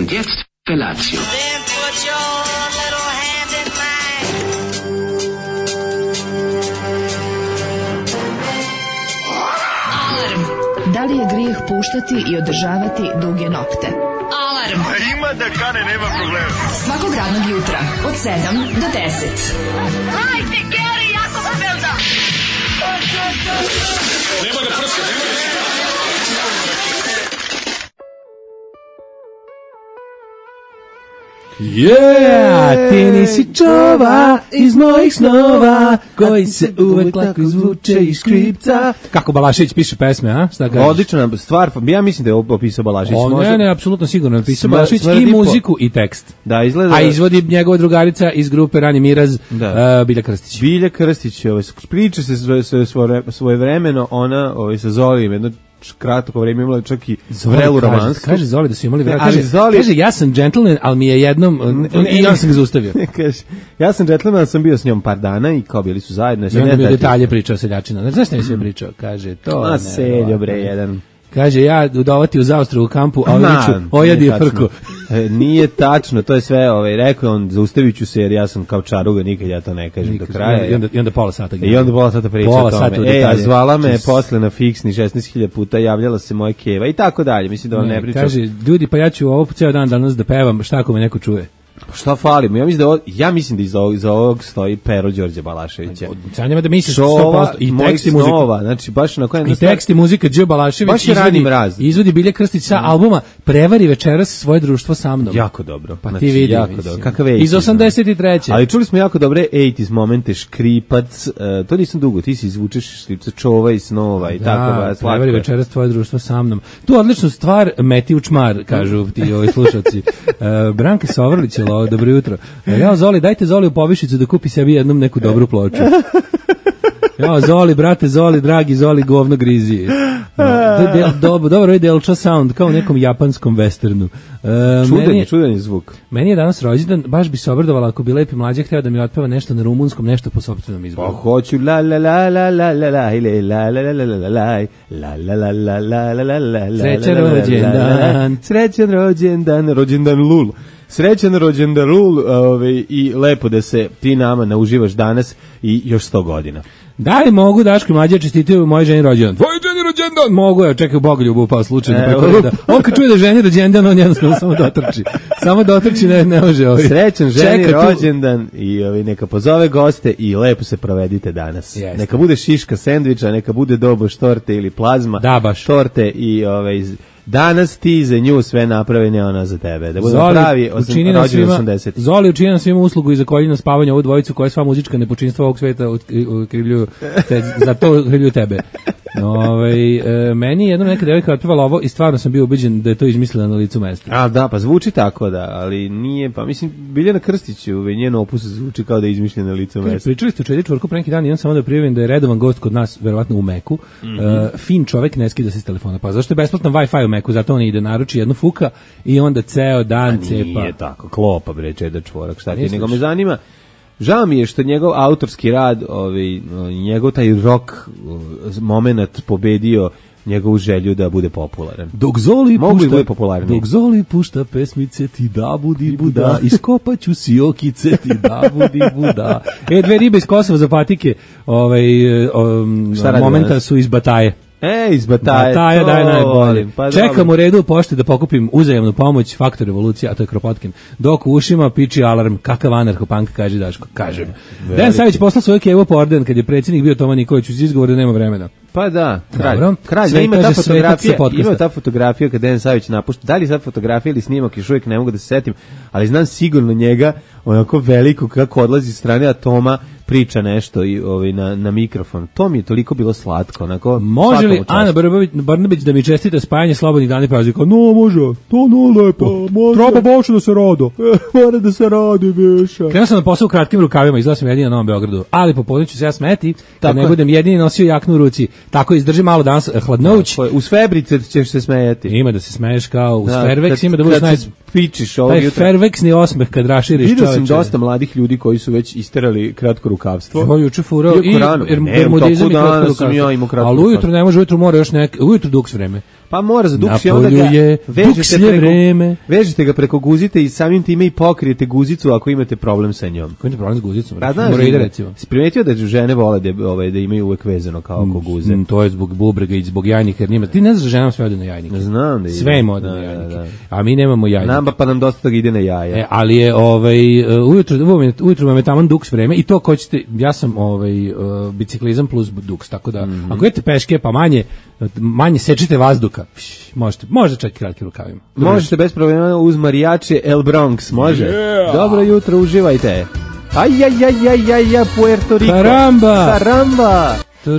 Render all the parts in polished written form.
Und jetzt Felatio. Then put your little hand in mine. Alarm. Da li je grijeh puštati i održavati duge nokte? Alarm. Ima da kane, nema problema. Svakog radnog jutra od 7 do 10. Hajde, Geri, jako se velda. Nema da prska, nema da prska. Yeah, ti nisi čova iz mojih snova, koji se uvek lako izvuče iz škripca. Kako Balašević piše pesme, a? Šta kažeš? Odlična stvar, ja mislim da je opisao Balašević. Ne, apsolutno sigurno napisao Balašević i muziku i tekst. Da, izgleda. A izvodi njegova drugarica iz grupe Rani Miraz, Bilja Krstić. Bilja Krstić, priča se svojevremeno, ona sa Zolijem, jedno kratko vreme imala čak i vrelu romansku. Kaže Zoli da su imali vrelu. Zoli... Kaže, ja sam gentleman, ali mi je jednom, i ja sam ga zaustavio. Kaže, ja sam gentleman, sam bio s njom par dana i kao bili su zajedno. I onda mi je detalje pričao seljačina. Znaš šta mi sve pričao? Kaže, to... Ma seljo bre, jedan... Kaže, ja udovati u zaostru u kampu, a viću, ojadi frku. Nije tačno, to je sve, rekao on, zaustavit ću se jer ja sam kao čaruga, nikad ja to ne kažem do kraja. I onda pola sata. I onda pola sata priča o tome. A zvala me posle na fiksni 16.000 puta, javljala se moja keva i tako dalje, mislim da vam ne pričam. Kaže, ljudi, pa ja ću ovo ceo dan danas da pevam, šta ako me neko čuje? Šta falimo? Ja mislim da iza ovog stoji pero Đorđe Balaševića. Sanjama da misliš 100% i tekst i muzika. Znači baš na kojem i tekst i muzika Đ Balašević izvodi Bilja Krstić sa albuma Prevari večeras svoje društvo sa mnom. Jako dobro. Pa ti vidi. Jako dobro. Kakav iz 83. Ali čuli smo jako dobre 80s momente, Škripac, to nisam dugo, ti si izvučeš Škripca, Čova i snova i tako. Prevari večeras svoje društvo sa mnom. Tu odličnu stvar meti u čmar, kažu ti ovi slušalci. Branka Sovrlić, dobro jutro. Ja, Zoli, dajte Zoli u povišicu da kupi sebi jednom neku dobru ploču. Ja, Zoli, brate, Zoli, dragi Zoli, govno grizi. Dobro je Delča sound, kao u nekom japanskom westernu. Čudan je zvuk. Meni je danas rođendan, baš bi se obradovala ako bi Lepi mlađe hteo da mi otpeva nešto na rumunskom, nešto po sopstvenom izboru. Pa hoću la la la la la la la la la la la la la la. Srećan rođendan. Srećan rođendan Lul. Srećan rođendan Lul i lepo da se ti nama nauživaš danas i još 100 godina. Da li mogu Daško i Mlađe čestitaju moje ženi rođendan? Tvoj ženi rođendan! Mogu, ja čekaj u Bogoljubu upao slučajno preko reda. On kad čuje da ženi rođendan, on jednostavno samo dotrči. Samo dotrči, ne može ovaj. Srećan ženi rođendan i neka pozove goste i lepo se provedite danas. Jeste. Neka bude šiška sendviča, neka bude doboš torte ili plazma torte i danas ti za nju sve napravi, ne ona za tebe. Da budemo pravi rođeni 80. Zoli učini nam svima uslugu i za koljeno spavanje ovu dvojicu koja sva muzička nepočinstva ovog sveta ukrivljuju, za to ukrivljuju tebe. Meni jednom neka devojka otpevala ovo i stvarno sam bio ubeđen da je to izmislila na licu mesta. A da, pa zvuči tako da, ali nije, pa mislim Biljana Krstiću, njen opus zvuči kao da je izmišljena na licu mesta. Pričali ste u Čedi čvorku pre neki dan i on samo da prijavim da je redovan gost kod nas, verovatno u Meku. Fin čovek, ne skida se s telefona. Pa zašto je besplatan Wi-Fi u Meku? Zato on ide naruči jednu fuka i onda ceo dan cepa. Nije tako, klopa bre Čeda čvorak, šta ti, nego me zanima. Žao mi je što njegov autorski rad, njegov taj rock moment pobedio njegovu želju da bude popularan. Dok Zoli pušta pesmice ti da budi buda, iskopaću si okice ti da budi buda. Dve ribe iz Kosova za patike momenta su iz Bataje. Iz Bataje daje najbolje. Čekam u redu u pošti da pokupim uzajamnu pomoć, Faktor revolucija, a to je Kropotkin. Dok u ušima piči alarm, kakav anarcho-punk, kaže Daško. Kažem. Dejan Savić poslao svoju kevu po orden kad je predsjednik bio Toma Nikolić uz izgovor da nema vremena. Pa da, kralj. Ima ta fotografija kad Dejan Savić napušta. Da li sad fotografija ili snimak, još uvijek ne mogu da se setim, ali znam sigurno njega, onako veliko kako odlazi s strane, a Toma priča nešto i na mikrofon. To mi je toliko bilo slatko. Onako, može li Ana Brnabić da mi čestita spajanje slobodnih dana i praznika? No, može. To lepo. Treba baš da se rado. Mora da se radi više. Krenuo sam na posao u kratkim rukavima, izgleda sam jedini na Novom Beogradu, ali popodne ću se ja smeti kad ne budem jedini nosio jaknu u ruci. Tako izdrži malo danas hladnoć. Uz Febrice ćeš se smejati. Ima da se smeješ kao uz Fairvex, ima da budeš pičiš ovog jutra. Taj Fairvexni osmeh kad raširiš čoveče. Vidio sam dosta mladih ljudi koji su već isterali kratko rukavstvo. Ovo juče furao i bermudizam i kratko rukavstvo. Ali ujutro ne može, ujutro mora još ujutro duks vreme. Pa mora za duks i onda ga vežete ga preko guzite i samim time i pokrijete guzicu ako imate problem sa njom. Ko ima problem s guzicom? Mora ide recimo. Si primetio da žene vole da imaju uvek vezano kao oko guze? To je zbog bubrega i zbog jajnika, jer njima. Ti ne znaš da ženama sve ode na jajnike. Znam da ide. Sve im ode na jajnike. A mi nemamo jajnike. Nam pa nam dosta toga ide na jaja. Ali je ujutru vam je taman duks vreme i to ko ćete, ja sam biciklizam plus duks, tako da ako idete peške pa manje sečite vazduka, možete čak i kratkim rukavima. Možete bez problema uz marijače El Bronx, može? Yeah. Dobro jutro, uživajte. Aj, Puerto Rico. Caramba. The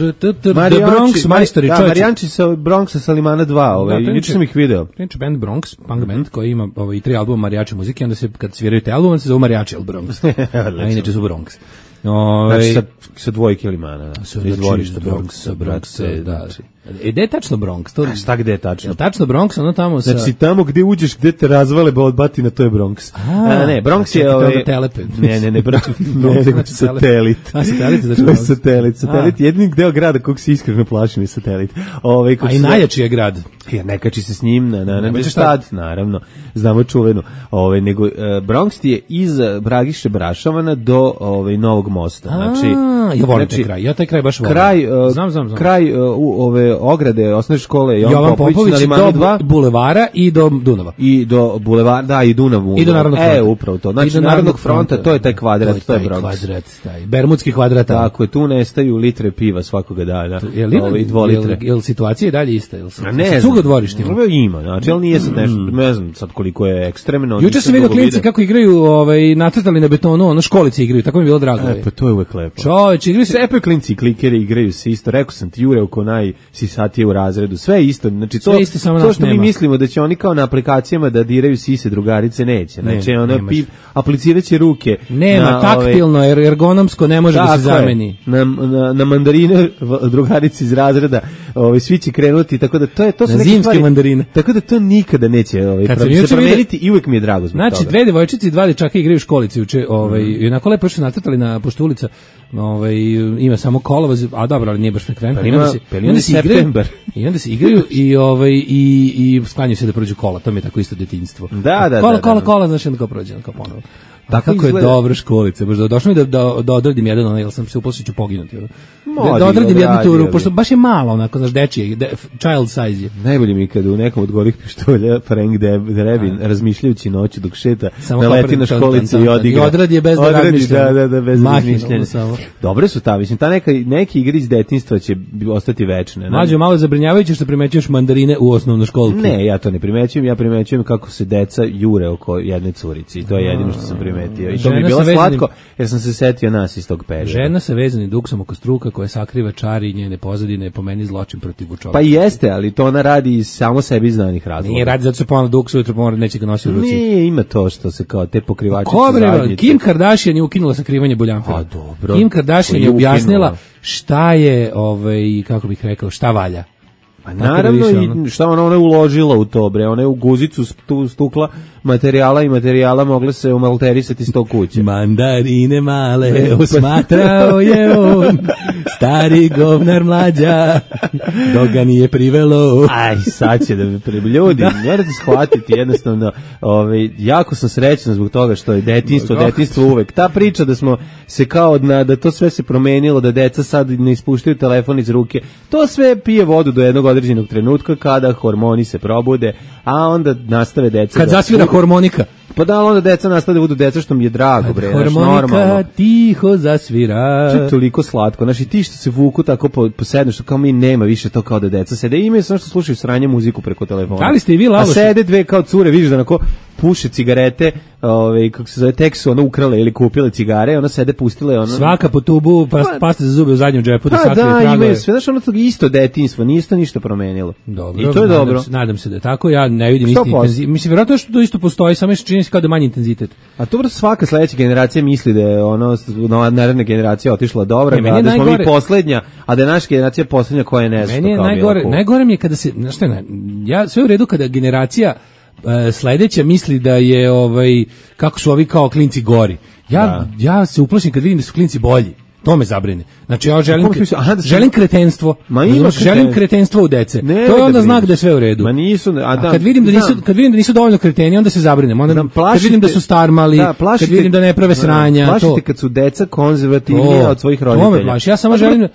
Bronx majstori, čovječe. Marijanči sa Bronxa sa Limana 2, juče sam ih video. Priča band Bronx, punk band, koji ima i 3 albuma marijače muzike, onda se, kad sviraju te album, se zove marijači El Bronx. A inače su Bronx. Znači sa dvojke Limana, da. Iz dvorišta Bronx, da. Gde je tačno Bronx? Šta gde je tačno? Tačno Bronx, ono tamo sa... Znači tamo gde uđeš, gde te razvale od batina, to je Bronx. Ne, Bronx je... Telepe. Ne, nego satelit. Satelit, znači to je satelit. Jedini deo grada kog se iskreno plašim je satelit. A i najjači je grad. Ja, ne kači se s njim na štad, naravno. Znamo čuvenu. Nego Bronx ti je iz Bragiše Brašovana do Novog mosta. Znači, ja volim taj kraj. Ja taj kraj baš volim. Znam. Kraj ograde osnovne škole Jovan Popović do bulevara i do Dunava. I do bulevara, da, i Dunavu. I do Narodnog fronta. Upravo to. Znači, Narodnog fronta, to je taj kvadrat, to je Bronx. Bermudski kvadrat. Tako je, tu nestaju litre piva svakoga dana. I 2 litre. Je li situacija je dalje ista? Ne znam. Cuga dvorištima? Ima, znači, ali nije sad nešto, ne znam sad koliko je ekstremno. Juče sam vidio klinci kako igraju, nacrtali na betonu, ono školice igraju, tako mi je bilo drago. Pa to je uvek lepo. Čoveče, igraju se lepo klinci, klikeri igraju se isto. Rekao sam ti Jure oko najsisatije u razredu. Sve isto. Znači to što mi mislimo da će oni kao na aplikacijama da diraju sise drugarice neće. Znači apliciraće ruke. Nema taktilno, ergonomsko ne može da se zameni. Na mandarine drugarice iz razreda, svi će krenuti, tako da to su neke stvari. Mandarine. Tako da to nikada neće se promeniti i uvek mi je drago zbog toga. Znači, 2 devojčice i 2 dečaka igraju u školici juče, i onako lepo što nacrtali na pošto ulica, ima samo kolovoz, a dobro, ali nije baš frekventno. I onda se igraju i sklanjaju se da prođu kola, to mi je tako isto detinjstvo. Kola, znaš, onda kao prođe, kao ponovo. Kako je dobra školica, baš došlo mi da odradim jedan, jer sam se uplašio ću poginuti. Da odradim jednu turu, pošto baš je malo, onako, znaš, dečije, child size je. Najbolje mi kada u nekom od gorih pištolja Frank Drebin, razmišljajući noću dok šeta, naleti na školicu i odigra. I odradi je bez da razmišlja. Da, bez razmišljanja. Dobre su ta, mislim, neke igre iz detinjstva će ostati večne. Mlađo, malo zabrinjavajuće što primećuješ mandarine u osnovnoj školki. Ne, ja to ne primećujem, ja primećujem kako se deca jure oko jedne curici i to je jedino što sam primetio. I to mi je bilo slatko, jer sam se setio nas iz tog perioda. Žena sa vezanim duksom oko struka koja sakriva čari i njene pozadine, po meni zločin protiv čoveka. Pa jeste, ali to ona radi iz samo sebi znanih razloga. Nije radi zato što ponovno duks ujutro pomora neće ga nositi u ruci. Nije, ima to što se kao te pokrivačice zajednice. Kim Kardashian je ukinula sakrivanje buljanfera. A dobro. Kim Kardashian je objasnila šta je, kako bih rekao, šta valja. Pa naravno, i šta ona je uložila u to, bre, ona je u guzicu stukla materijala mogle se umalterisati 100 kuće. Mandarine male osmatrao je on, stari govnar mlađa, dok ga nije privelo. Aj, sad će da me ljudi, morate shvatiti jednostavno, jako sam srećan zbog toga što je detinjstvo uvek. Ta priča da smo se kao, da to sve se promenilo, da deca sad ne ispuštaju telefon iz ruke, to sve pije vodu do jednog određenog trenutka kada hormoni se probude, a onda nastave deca. Kad zasvira harmonika. Pa da, onda deca nastave budu deca, što mi je drago, bre, harmonika tiho zasvira. To je toliko slatko, znaš, i ti što se vuku tako po sednu, što kao mi nema više to kao da deca sede, imaju samo što slušaju sranje muziku preko telefona. Da li ste i vi laloši? A sede dve kao cure, vidiš da onako puše cigarete, kako se zove, tek su ono ukrale ili kupile cigare, ona sede pustile ono. Svaka po tubu, pasta za zube u zadnjem džepu da sakrije tragove. Da, imaju sve, znaš, ono to isto detinjstvo, nije isto ništa promenilo. Dobro, i to je dobro. Nadam se da je tako, ja ne vidim isti intenzitet. Mislim, vjerojatno što to isto postoji, samo što čini se kao da manji intenzitet. A to svaka sledeća generacija misli da je naredna generacija otišla dobra, da smo mi poslednja, a da je naša generacija poslednja koja ne zna. Meni je najgore mi je kada se, znaš šta, ja sve u redu kada generacija sledeća misli da je kako su ovi kao klinci gori. Ja se uplašim kad vidim da su klinci bolji. To me zabrini. Znači ja želim kretenstvo. Želim kretenstvo u dece. To je onda znak da je sve u redu. Ma nisu, kad vidim da nisu dovoljno kreteni, onda se zabrinem. Onda kad vidim da su starmali, kad vidim da ne prave sranja, plašite kad su deca konzervativnija od svojih roditelja. To me plaši. Ja samo želim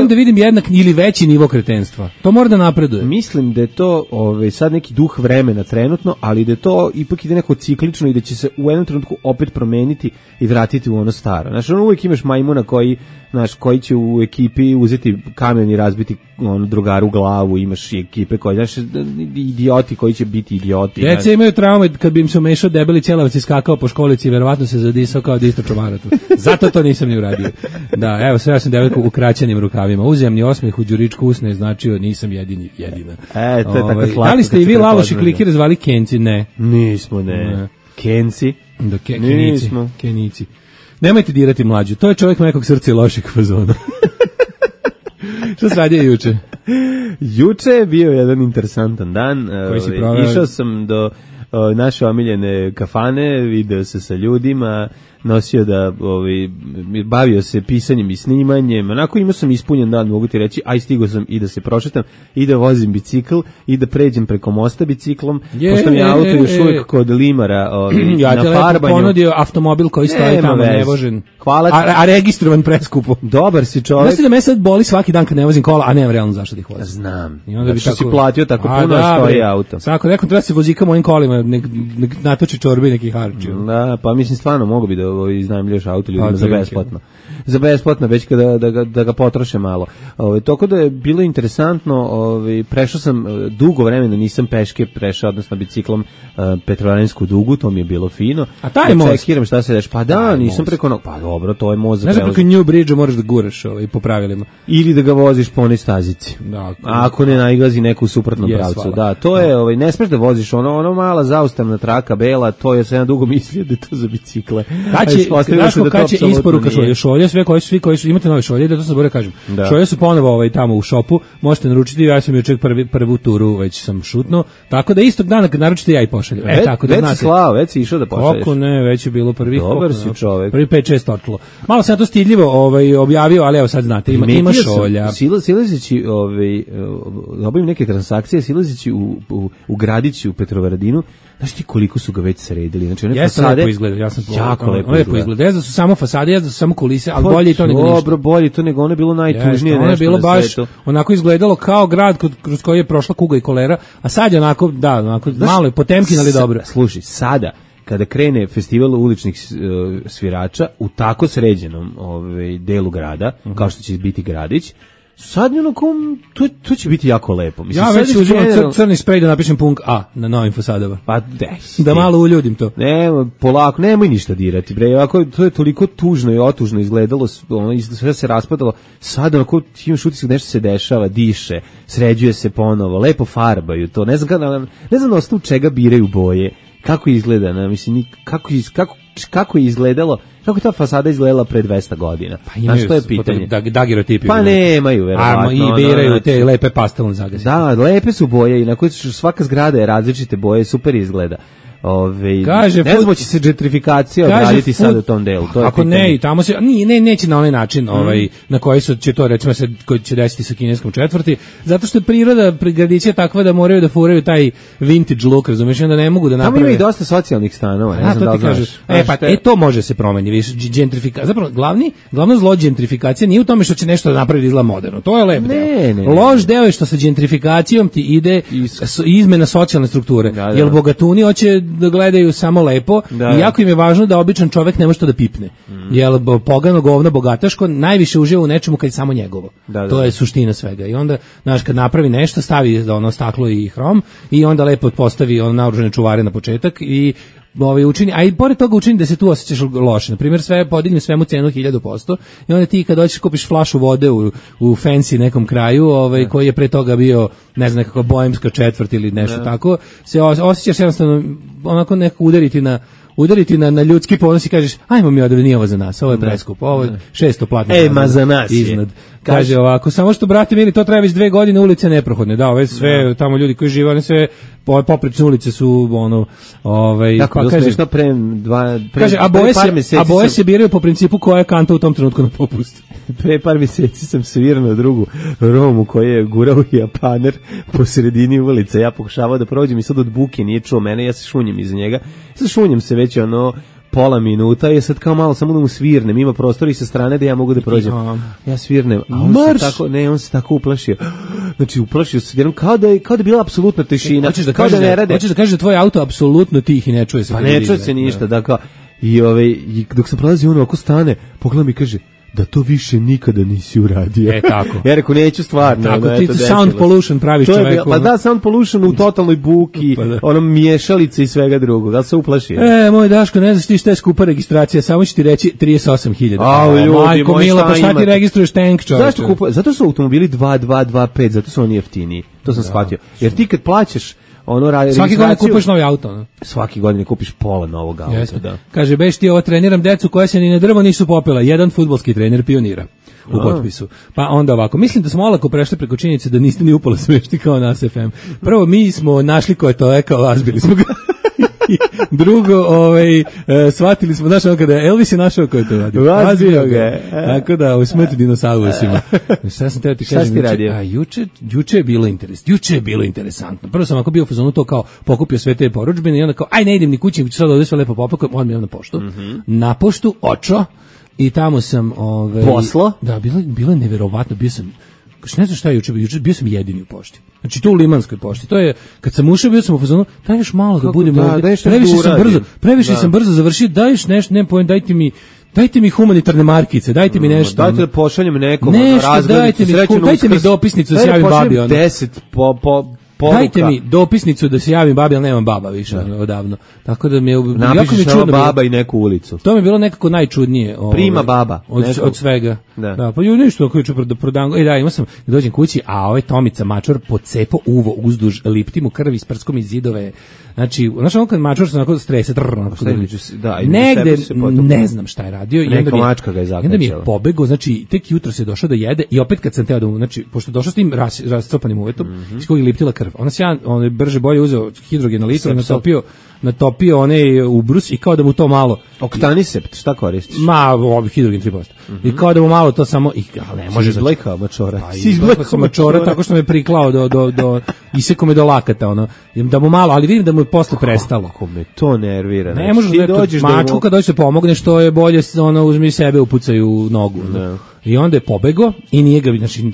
da vidim jednak ili veći nivo kretenstva. To mora da napreduje. Mislim da je to sad neki duh vremena trenutno, ali da je to ipak ide neko ciklično i da će se u jednom trenutku opet promeniti i vratiti u ono staro. Znači, uvijek imaš majmuna koji će u ekipi uzeti kamen i razbiti drugaru glavu, imaš i ekipe koji, idioti koji će biti idioti. Djeca imaju traume kad bi im se umešao debeli ćelavac i skakao po školici i verovatno se zadisao kao da isto čomaratu. Zato to nisam ni uradio. Da, evo, sve ja sam devojku u kraćenim rukavima. Uzemni osmeh u đuričku usne značio nisam jedina. To je tako slatko. Da li ste i vi Laloši klikire zvali Kenci? Ne. Nismo, ne. Kenci? Da, Kenici. Nemojte dirati mlađu, to je čovjek nekog srca i lošeg fazona. Što se radio juče? Juče je bio jedan interesantan dan. Išao sam do naše omiljene kafane, video se sa ljudima, nosio da bavio se pisanjem i snimanjem, onako imao sam ispunjen dan, mogu ti reći, aj stigao sam i da se prošetam i da vozim bicikl i da pređem preko mosta biciklom, pošto mi je auto još uvijek kod limara ja na farbanju. Ja te ponudio automobil koji stoji tamo nevožen, a registrovan preskupo. Dobar si čovjek. Znaš ti da me sad boli svaki dan kad ne vozim kola, a nemam realno zašto da ih vozim. Znam, zato što si platio tako puno stoji auto. Svako, nekom treba se vozika mojim kolima, nek natoči čorbe i neki harči. Da, pa mislim stvarno mogu bi da iznajmljuješ auto ljudima za besplatno. Za besplatno, već da ga potroše malo. Toko da je bilo interesantno, prešao sam dugo vremena, nisam peške prešao, odnosno biciklom Petrovarensku dugu, to mi je bilo fino. A taj most? Čekiram šta se deš. Pa da, nisam preko pa dobro, to je most za prevoz. Znaš, preko New Bridge moraš da guraš po pravilima. Ili da ga voziš po onoj stazici. Da, ako ne nailazi neku u suprotnom pravcu. Da, to je, ne smeš da voziš ono mala zaustavna traka bela, to je se ja dugo mislio da je to za bicikle. Kad će isporuka šolje, sve koji su imate nove šolje, da to se bolje kažem. Šolje su ponovo tamo u šopu, možete naručiti, ja sam juče prvu turu već sam šutnuo, tako da istog dana kad naručite ja i pošaljem. Tako da znate. Već si išao da pošalješ. Kako ne, već je bilo prvih. Dobar si čovek. Prvi 5-6 očilo. Malo sam ja to stidljivo objavio, ali evo sad znate, ima šolja. Silazeći obavim neke transakcije, silazeći u gradići u Petrovaradinu. Znaš ti koliko su ga već sredili? Znači one fasade lepo izgleda, ja sam jako lepo izgleda. Da su samo fasade, da su samo kulise, ali bolje to nego ništa. Dobro, bolje to nego ono je bilo najtužnije nešto. Ono je bilo baš onako izgledalo kao grad kroz koji je prošla kuga i kolera, a sad je onako malo je Potemkin, ali dobro. Slušaj, sada kada krene festival uličnih svirača u tako sređenom delu grada, kao što će biti gradić, sad to će biti jako lepo. Mislim, ja već uzimam crni sprej da napišem punk A na novim fasadama. Pa da malo uljudim to. Ne, polako, nemoj ništa dirati, bre. Ovako, to je toliko tužno i otužno izgledalo, sve se raspadalo. Sad onako imaš utisak nešto se dešava, diše, sređuje se ponovo, lepo farbaju to. Ne znam na osnovu čega biraju boje. Kako izgleda, mislim, kako je izgledalo, kako je ta fasada izgledala pre 200 godina? Pa imaju, to je pitanje. Dagirotipi. Pa nemaju, verovatno. I biraju te lepe pastelne zagase. Da, lepe su boje i na koje svaka zgrada je različite boje, super izgleda. Ne znam, će se gentrifikacija odraditi sad u tom delu. To je ako pitanje. Ne, tamo se neće na onaj način na koji će to recimo se koji će desiti sa kineskom četvrti, zato što je priroda gradića takva da moraju da furaju taj vintage look, razumiješ, onda ne mogu da naprave. Tamo ima i dosta socijalnih stanova, ne znam da li znaš. To može se promeniti, više gentrifikacija. Zapravo glavno zlo gentrifikacije nije u tome što će nešto da napravi izgleda moderno. To je lep deo. Loš deo je što sa gentrifikacijom ti ide izmena socijalne strukture. Jer bogatuni hoće da gledaju samo lepo i jako im je važno da običan čovjek ne može to da pipne. Jer pogano govno bogataško najviše uživa u nečemu kad je samo njegovo. To je suština svega. I onda, znaš, kad napravi nešto, stavi ono staklo i hrom i onda lepo postavi naoružane čuvare na početak i učini, a i pored toga učini da se tu osjećaš loše. Na primjer, sve podigne svemu cenu 1000% i onda ti kad dođeš kupiš flašu vode u fancy nekom kraju, koji je pre toga bio, ne znam, nekakva boemska četvrt ili nešto tako, se osjećaš jednostavno onako neko udariti udariti na ljudski ponos i kažeš, ajmo mi odred, nije ovo za nas, ovo je preskupo, ovo je 600 platnih ma za nas iznad. Kaže ovako, samo što, brate mili, to treba već 2 godine, ulice neprohodne, da, ove sve, tamo ljudi koji žive, one sve, poprečne ulice su, ono, kako, pa kaže, kaže, a boje se biraju po principu koja je kanta u tom trenutku na popustu. Pre par mjeseci sam svirao na drugu Romu koji je gurao Japaner po sredini ulice, ja pokušavao da prođem i sad od buke nije čuo mene, ja se šunjem iza njega, šunjem se već pola minuta i sad kao malo samo da mu svirnem, ima prostor i sa strane da ja mogu da prođem. Ja svirnem, a on se tako uplašio. Znači uplašio se jednom kao da je bila apsolutna tišina. Hoćeš da kažeš da tvoj auto apsolutno tih i ne čuje se. Pa ne čuje se ništa, da kao i dok sam prolazio on oko stane, pogleda mi i kaže da to više nikada nisi uradio. Tako. Ja rekao, neću stvarno. Tako, ti sound pollution praviš čoveku. Pa da, sound pollution u totalnoj buki, onom miješalice i svega drugog. Da se uplašio. Moj Daško, ne znaš ti šta je skupa registracija, samo ću ti reći 38.000. Majko mila, pa šta ti registruješ tank, čoveče? Zašto kupa? Zato su automobili 2.2, 2.5, zato su oni jeftiniji. To sam shvatio. Jer ti kad plaćaš svaki godine kupiš novi auto, no? Svaki godine kupiš pola novog auta, da. Kaže, beš ti ovo treniram decu koja se ni na drvo nisu popela, jedan fudbalski trener pionira u potpisu. Pa onda ovako, mislim da smo olako prešli preko činjenice da niste ni upala smešti kao nas FM. Prvo, mi smo našli ko je to rekao, azbili smo ga. Drugo, shvatili smo, znaš, kada Elvis je našao ko je to radio. Razbio ga. Tako da, smrti dinosaurusima. Šta sam teo ti kažem? Šta si radio? Juče je bilo interesantno. Prvo sam ako bio u fazonu to kao pokupio sve te porudžbine i onda kao, aj ne idem ni kući, sad ovdje sve lepo popakujem, on mi je na poštu. Na poštu, očo, i tamo sam... Poslo? Da, bilo je neverovatno, bio sam... Ne znam šta je juče bio sam jedini u pošti. Znači to u Limanskoj pošti. To je kad sam ušao bio sam u fazonu, daj još malo da budem ovdje. Previše sam brzo završio. Daješ nešto, ne pojem, dajte mi humanitarne markice, dajte mi nešto. Dajte da pošaljem nekom razglednicu, dajte mi dopisnicu da se javim babi. 10 poruka. Dajte mi dopisnicu da se javim babi, ali nemam baba više odavno. Tako da mi je napišeš samo baba i neku ulicu. To mi je bilo nekako najčudnije. Prima baba. Od svega. Da, pa ju ništa ako juče prodango. Da, imao sam, dođem kući, a ovaj Tomica mačor pocepo uvo uzduž, lipti mu krvi s prskom iz zidove. Znači, ono kad mačor se onako strese, negde, ne znam šta je radio. Neka mačka ga je zakačala. I onda mi je pobegao, znači, tek jutro se došao da jede i opet kad sam teo da mu, znači, pošto došao s tim rascopanim uvetom, iz kojeg je liptila krv. On je brže bolje uzeo hidrogen na litru, natopio onaj ubrus i kao da mu to malo... Oktanisept, šta koristiš? Hidrogen 3%. I kao da mu malo to samo... Ali ne može... Izblekao mačora. Izblekao mačora tako što me priklao iseko me do lakata, da mu malo, ali vidim da mu je posle prestalo. Kako me to nervira. Ne možeš da mačku kad dođeš da pomogne, što je bolje, uzmi sebe, upucaju u nogu. I onda je pobego i nije ga, znači,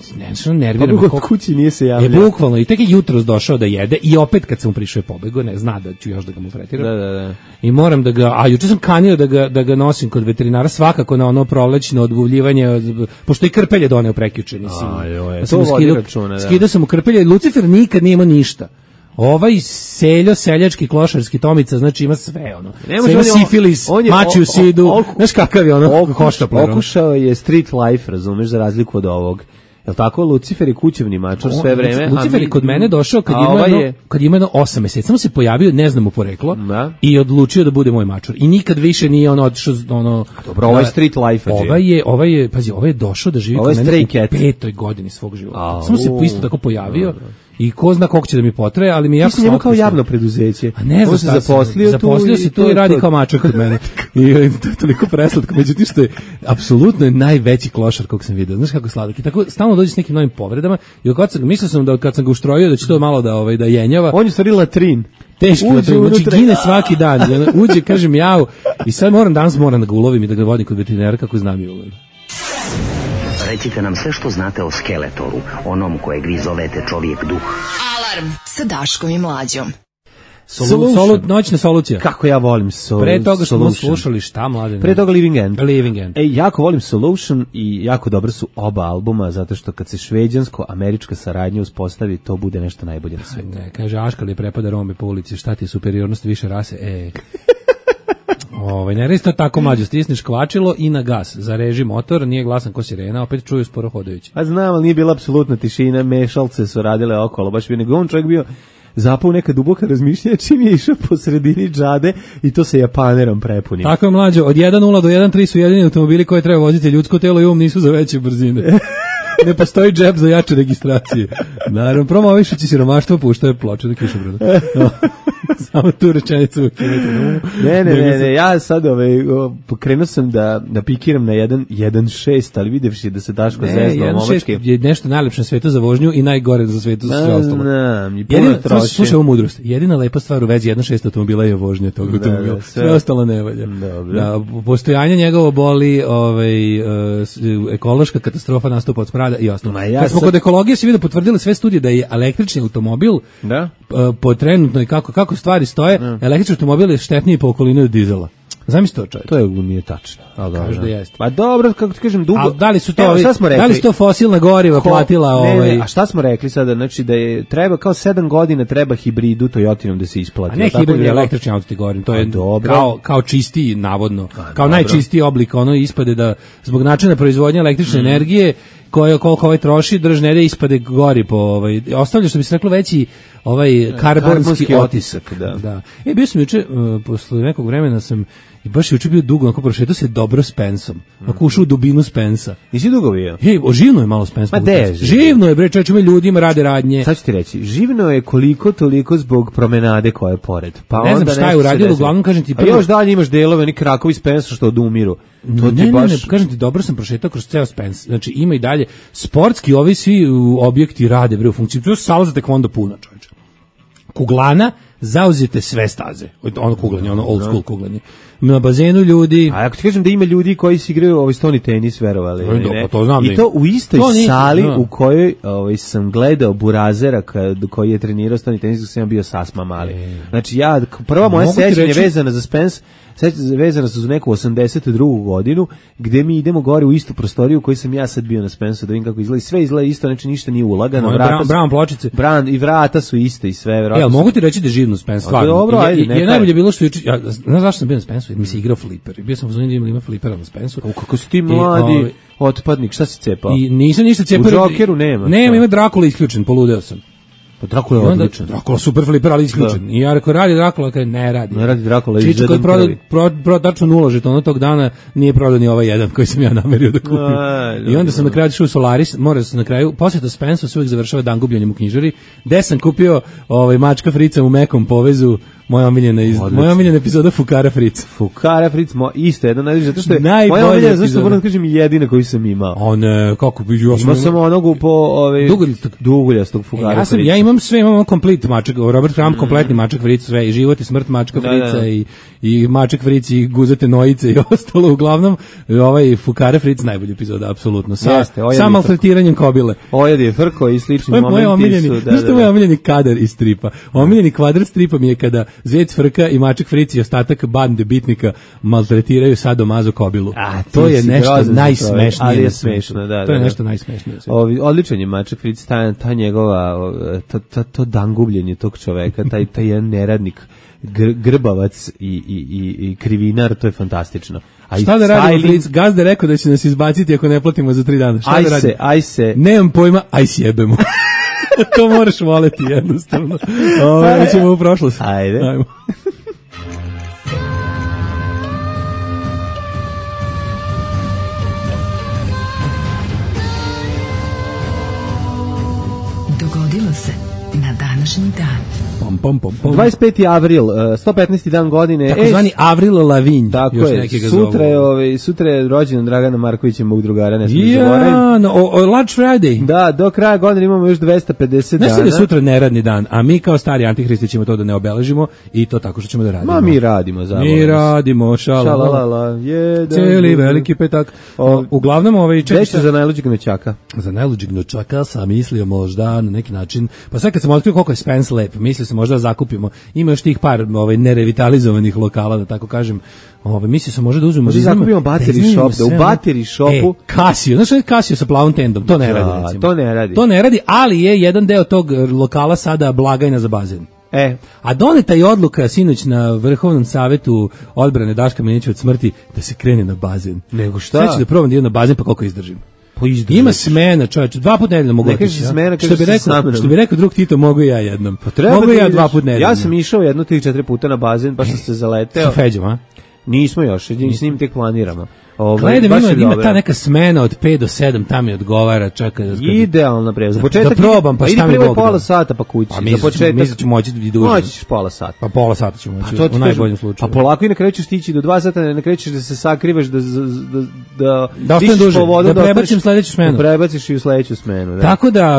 nervira me. Kod kući nije se javljao. Bukvalno, i tek je jutros došao da jede i opet kad sam mu prišao je pobego, ne zna da ću još da ga mu fretiram. Da. I moram da ga, a juče sam kanio da ga nosim kod veterinara, svakako na ono prolećno odbuvljivanje, pošto i krpelje doneo prekjuče, mislim. Skidao sam mu krpelje, Lucifer nikad nije imao ništa. Ovaj seljački klošarski Tomica, znači ima sve ima sifilis, mačiju sidu, znaš kakav je hoštapler. Okušao je street life, razumeš, za razliku od ovog. Jel tako, Lucifer je kućevni mačor sve vreme. Lucifer je kod mene došao kad ima 8 meseci, samo se pojavio, ne znam mu poreklo, i odlučio da bude moj mačor. I nikad više nije otišao Dobro, ovo je street life. Ovaj je došao da živi kod mene u 5. godini svog života. Samo se isto tako pojavio. I ko zna koliko će da mi potraje, ali mi jako slatko. Njemu kao javno preduzeće. A ne znam šta zaposlio se tu i radi kao mačor kod mene. I to je toliko preslatko. Međutim, što je apsolutno najveći klošar kog sam vidio. Znaš kako je sladak. I tako stalno dođe s nekim novim povredama. I mislio sam da kad sam ga uštrojio da će to malo da jenjava. On je stvari latrin. Teški latrin. Znači gine svaki dan. Uđe, kažem jau. I sad danas moram da ga ulovim i da ga vodim kod veterinara kako znam i ulovim. Recite nam sve što znate o Skeletoru, onom kojeg vi zovete čovjek duh. Alarm sa Daškom i Mlađom. Noćna solucija. Kako ja volim Solution. Pre toga što smo slušali šta, Mlađe? Pre toga Living End. Jako volim Solution i jako dobro su oba albuma, zato što kad se šveđansko-američka saradnja uspostavi, to bude nešto najbolje na svijetu. Ne, kaže, Aškal je prepada Rome po ulici, šta ti je superiornost više rase? Ne rezi to tako, Mlađo, stisneš kvačilo i na gas, zareži motor, nije glasan ko sirena, opet čuju sporo hodajući. A znam, ali nije bila apsolutna tišina, mešalce su radile okolo, baš bi nego on čovjek bio zapao neka duboka razmišljanja čim je išao po sredini džade i to sa Japanerom prepunim. Tako je, mlađo, od 1.0 do 1.3 su jedini automobili koje treba voziti, ljudsko telo i nisu za veće brzine. Ne postoji džep za jače registracije. Naravno, promovišući siromaštvo puštaju ploče na kišobranu. Samo tu rečenicu. Ne, ja sad pokrenuo sam da pikiram na 1.6, ali videvši da se Daško zezno momačke. 1.6 je nešto najlepše na svetu za vožnju i najgore za svetu za sve ostalo. Slušaj ovu mudrost. Jedina lepa stvar u vezi 1.6 automobila je vožnja tog automobila. Sve ostalo ne valja. Postojanje njegovo boli ekološka katastrofa nastupa od smrada i ostalo. Kad smo kod ekologije se vidio potvrdili sve studije da je električni automobil po trenutnoj kako stvari stoje, električni automobil je štetniji po okolini od dizela. Zamisli to, čovjek. To je nije tačno. Kaže da jeste. Pa dobro, kako ti kažem, dugo. A da li su to da li su to fosilna goriva platila a šta smo rekli sada, znači da je treba kao 7 godina treba hibridu Toyotinom da se isplati. A ne hibrid, električni auto ti govorim, to je kao čistiji navodno, kao najčistiji oblik, ispade da zbog načina proizvodnje električne energije koliko troši, držne ispade gori po ostavlja, što bi se reklo, veći karbonski otisak. Da. Bio sam juče, posle nekog vremena sam i baš juče bio dugo, onako prošetao se dobro s Pensom. Ako ušao u dubinu Spensa. Nisi dugo bio? Živno je malo Spens. Živno je, bre, čovječe, ima ljudima rade radnje. Sad ću ti reći, živno je koliko toliko zbog promenade koja je pored. Pa ne znam šta je uradio, uglavnom kažem ti. A još dalje imaš delove, oni krakovi Spensa što odumiru. Ne, kažem ti, dobro sam prošetao kroz ceo Spens. Znači, ima i dalje sportski, ovi svi objekti rade, bre, u funkciji. To je sala za tekvondo puna, čovječe. Kuglana, zauzete sve staze. Ono kuglanje, ono old school kuglanje. Na bazenu ljudi. A ako ti kažem da ima ljudi koji se igraju stoni tenis, verovali. To znam. I to u istoj sali u kojoj sam gledao Burazera koji je trenirao stoni tenis, dok sam bio sasma mali. Znači prva moja sećanja vezana za Spence, vezana su za neku 82. godinu, gde mi idemo gore u istu prostoriju u kojoj sam ja sad bio na Spensu, da vidim kako izgleda. Sve izgleda isto, znači ništa nije ulagano. Brown pločice. I vrata su iste i sve. Mogu ti reći da je živno Spence, stvarno. Dobro, je najbolje bilo što znaš zašto sam bio na Spensu? Mi se igrao fliper. Bio sam u zoni da ima flipera na Spensu. Kako si ti mladi otpadnik, šta si cepao? I nisam ništa cepao. U Jokeru nema. Ima Drakula isključen, poludeo sam. Pa Drakula je odličan. Drakula super fliper, ali isključen. I ja rekao, radi Drakula, kada ne radi. Ne radi Drakula, iz jedan prvi. Prodao tačno 0 žetona tog dana, nije prodao ni ovaj jedan koji sam ja namerio da kupim. I onda sam na kraju išao u Solaris, morao sam na kraju, posjeta Spensu se uvijek završava dan gubljenjem u knjižari, gde sam kupio mačka Frica u mekom povezu, moja omiljena epizoda Fukara Fric. Fukara Fric, isto jedan najbolji, zato što je moja omiljena, zašto moram da kažem, jedina koju sam imao. Kako bi imao sam onogu po duguljastog Fukara Frica. Ja imam sve, imam komplet mačak, Robert Crumb, kompletni mačak Fric, sve, i život i smrt mačka Frica, i mačak Fric, i guzate nojice i ostalo, uglavnom, Fukara Fric najbolji epizoda, apsolutno. Sa maltretiranjem kobile. Ojad je frko i slični momenti su. Znaš što je moj omiljeni kadar iz stripa? Omiljeni kvadrat stripa mi je kada Zvec Frka i mačak Fric i ostatak bande bitnika maltretiraju sadomazo kobilu. To je nešto najsmešnije. Ali je smešno, da. To je nešto najsmešnije. Odličan je mačak Fric, ta njegova, to dangubljenje tog čoveka, taj jedan neradnik, grbavac i krivinar, to je fantastično. Šta da radimo, Fric? Gazda rekao da će nas izbaciti ako ne platimo za 3 dana. Šta da radimo? Aj se. Nemam pojma, aj sjebemo. To moraš voleti jednostavno. Ćemo u prošlost. Ajmo. Dogodilo se na današnji dan. 25. avril, 115. dan godine. Tako zvani Avril Lavigne. Tako je, sutra je rođendan Dragana Markovića, mog drugara, ne smijem zaboraviti. Large Friday. Da, do kraja godine imamo još 250 dana. Ne da sutra neradni dan, a mi kao stari antihristi ćemo to da ne obeležimo i to tako što ćemo da radimo. Mi radimo, zavolimo. Mi radimo, šalalala, cijeli veliki petak. Uglavnom, Dešte za najluđeg nečaka. Za najluđeg nečaka sam mislio možda na neki način, pa sad kad sam otkrio koliko je Spence lep, mislio sam možda zakupimo. Ima još tih par nerevitalizovanih lokala, da tako kažem. Mislio sam možda da uzmemo. Možda zakupimo battery shop, da u battery shopu Casio, znaš što je Casio sa plavom tendom? To ne radi, recimo. To ne radi, ali je jedan deo tog lokala sada blagajna za bazen. A doneta je odluka sinoć na Vrhovnom savetu odbrane Daška Milinića od smrti da se krene na bazen. Nego šta? Sad ću da probam da idem na bazen, pa koliko izdržim. Ima smena, čoveče, 2 puta nedeljno mogu otići. Što bi rekao drug Tito, mogu ja jednom. Mogu ja 2 puta nedeljno. Ja sam išao 1-3-4 puta na bazen, baš sam se zaleteo. Sa Feđom, a? Nismo još, s njim tek planiramo. Gledam, ima ta neka smena od 5 do 7, tam mi odgovara, čekaj. Idealna prevoz. Za početak da probam, pa šta mi Bog da. Pola sata pa kući. Pa mislim ću moći i duže. Moćiš pola sata. Pa pola sata ću moći, u najboljem slučaju. Pa polako i na kraju ćeš stići do 2 sata, ne krećeš da se sakrivaš, da ostanem duže, da prebacim sledeću smenu. Da prebaciš i u sledeću smenu. Da. Tako da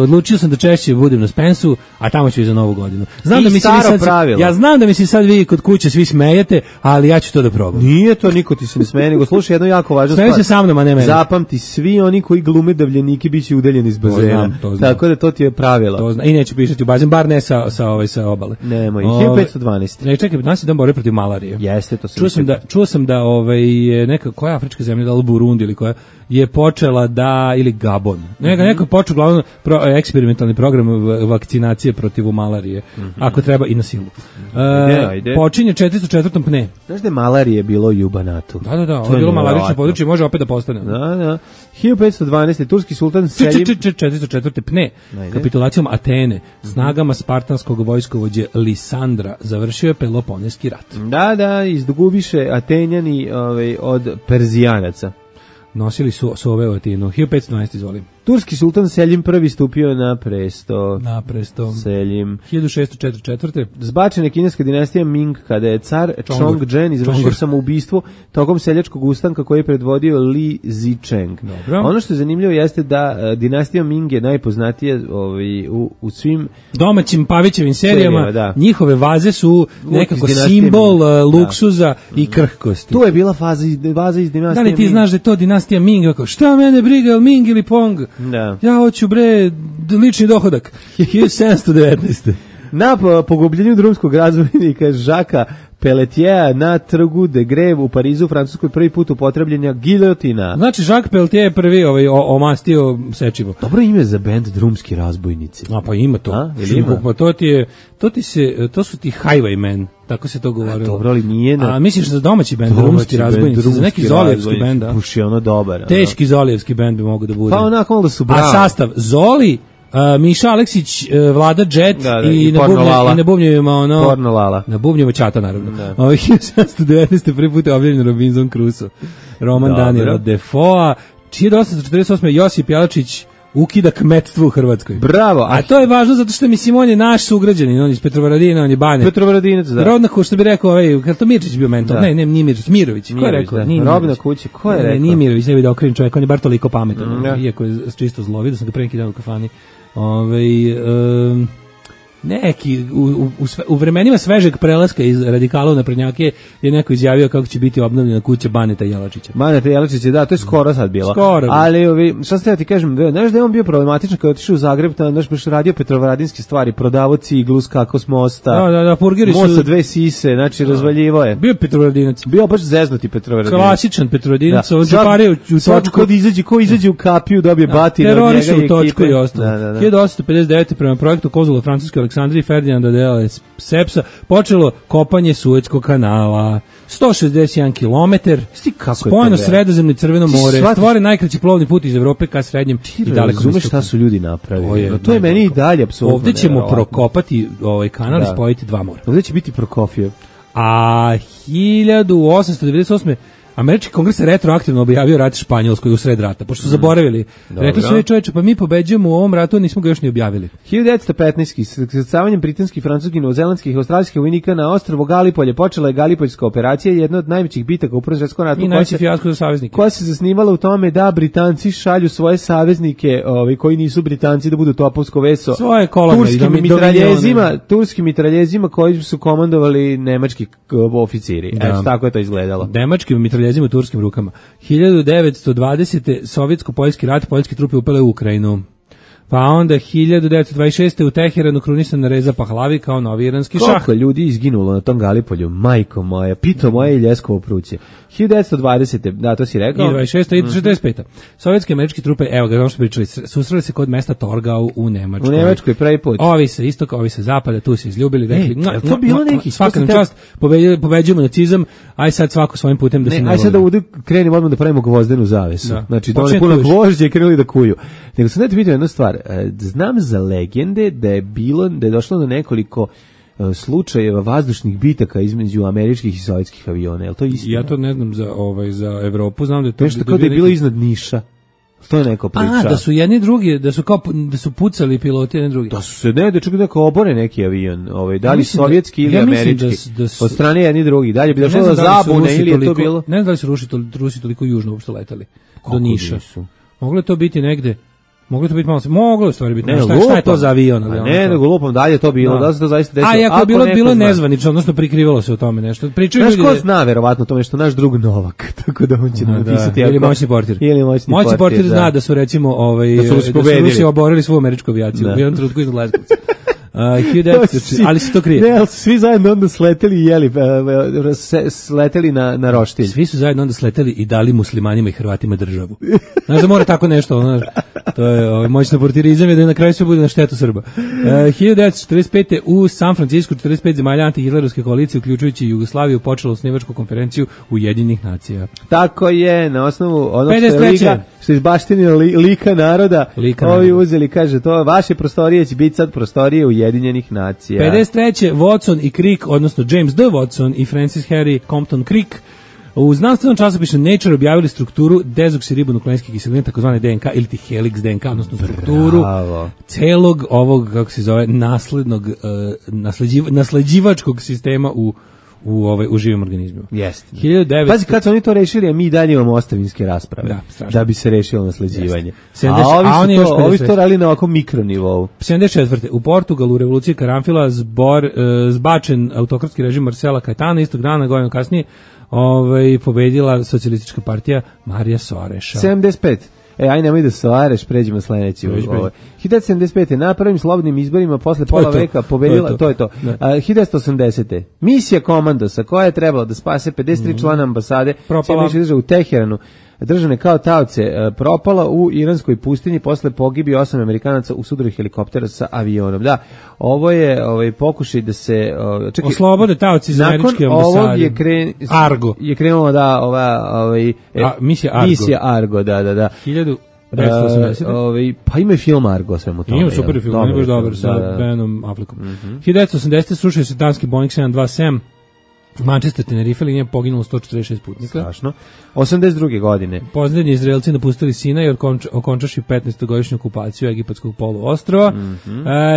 odlučio sam da češće budem na Spensu, a tamo ću i za Novu godinu. Znam da mi se ja znam da mi se sad vi kod kuće svi smejete, ali ja ću to da probam. Nije to, niko ti se ne smeje, nego slušaj jedno jako važno stvar. Se sa mnom, a ne mene. Zapamti, svi oni koji glume davljenike biće udaljeni iz bazena. To znam. Tako da to ti je pravilo. To znam. I neću pišati u bazen, bar ne sa obale. Nemoj. 1512. Ne, čekaj, nas je dan borbe protiv malarije. Jeste, to čuo sam da neka koja afrička zemlja, da li Burundi ili koja je počela da, ili Gabon. Neko je počeo glavno eksperimentalni program vakcinacije protiv malarije. Ako treba i na silu. Počinje 404. pne. Znaš da je malarije bilo i u Banatu? Da, ovo je bilo malarično područje, može opet da postane. Da. 1512. turski sultan Selim 404. pne. Kapitulacijom Atene, snagama spartanskog vojskovođe Lisandra, završio je Peloponeski rat. Da, izgubiše Atenjani od Perzijanaca. Nosili su ove u Atinu. 1512, izvolim. Turski sultan Selim I stupio na presto. Selim. 1644. Zbačena kineska dinastija Ming, kada je car Chongzhen izvršio samoubistvo tokom seljačkog ustanka koji je predvodio Li Zicheng. Ono što je zanimljivo jeste da dinastija Ming je najpoznatija u svim domaćim Pavićevim serijama. Njihove vaze su nekako simbol luksuza i krhkosti. Tu je bila vaza iz dinastije Ming. Da li ti znaš da je to dinastija Ming? Šta mene briga, Ming ili Pong? Da. Ja hoću lični dohodak. 1719. Na pogubljenju drumskog razvojnika Žaka Pelletiera na trgu de Greve u Parizu u Francuskoj prvi put upotrebljenja giljotina. Znači Jacques Pelletier je prvi omastio sečivo. Dobro ime za bend Drumski razbojnici. A pa ima to. Pa to su ti Highwaymen. Tako se to govorilo. Dobro, ali nije A misliš za domaći bend, Drumski razbojnici, za neki Zolijevski bend, da? Puši ono dobar. Teški Zolijevski bend bi mogu da bude. Pa onako malo da su bravi. A sastav Zoli, Miša Aleksić, Vlada Jet i na bubnjevima na bubnjevima Ćata, naravno. 1719. prvi put je objavljen Robinson Crusoe. Roman Daniela Defoa. 1848. Josip Jelačić ukida kmetstvo u Hrvatskoj. Bravo. A to je važno zato što mislim on je naš sugrađanin, on je iz Petrovaradina, on je Bane. Petrovaradinac, da. Rodna kuća, što bi rekao, to Mirčić bio mentor. Ne, nije Mirčić, Mirović. Ko je rekao? Robna kuća, ko je rekao? Nije Mirović, ne bi da okrenim čovjek, on je bar toliko pametan. Iako je čisto zlovid, da sam ga pre neki dan u kafani. Neki u vremenima svežeg prelaska iz radikala u naprednjake je neko izjavio kako će biti obnovljena kuća Baneta Jelačića. Baneta Jelačića, da, to je skoro sad bilo. Ali šta ste ja ti kažem, znaš da je on bio problematičan kada je otišao u Zagreb, znaš baš radio petrovaradinske stvari, prodavao ciglu, skakao s mosta. Da, purgeri su. Most sa 2 sise, znači razvaljivo je. Bio Petrovaradinac. Bio baš zeznuti Petrovaradinac. Klasičan Petrovaradinac, on zapario u točku. Ko izađe u kapiju, dobije batina od njega i točku i ostalo. 1859. prema projektu konzula Francuske Aleksandrije Ferdinanda de Lesepsa počelo kopanje Suetskog kanala. 161 kilometar, spojeno Sredozemno i Crveno more, stvore najkraći plovni put iz Evrope ka srednjem i dalekom istoku. Razumeš šta su ljudi napravili? To je meni i dalje apsolutno. Ovdje ćemo prokopati ovaj kanal i spojiti 2 mora. Ovdje će biti Prokofjev. A 1898. Američki kongres je retroaktivno objavio rat Španjolskoj u sred rata, pošto su zaboravili. Rekli su, čovječe, pa mi pobeđujemo u ovom ratu, nismo ga još ni objavili. 1915. s iskrcavanjem britanskih, francuskih, novozelandskih i australijskih vojnika na ostrvo Galipolje počela je Galipoljska operacija, jedna od najvećih bitaka u Prvom svjetskom ratu. I najveći fijasko za saveznike. Koja se zasnivala u tome da Britanci šalju svoje saveznike, koji nisu Britanci, da budu topovsko veso. Svoje kolone. Turskim mitraljezima koji su komandovali nemački oficiri. Tako je to izgledalo. Nemačkim mitraljezima u turskim rukama. 1920. Sovjetsko-poljski rat, poljske trupe upale u Ukrajinu. Pa onda 1926. u Teheranu krunisan Reza Pahlavi kao novi iranski šah. Koliko ljudi izginulo na tom Galipolju, majko moja, pito moje i ljeskovo pruće. 1920. Da, to si rekao. I 26. i 45. Sovjetske američke trupe, evo ga, ono što pričali, susreli se kod mesta Torgau u Nemačkoj. U Nemačkoj prvi put. Ovi sa istoka, ovi sa zapada, tu se izljubili, rekli, to bilo neki svaka nam čast, pobeđujemo nacizam, aj sad svako svojim putem da se ne aj sad da krenimo odmah da pravimo gvozdenu zavesu. Da. Znači, da oni puno gvožđe i krenuli da kuju. Nego sam da ti vidio jednu stvar. Znam za legende da je došlo do nekoliko slučajeva vazdušnih bitaka između američkih i sovjetskih aviona. Je li to istina? Ja to ne znam za Evropu, znam da je to nešto kao da je bilo iznad Niša. To je neko priča. Da su jedni drugi, da su pucali piloti jedni drugi. Da su se da čak neko obore neki avion, da li sovjetski ili američki. Od strane jedni drugi. Dalje bi došlo do zabune ili je to bilo? Ne znam da li su Rusi toliko južno uopšte letali do Niša. Moglo je to biti negde. Moglo to biti malo, moglo stvari biti. Šta je to za avion? Ne, nego lupom dalje to bilo, da se to zaista desilo. A ako je bilo nezvanično, odnosno prikrivalo se o tome nešto. Pričaju ljudi. Znaš ko zna verovatno to nešto, naš drug Novak, tako da on će nam napisati. Ili moćni portir. Moćni portir zna da su recimo da su Rusi oborili svu američku avijaciju u jednom trenutku iznad Leskovca. Ali se to krije. Ne, ali svi zajedno onda sleteli i jeli, sleteli na roštilj. Svi su zajedno onda sleteli i dali muslimanima i Hrvatima državu. Znaš da mora tako nešto, znaš, to je moćno portirizam je da na kraju sve bude na štetu Srba. 1945. u San Francisco 45 zemalja antihitlerovske koalicije, uključujući Jugoslaviju, počela osnivačku konferenciju Ujedinjenih nacija. Tako je, na osnovu onog što je izbaštenio lika naroda, ovi uzeli, kaže, to vaše prostorije će biti sad prostorije Ujedinjenih nacija. 53. Watson i Crick, odnosno James D. Watson i Francis Harry Compton Crick, u znanstvenom časopisu Nature objavili strukturu dezoksiribonukle인ske kiseline, takozvane DNK ili ti helix DNK, odnosno strukturu celog ovog, kako se zove, nasleđivačkog sistema u živim organizmima. Jeste. Pazi, kad su oni to rešili, a mi dalje imamo ostavinske rasprave da bi se rešilo nasleđivanje. Ovi su to radili na ovakvom mikronivou. 74. U Portugalu u revoluciji Karanfila zbačen autokratski režim Marcela Caetana, istog dana, godinu kasnije, pobedila socijalistička partija Marija Soareša. 75. Aj nemoj da Soareš, pređemo sledeći. 1975. na prvim slobodnim izborima posle pola veka pobedila, to je to. 1980. Misija Komandosa, koja je trebala da spase 53 člana ambasade u Teheranu, držane kao taoce, propala u iranskoj pustinji posle pogibi 8 Amerikanaca u sudaru helikoptera sa avionom. Da, ovo je pokušaj da se oslobode taoci iz američke ambasade. Argo je krenula misija Argo, da. 1980. Pa ima film Argo svemu tome. Ima super film, on je baš dobar sa Benom Affleckom. 1980. srušio se danski Boeing 727 Manchester Tenerife, linija poginulo 146 putnika. Strašno. 82. godine. Posljednji Izraelci napustili Sinaj i okončaši 15-godišnju okupaciju egipatskog poluostrva.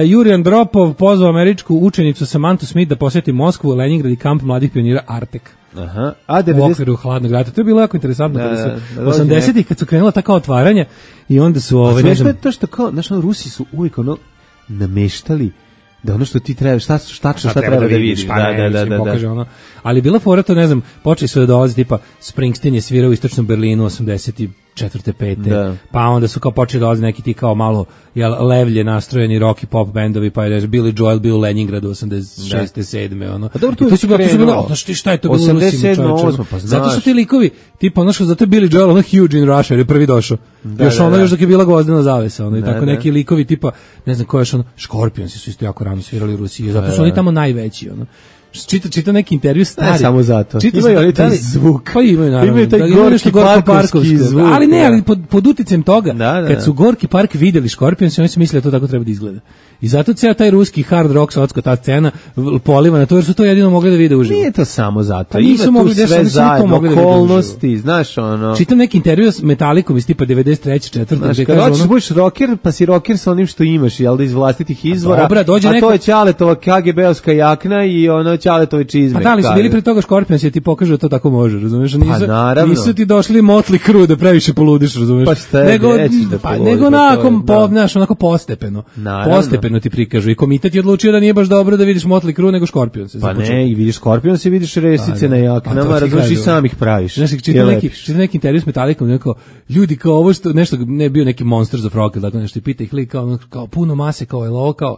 Jurij Andropov pozvao američku učenicu Samantu Smith da posjeti Moskvu, Leningrad i kamp mladih pionira Artek. Aha. U okviru hladnog rata. To je bilo jako interesantno. 80-ih kad su krenula taka otvaranja i onda su... Smešno je to što kao, znaš, Rusi su uvijek nameštali da ono što ti treba, šta treba da vidiš, da. Ali bila fora to, ne znam, počeli su da dolaze, tipa Springsteen je svirao u istočnom Berlinu 84. 5. Pa onda su kao počeli dolaze neki ti kao malo levlje nastrojeni rock i pop bendovi, pa je Billy Joel bio u Leningradu 86. 7. A dobro, to su bilo, šta je to bilo? 87. Pa znaš. Zato su ti likovi, tipa ono što zato je Billy Joel huge in Russia, jer je prvi došao. Još dok je bila gvozdena zavesa, i tako neki likovi tipa, ne znam ko je Scorpionsi su isto jako rano svirali u Rusiji, zato su oni tamo najveći, Čita neki intervju stari. Ne samo zato. Imaju oni taj zvuk. Pa imaju, naravno. Imaju taj gorki parkovski zvuk. Ali ne, ali pod uticajem toga, kad su Gorki park vidjeli Scorpions, oni su mislili da to tako treba da izgleda. I zato ceo taj ruski hard rock, sotsko, ta scena poliva na to, jer su to jedino mogli da vide uživo. Nije to samo zato. Pa nisu mogli da sve zajedno, okolnosti, znaš ono. Čitam neki intervju s Metallicom iz tipa 93. 4. Kad hoćeš budeš rocker, pa si rocker sa onim što imaš, jel da iz vlastitih izvora. Dobra, a to je Ćaletova KGB-ovska jakna i ono Ćaletove čizme. Pa da li su bili pre toga Scorpions i ti pokažu da to tako može, razumeš? Pa nisu ti došli Motley Crue da previše poludiš, razumeš? Pa šta je, nego onako postepeno. Naravno. Postepeno ti prikažu i komitet je odlučio da nije baš dobro da vidiš Motley Crue nego Scorpions. Pa ne, i vidiš Scorpions i vidiš resice na jaknama, razumeš, i sam ih praviš. Znaš, čita neki intervju s Metallicom, neko, ljudi kao ovo što, nešto, ne bio neki Monsters of Rock, dakle nešto, i pita ih lik kao puno mase, kao je ovo, kao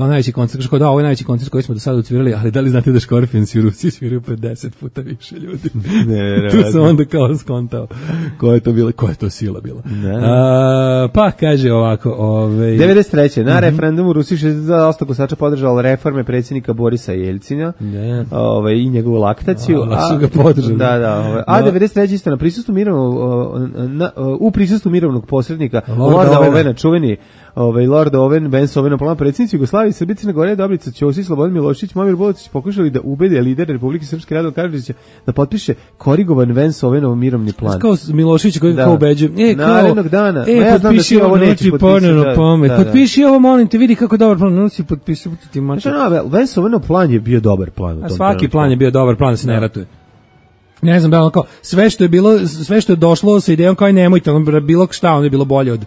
najveći koncert, kao da, ovo je najveći koncert koji smo do sada odsvirali, ali da li znate da Scorpions u Rusiji sviraju pred 10 puta više ljudi? Tu sam onda kao skontao koja je to sila bila. Pa kaže ovako, 93. na referendumu u Rusiji 60% glasača podržalo reforme predsjednika Borisa Jeljcina, i njegovu laktaciju, su ga podržali. A 93. isto u prisustvu mirovnog posrednika Lorda Ovena, čuveni Lord Owen, Vance Owen, plan predsjednici Jugoslavije, Srbije, Crne Gore, Dobrica Ćosić, Slobodan Milošević, Momir Bolotić pokušali da ubede lider Republike Srpske Radovan Karadžića da potpiše korigovan Vance Owenov mirovni plan. Kao Milošević koji kao ubeđuje. Narednog dana. Potpiši ovo, neći potpisati. Potpiši ovo, molim te, vidi kako dobar plan. No si potpisao ti mača. Vance Owenov plan je bio dobar plan. Svaki plan je bio dobar plan da se ne ratuje. Ne znam, kao sve što je došlo sa idejom kao nemojte, bilo šta, ono je bilo bolje od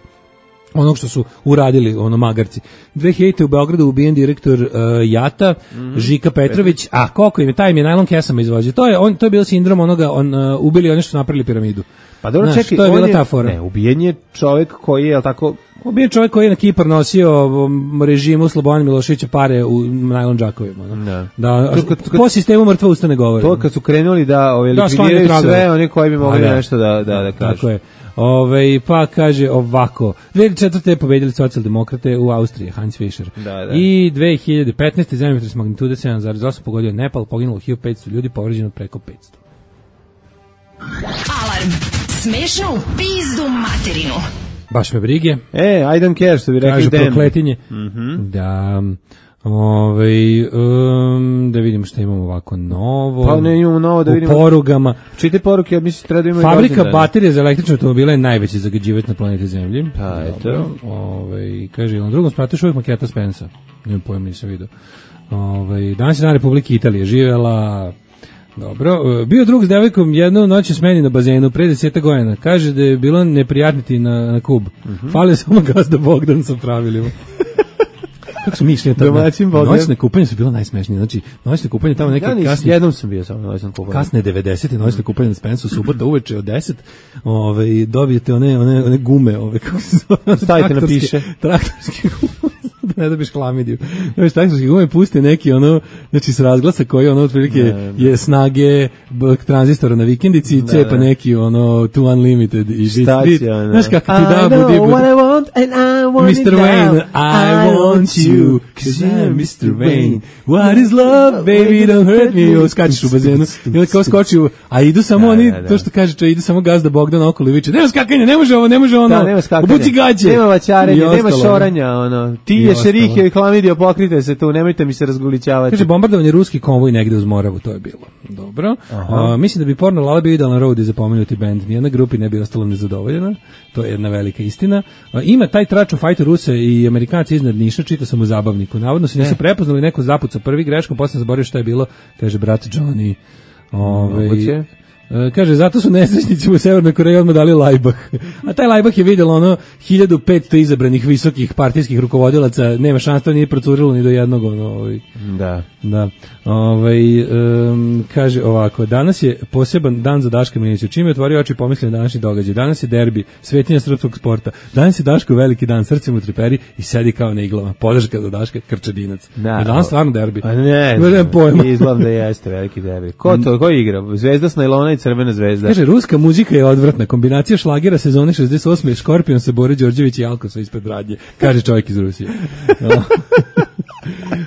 onog što su uradili magarci. 2000. u Beogradu ubijen direktor JAT-a, Žika Petrović, a koliko im je, taj im je najlon kesama izvozio. To je bilo sindrom onoga, ubili oni što su napravili piramidu. Pa dobro, čekaj, to je bila ta fora. Ne, ubijen je čovjek koji je, tako... Ubijen čovjek koji je na Kipar nosio režimu Slobodana Miloševića pare u najlon džakovima. Po sistemu mrtva usta ne govori. To kad su krenuli da likvidiraju sve, oni koji bi mogli nešto da kažu. Tako je. Pa kaže ovako, 2004. je pobedili socijaldemokrate u Austriji, Hans Fischer. I 2015. zemljotres magnitude 7,8 pogodio Nepal, poginulo 1500 ljudi, povređeno preko 500. Alarm, smešno u pizdu materinu. Baš me brige. I don't care, što bi rekli kažu prokletinje. Da... da vidimo što imamo ovako novo. Pa ne imamo novo, da vidimo. U porugama. Čite poruke, ja mislim treba da imamo. Fabrika baterija za električne automobile je najveći zagađivač na planeti Zemlji. Pa eto. Kaže, na drugom spratu još uvijek maketa Spensa. Nemam pojma, nisam vidio. Danas je na Republike Italije, živjela. Dobro, bio drug s devojkom jednu noć u smeni na bazenu pre 10 godina. Kaže da je bilo neprijatniti na kub. Fale samo gazda Bogdan sa pravilima. Kako su mišljenja tamo? Noćne kupanje su bilo najsmešnije. Znači, noćne kupanje tamo neke kasne... Jednom sam bio samo noćne kupanje. Kasne 90. noćne kupanje na Spensu, subota uveče od 10. Dobijete one gume, kako se zove? Stavite na piše. Traktorski gume. Da ne dobiš klamidiju. Traktorski gume puste neki znači s razglasa koji otprilike je snage tranzistora na vikendici i cepa neki to unlimited i štacija. Znaš kako ti da budi. Mr. Wayne, I want you, cause I'm Mr. Wayne. What is love, baby, don't hurt me. Skačiš u bazenu. I onda kao skoči a idu samo oni, to što kaže, idu samo gazda Bogdan okolo i viče, nema skakanja, ne može ono. Obuci gađe. Nema vaćarenja, nema šoranja, ti je šerihio i klamidio, pokrite se tu, nemojte mi se razgoličavati. Kaže, bombardovanje ruski konvoj negde uz Moravu, to je bilo. Dobro. Mislim da bi Porno Lala bio idealan road i zapomenuti band. Nijedna grupi ne bi ostala nezadovoljena. To je jedna velika istina. Ima taj trač u fajtu Rusa i Amerikanci iznad Niša, čitao sam u zabavniku. Navodno se nisu prepoznali, neko zapucao prvi greškom, posle zaboravio šta je bilo, kaže brat Johnny. Kaže, zato su nesrećnici u Severnoj Koreji odmah dali Lajbah. A taj Lajbah je vidjelo 1500 izabranih visokih partijskih rukovodilaca, nema šanse, to nije procurilo ni do jednog. Da. Kaže ovako, danas je poseban dan za Daška Milinića. Čim je otvorio oči pomislio na današnji događaj. Danas je derbi, svetinja srpskog sporta. Danas je Daško veliki dan, srcem u triperi i sedi kao na iglama. Podrška za Daška, Krčedinac. Danas stvarno derbi. Ne izgledam da jeste veliki derbi. Ko igra? Zvezda s najlona i Crvena zvezda. Kaže, ruska muzika je odvratna. Kombinacija šlagera sezone 68. Škorpion se Bore Đorđević i Alko su ispred radnje. Kaže čovjek iz Rusije.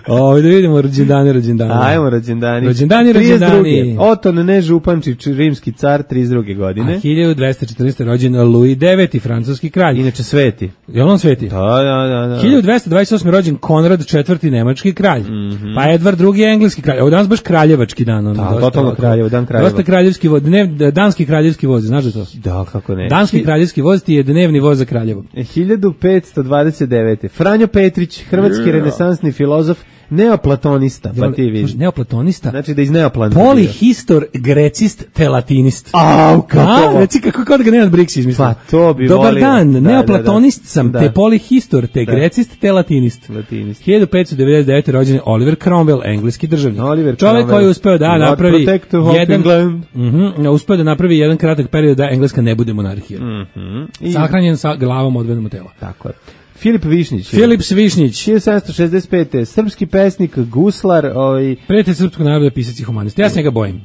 Da vidimo rođendane. Ajmo rođendani. Rođendani. Oton Nežupančić, rimski car, 32. godine. A 1214. rođen Louis IX, francuski kralj. Inače sveti. Je li on sveti? Da. 1228. rođen Konrad IV, nemački kralj. Pa Edvard II, engleski kralj. Ovo danas baš kraljevački dan. Totalno kraljevo, dan kraljeva. Dosta kraljevski voz, danski kraljevski voz, znaš da to? Da, kako ne. Danski kraljevski voz ti je dnevni voz za Kraljevo. 1529. Franjo Petrić, hrvatski renesansni filozof, neoplatonista, pa ti vidiš. Neoplatonista. Znači da iz neoplanista. Polihistor, grecist, te latinist. Kako? Reci kako kod ga Nenad Brix izmislio. Pa to bi Dobar volio. dan, neoplatonist sam, te polihistor, te grecist, te latinist. 1599. rođen je Oliver Cromwell, engleski državnik. Čovjek koji je uspeo da napravi jedan kratak period da Engleska ne bude monarhija. Sahranjen sa glavom odvedenom tela. Tako je. Filip Višnjić. 1765. Srpski pesnik, guslar, prijatelj srpskog naroda, pisac i humanist. Ja se njega bojim.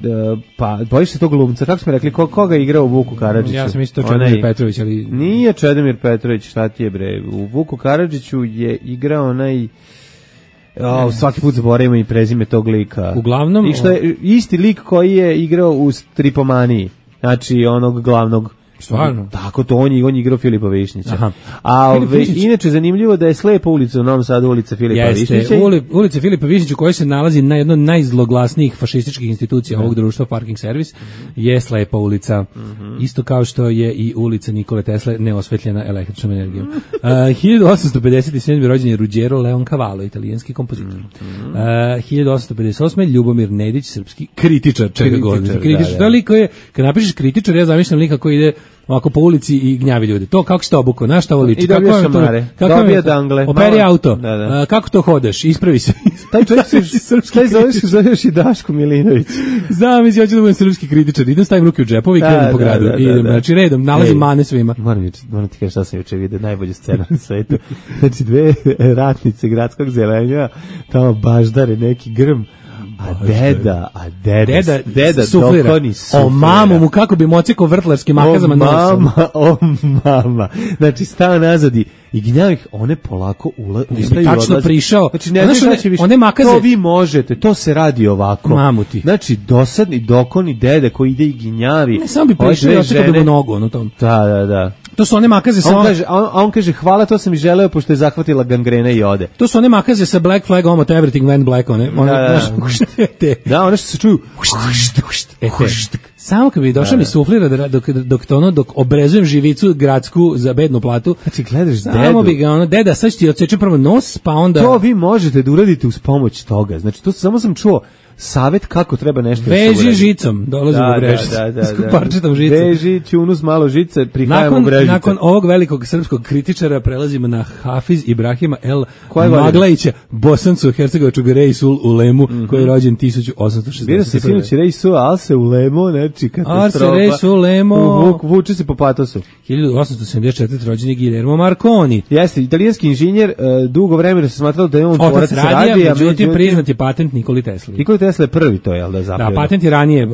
Pa, bojiš se tog glumca, kako smo rekli, koga je igrao u Vuku Karadžiću? Ja sam mislio to Čedomir Petrović, ali... Nije Čedomir Petrović, šta ti je bre? U Vuku Karadžiću je igrao onaj... svaki put zaboravimo i prezime tog lika. Uglavnom... I što je isti lik koji je igrao u Stripomaniji. Znači, onog glavnog... Stvarno? Tako to, on je igrao Filipa Višnjića. A inače zanimljivo da je Slepa ulica u Novom Sadu, ulica Filipa Višnjića. Jeste, ulica Filipa Višnjića koja se nalazi na jednoj od najzloglasnijih fašističkih institucija ovog društva, Parking Servis, je Slepa ulica. Isto kao što je i ulica Nikole Tesle neosvetljena električnom energijom. 1857. rođen je Ruggero Leoncavallo, italijanski kompozitor. 1858. Ljubomir Nedić, srpski kritičar, čega god. Kritičar. To je lik koji je, kad napišeš kritičar, ja zamišljam lika koji ide ovako po ulici i gnjavi ljude. To kako se to obuko, na šta ovo liči? I dobija šamare, dobija dangle. Operi auto, kako to hodeš, ispravi se. Taj čovjek zoveš i Daško Milinović. Znam, ja ću da budem srpski kritičar, idem stavim ruke u džepovi i krenem po gradu. Znači redom, nalazim mane svima. Moram ti kaži šta sam juče vidio, najbolju scenu na svetu. Znači dve ratnice gradskog zelenja, tamo baždare neki grm. A deda dokoni suflira. O mamu mu kako bi mociko vrtlarski makazama nosom. Mama. Znači stava nazad i gnjavih, one polako ustaju i odlaze. Tačno prišao. Znači ne znači više. One makaze. To vi možete, to se radi ovako. Mamuti. Znači dosadni dokoni dede koji ide i gnjavi. Ne, samo bi prišao i očekao bi mu nogu na tom. Da. To su one makaze sa... On kaže, hvala, to sam i želeo, pošto je zahvatila gangrena i ode. To su one makaze sa Black Flag, almost everything went black, one one što se čuju. Samo kad bi došao mi suflira dok obrezujem živicu gradsku za bednu platu. Znači gledaš dedu. Samo bi ga deda, sad ću ti odseći prvo nos, pa onda... To vi možete da uradite uz pomoć toga. Znači to samo sam čuo savet kako treba nešto da se uradi. Veži žicom, dolazimo u Brežicu. Parčetom žicom. Veži, ćunus, malo žice, prihajamo u Brežice. Nakon ovog velikog srpskog kritičara prelazimo na Hafiz Ibrahima El Maglajića, Bosancu, Hercegovačkog Reisul Ulemu, koji je rođen 1860. Bilo se sinući Reisul, Alse Ulemo, znači katastrofa. Alse Reisul Ulemo. Vuče se po patosu. 1874. rođen je Guillermo Marconi. Jeste, italijanski inženjer, dugo vremena se smatralo da je on tvorac radija, međutim priznat je patent Nikoli Tesli. Tesla je prvi to, jel da zapravo? Da, patent je ranije,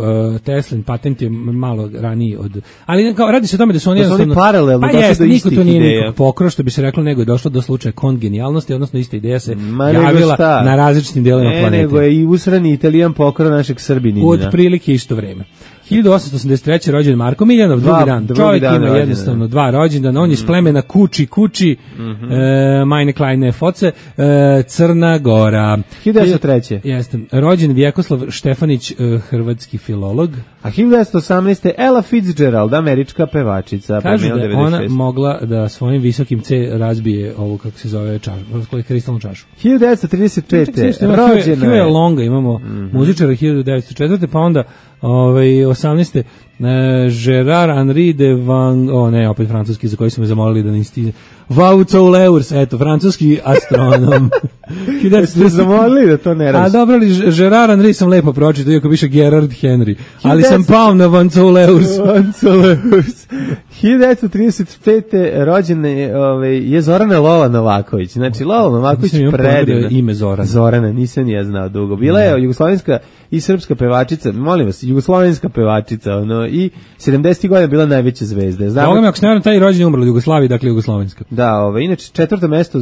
Teslin patent je malo raniji od... Ali radi se o tome da su oni jednostavno... paralelno došli do istih ideja. Niko to nije nikog pokro, što bi se reklo, nego je došlo do slučaja kongenijalnosti, odnosno ista ideja se javila na različitim delima planete. Nego je i usrani Italijan pokro našeg Srbinina. Od prilike isto vreme. 1883. rođen Marko Miljanov, drugi dan. Čovjek ima jednostavno dva rođendana, on je iz plemena Kuči, Majne Klajne Foce, Crna Gora. 1903. Jeste. Rođen Vjekoslav Štefanić, hrvatski filolog. A 1918. Ella Fitzgerald, američka pevačica. Kažu da je ona mogla da svojim visokim C razbije ovu, kako se zove, kristalnu čašu. 1935. Rođena je Longa, imamo muzičara 1904. Pa onda 18. Gerard Henri de Van... opet francuski, za koji su me zamolili da nisi... Vaucouleurs, eto, francuski astronom. Ste zamolili da to ne radi? A dobro, ali Gerard Henri sam lepo pročitao, iako piše Gerard Henry, ali sam pao na Vaucouleurs. 1935. rođena je Zorana Lola Novaković. Znači, Lola Novaković predivna. Ime Zorana. Zorana, nisam je znao dugo. Bila je jugoslovenska i srpska pevačica, molim vas, jugoslovenska pevačica, i 70. godina bila najveća zvezda. Znamo me, ako se ne varam, taj rođen je umrla u Jugoslaviji, dakle jugoslovenska. Da, inače četvrto mesto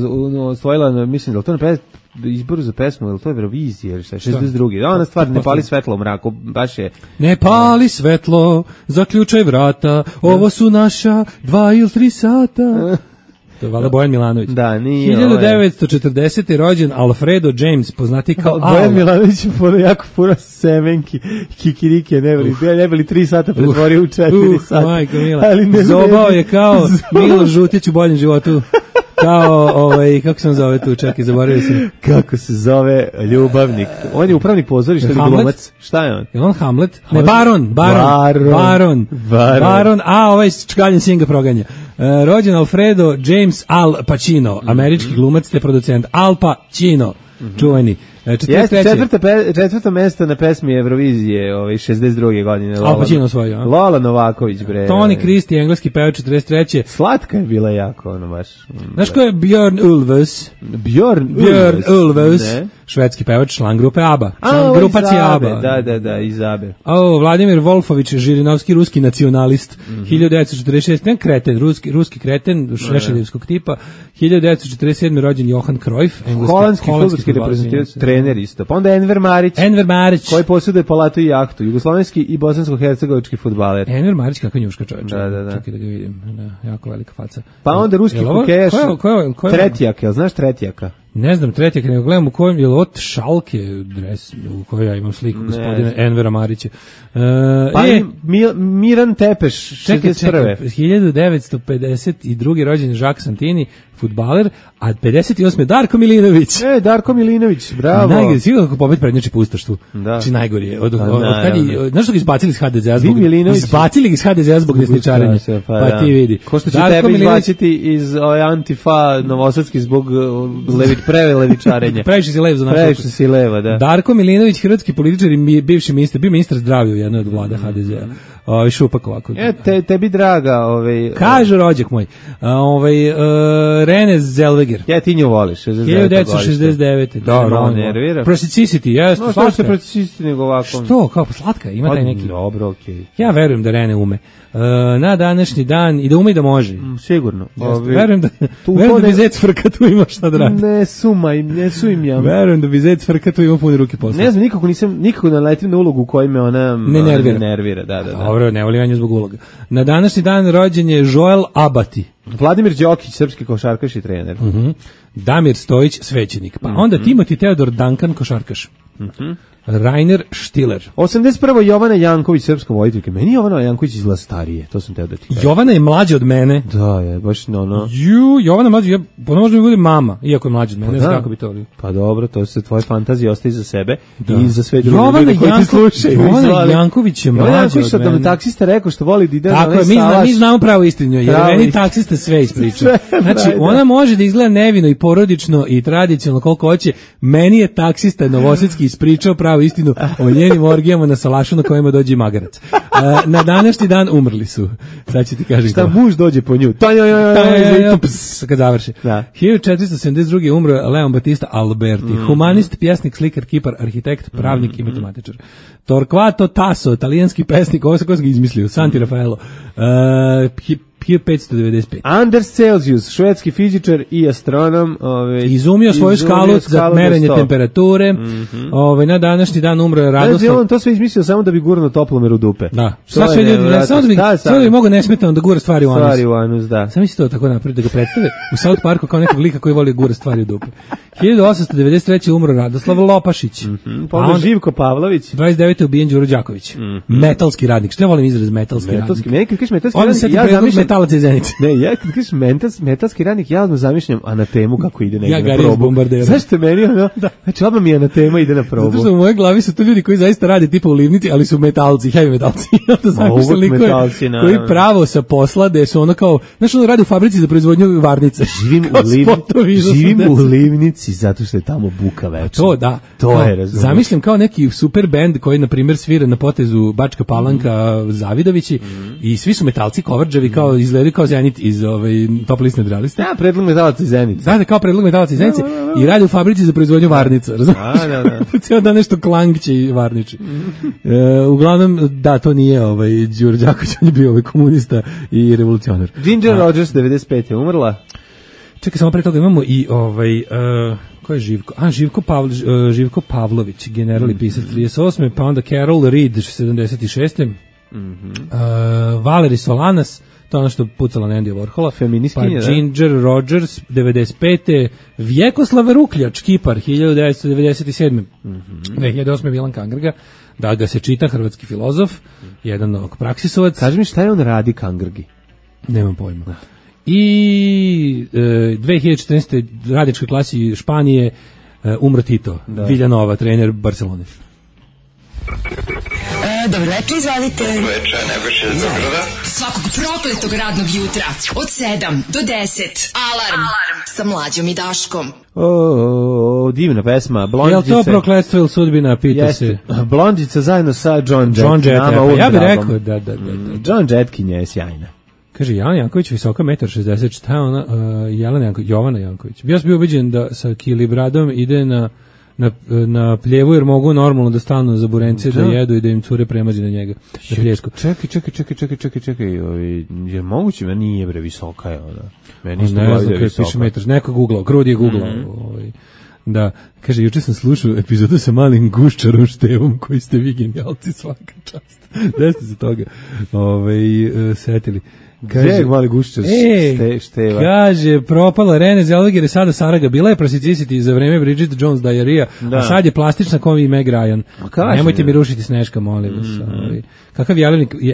osvojila, mislim da je to na izboru za pesmu, ili to je Eurovizija ili šta, 62. Da, ona stvar, ne pali svetlo u mraku, baš je... Ne pali svetlo, zaključaj vrata, ovo su naša 2 ili 3 sata... To je valjda Bojan Milanović. Da, nije 1940. rođen Alfredo James, poznati kao Al. Bojan Milanović je jako pura semenki, kikirike, ne bili 3 sata pretvorio u 4 sata. Majko Mila, zobao je kao Milo Žutić u boljem životu. kao, kako se on zove tu, čekaj, zaboravio sam. Kako se zove ljubavnik? On je upravnik pozorišta ili glumac? Šta je on? Je on Hamlet? Ne, Baron, a ovaj čkaljen sin ga proganja. Rođen Alfredo James Al Pacino, američki glumac te producent. Al Pacino, čuveni. Četvrto mesto na pesmi Eurovizije 62. godine. Al Pacino osvojio. Lola Novaković, bre. Tony Christie, engleski pevač 43. Slatka je bila jako, ono baš. Znaš ko je Björn Ulvaeus? Björn Ulvaeus, švedski pevač, član grupe ABBA. Član grupacije ABBA. Da, iz ABBA. Vladimir Wolfovich, Žirinovski, ruski nacionalist, 1946. Ne kreten, ruski kreten, šešeljevskog tipa. 1947. rođen Johan Cruyff, holandski fudbalski reprezentativac, trener isto. Pa onda Enver Marić, koji posjeduje palatu i jahtu, jugoslovenski i bosansko-hercegovički fudbaler. Enver Marić, kakva njuška čovječa. Da. Čekaj da ga vidim. Da, jako velika faca. Pa onda ruski hokejaš, Tretjak, jel znaš Tretjaka? Ne znam Tretjak, nego gledam u kojem je od Šalke dres u kojoj ja imam sliku gospodina Envera Marića. Miran Tepeš, 61. 1952. rođen Jacques Santini, fudbaler, a 58. Darko Milinović. Darko Milinović, bravo. Najgori, sigurno kako pobedi prednjači po Ustaštvu. Znači najgori je. Znaš što ga izbacili iz HDZ-a zbog desničarenja. Pa ti vidi. Ko što će tebe izbaciti iz Antifa Novosadski zbog prelevičarenja. Previše si lev za našu. Previše si leva, da. Darko Milinović, hrvatski političar i bivši ministar, bio ministar zdravlja u jednoj od vlada HDZ-a. Šupak ovako. Tebi draga, kaže rođak moj. Rene Zellweger. Ja ti nju voliš. 1969. Da, nervira. Prosicicity, jeste. No, što se Prosicicity nego ovako? Što? Kako slatka? Ima taj neki. Dobro, okej. Ja verujem da Rene ume. Na današnji dan i da ume i da može. Sigurno. Verujem da bi Zec Frka tu ima šta da radi. Ne sumim ja. Verujem da bi Zec Frka tu ima pune ruke posla. Ne znam, nikako naletim na ulogu u kojoj me ona ne nervira. Da. Dobro, ne volim ja nju zbog uloga. Na današnji dan rođen je Joel Abati. Vladimir Đokić, srpski košarkaš i trener. Damir Stojić, svećenik. Pa onda Timothy Teodor Duncan, košarkaš. Rainer Stiller. 81. Jovana Janković, srpska vojiteljka. Meni Jovana Janković izgleda starije, to sam teo da ti kažem. Jovana je mlađa od mene. Da, je, baš no. Jovana mlađa, možda mi bude mama, iako je mlađa od mene, ne znam kako bi to bilo. Pa dobro, to se tvoje fantazije ostaje za sebe i za sve druge ljude koji ti slušaju. Jovana Janković je mlađa od mene. Da mi taksista rekao što voli da ide na onaj salaš. Mi znamo pravo istinu, jer meni taksista sve ispriča. Znači, ona može da izgleda nevino i porodično i tradicionalno koliko hoće, meni je taksista novosadski ispričao pravo istinu o njenim orgijama na salašu na kojima dođe magarac. Na današnji dan umrli su. Sad ću ti kažem. Šta muž dođe po nju? Kad završi. 1472. umro Leon Battista Alberti. Humanist, pjesnik, slikar, kipar, arhitekt, pravnik i matematičar. Torquato Tasso, talijanski pesnik, ovo se ko ga izmislio, Santi Raffaello. 1595. Anders Celsius, švedski fizičar i astronom, izumio svoju skalu za merenje temperature. Na današnji dan umro je Radoslav. On to sve izmislio samo da bi gurno toplomer u dupe. Da. Samo da bi mogo nesmetano da gura stvari u anus. Da. Sam misli to tako napraviti, da ga predstave u South Parku kao nekog lika koji voli gura stvari u dupe. 1893. umro Radoslav Lopašić. Pa onda Živko Pavlović. 29. ubijen Đuro Đaković. Metalski radnik. Što ja volim izraz metalski radnik? Meni kad kažeš metalski radnik, ja zamišljam metalac iz Zenice. Ne, ja kad kažeš metalski radnik, ja odmah zamišljam Anatemu kako ide negdje na probu. Bombardera. Zašto meni ono? Znači, odmah mi Anatema ide na probu. Zato što u mojoj glavi su to ljudi koji zaista rade tipa u livnici, ali su metalci, heavy metalci. To zamišljam likove koji pravo sa posla, da su ono kao, znaš, ono radi u fabrici za proizvodnju varnice. Živim u livnici zato što je tamo buka večna. To, da. To je, razumiješ. Zamišljam kao neki super bend koji, na primjer, svira na potezu Bačka Palanka, Zavidovići i svi su metalci, kovrđavi, kao izgledaju kao Zenit iz Top list nadrealista. Ja, predlog metalaca iz Zenice. Da, kao predlog metalaca iz Zenice i radi u fabrici za proizvodnju varnica, razumiješ? Da. Cijelo da nešto klangće i varniči. Uglavnom, da, to nije Đuro Đaković, on je bio komunista i revolucionar. Ginger Rogers, 95. je umrla. Čekaj, samo pre toga imamo i ko je Živko? Živko Pavlović, general i pisac 38. Pa onda Carol Reed, 76. Valerie Solanas, to je ono što pucala na Andy Warhola. Feminiskinje, pa Ginger Rogers, 95. Vjekoslav Rukljač, kipar, 1997. 2008. Milan Kangrga, da ga se čita, hrvatski filozof, jedan praksisovac. Kaži mi šta je on radi Kangrgi? Nemam pojma. I 2014. radničkoj klasi Španije umro Tito, Villanova, trener Barcelone. Dobro večer, izvalite. Dobro večer, Nebojša iz Zagrada. Svakog prokletog radnog jutra od 7 do 10. Alarm sa Mlađom i Daškom. Divna pesma. Blondice. Je li to prokletstvo ili sudbina, pita se? Blondica zajedno sa John Jett. Ja bih rekao da. John Jetkin je sjajna. Kaže, Jelena Janković, visoka 1,60 m, šta je ona? Jovana Janković. Ja sam bio ubeđen da sa Kilibradom ide na pljevu, jer mogu normalno da stanu za burencije da jedu i da im cure premazi na njega. Na pljesku. Čekaj, je moguće? Meni nije bre, visoka je ona. Meni isto ne znam kada piše metar. Neko googlao, Krudi je googlao. Da, kaže, juče sam slušao epizodu sa malim guščarom Števom, koji ste vi genijalci, svaka čast. Da ste se toga setili. Kaže, mali guščar Števa. Kaže, propala Rene Zellweger je sada Saraga, bila je prostitutisati za vreme Bridget Jones Diarrhea, a sad je plastična kao i Meg Ryan. Nemojte mi rušiti Sneška, molim vas.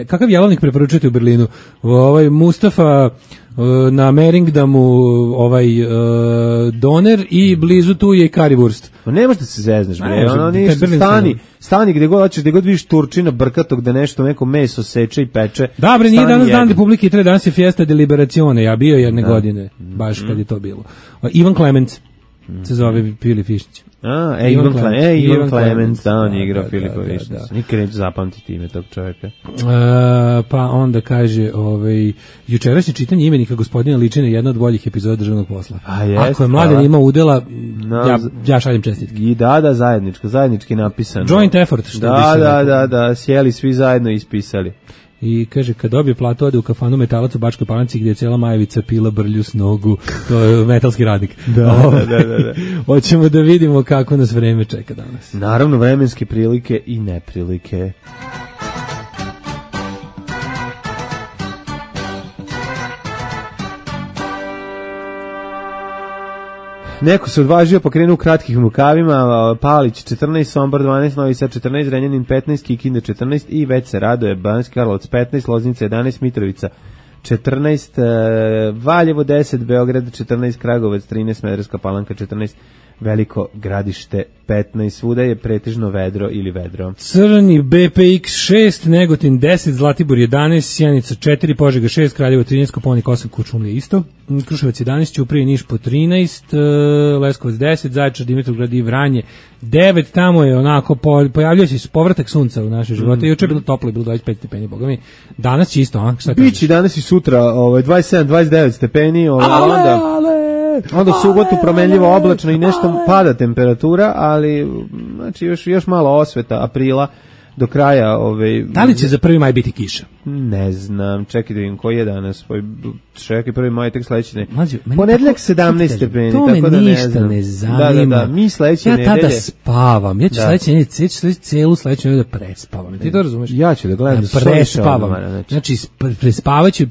Kakav jelovnik preporučujete u Berlinu? Mustafa na Meringdamu doner i blizu tu je currywurst. Ne možeš da se zezneš, bre. Stani gde god hoćeš, gde god vidiš Turčina brkatog da neko meso seče i peče. Da, bre, nije danas dan Republike Italije, danas je Fiesta de Liberazione, ja bio jedne godine, baš kad je to bilo. Ivan Clemens se zove Pili Fišnić. Ivan Clemens, da, on je igrao Filipa Višnića. Nikad neću zapamtiti ime tog čovjeka. Pa onda kaže, jučerašnje čitanje imenika gospodina Ličina je jedna od boljih epizoda Državnog posla. Ako je Mladen imao udela, ja šaljem čestitke. I da, zajednički napisano. Joint effort, što bi se rekao. Da, sjeli svi zajedno i ispisali. I kaže, kad dobije platu, ode u kafanu Metalac u Bačkoj Palanci gdje je cijela Majevica pila brlju s nogu. To je metalski radnik. Da. Hoćemo da vidimo kako nas vreme čeka danas. Naravno, vremenske prilike i neprilike. Neko se odvažio pa krenuo u kratkih rukavima, Palić 14, Sombor 12, Novi Sad 14, Renjanin 15, Kikinda 14 i već se raduje Banjski Karlovac 15, Loznica 11, Mitrovica 14, Valjevo 10, Beograd 14, Kragujevac 13, Smederevska Palanka 14, Veliko Gradište 15, svuda je pretežno vedro ili vedro. Crni BPX 6, Negotin 10, Zlatibor 11, Sjenica 4, Požega 6, Kraljevo 13, Koponik 8, Kuršumlija isto, Kruševac 11, Ćuprije Niš po 13, Leskovac 10, Zaječar, Dimitrovgrad i Vranje 9, tamo je onako, pojavljuje se povratak sunca u naše živote, juče je bilo toplo, je bilo 25 stepeni, boga mi, danas će isto, šta kažeš? Bići danas i sutra 27, 29 stepeni, onda subotu promenljivo oblačno i nešto pada temperatura, ali znači još malo osveta aprila do kraja. Da li će za 1. maj biti kiša? Ne znam, čekaj da vidim koji je danas. Čekaj, 1. maj tek sledeće. Ponedeljak 17 stepeni, tako da ne znam. To me ništa ne zanima. Da, mi sledeće nedelje. Ja tada spavam, ja ću celu sledeću nedelju da prespavam. Ti to razumeš? Ja ću da gledam prespavam. Znači, prespavaću i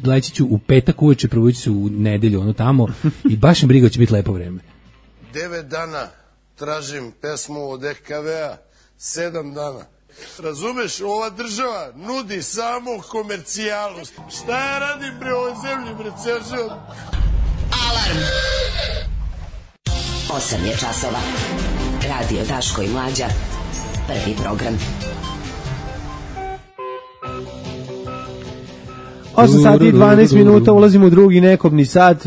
leći ću u petak uveče, probudit ću se u nedelju, ono tamo, i baš mi briga će biti lepo vreme. 9 dana tražim pesmu od EKV-a, 7 dana. Razumeš, ova država nudi samo komercijalu. Šta ja radim bre ovoj zemlji, bre, ceo život? Alarm! 8 je časova. Radio Daško i Mlađa. Prvi program. 8 sati i 12 minuta, ulazimo u drugi nekobni sat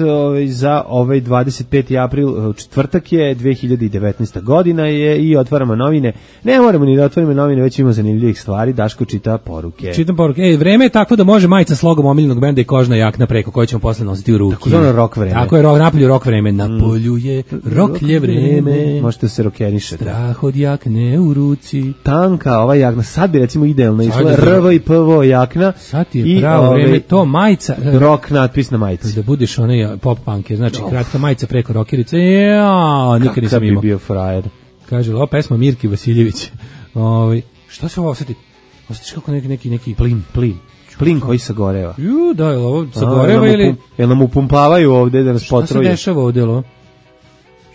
za 25. april, četvrtak je, 2019. godina je i otvaramo novine. Ne moramo ni da otvorimo novine, već imamo zanimljivih stvari. Daško čita poruke. Čitam poruke. Vreme je tako da može majica s logom omiljenog benda i kožna jakna preko koje ćemo posle nositi u ruki. Tako je rok vreme. Tako je, napolju rok vreme. Napolju je roklje vreme. Možete se rokenišati. Strah od jakne u ruci. Tanka ova jakna, sad bi recimo idealno išla RV i PV jakna. Sad je pravo vreme. To majica, rock natpis na majici. Da budeš onaj pop punk, znači kratka majica preko rokerice. Ja, nikad nisam imao. Bi bio frajer. Kaže, ova pesma Mirki Vasiljević. Što se ovo osjeti? Osjetiš kako neki plin koji sagoreva. Da, je ovo sagoreva ili jel nam upumpavaju ovde da nas potroje? Šta se dešava ovde, lo?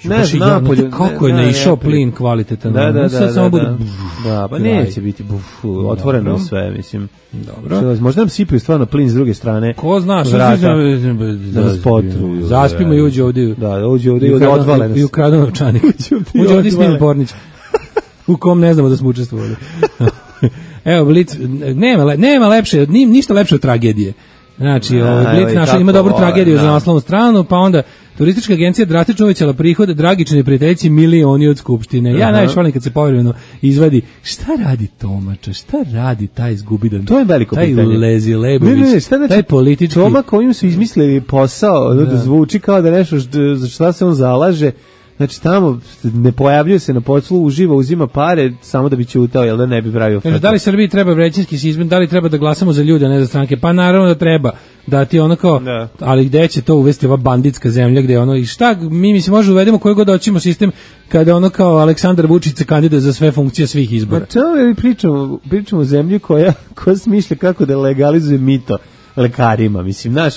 Ne znam, napolju. Kako je naišao plin kvalitetan. Da, pa neće biti otvoreno sve, mislim. Dobro. Možda nam sipaju stvarno plin s druge strane. Ko zna, da nas potruju. Zaspimo i uđe ovdje. Da, uđe ovdje i odvale nas. I ukradu novčanik. Uđe ovdje Smiljan Pornić. U kom ne znamo da smo učestvovali. Evo, Blic, nema lepše, ništa lepše od tragedije. Znači, Blic naša ima dobru tragediju za naslovnu stranu, pa onda turistička agencija drastično uvećala prihode, Dragičine prijateljici milioni od skupštine. Ja najviše volim kad se povremeno izvadi šta radi Tomača, šta radi taj zgubidan, to je veliko pitanje. Taj Lezi Lebović, taj politički Toma kojim su izmislili posao, da zvuči kao da nešto za šta se on zalaže. Znači tamo ne pojavljuje se na poslu, uživa, uzima pare samo da bi ćutao, jel da ne bi pravio frku. Da li Srbiji treba većinski sistem, da li treba da glasamo za ljude, a ne za stranke? Pa naravno da treba. Da ti ono kao, ali gde će to uvesti ova banditska zemlja gde ono, i šta, mi mislim može uvedemo koji god hoćemo sistem kada ono kao Aleksandar Vučić se kandiduje za sve funkcije svih izbora. Pa čemu mi pričamo o zemlji koja smišlja kako da legalizuje mito lekarima, mislim, znaš,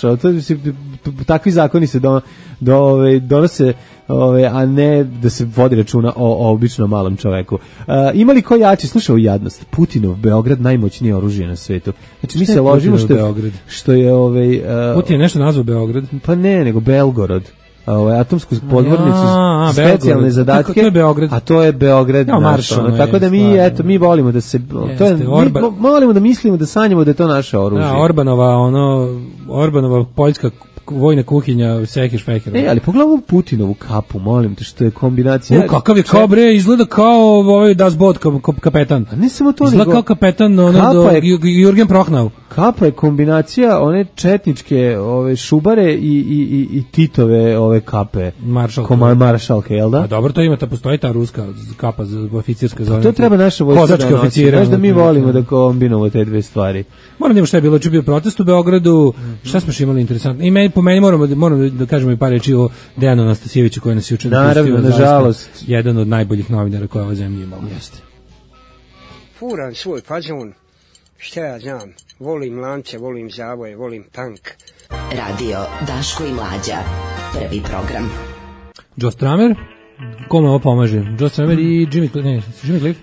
takvi zakoni se donose, a ne da se vodi računa o običnom malom čoveku. Ima li ko jači, slušaj, jadnost, Putinov Beograd najmoćnije oružje na svetu. Znači mi se ložimo što je Putin je nešto nazvao Beograd? Pa ne, nego Belgorod. Atomsku podmornicu, specijalne zadatke, to je Beograd. A to je Beograd, tako da mi volimo da se volimo da mislimo, da sanjamo da je to naše oružje. Da, Orbanova poljska vojna kuhinja, sekeš fekera. Ali pogledaj Putinovu kapu, molim te, što je kombinacija. Kakav je kao bre, izgleda kao Das Boot kapetan. A ne samo to, izgleda kao kapetan Jurgen Prochnau. Kapa je kombinacija one četničke šubare i Titove kape. Maršalke, jel da? A dobro, to ima, postoji ta ruska kapa za oficirska zona. To treba naša vojska da nosi. Znaš da mi volimo da kombinujemo te dve stvari. Moram da imamo šta je bilo, ču bio protest u Beogradu, šta smo še imali interesantno. I po meni moramo da kažemo i par reči o Dejanu Anastasijeviću koji nas je učinio. Naravno, nažalost. Jedan od najboljih novinara koja ova zemlja imala. Jeste. Furan svoj fazon, šta ja znam, volim lance, volim zavoje, volim tank. Radio Daško i Mlađa, prvi program. Joe Stramer, kome ovo pomaže? Joe Stramer i Jimmy Cliff?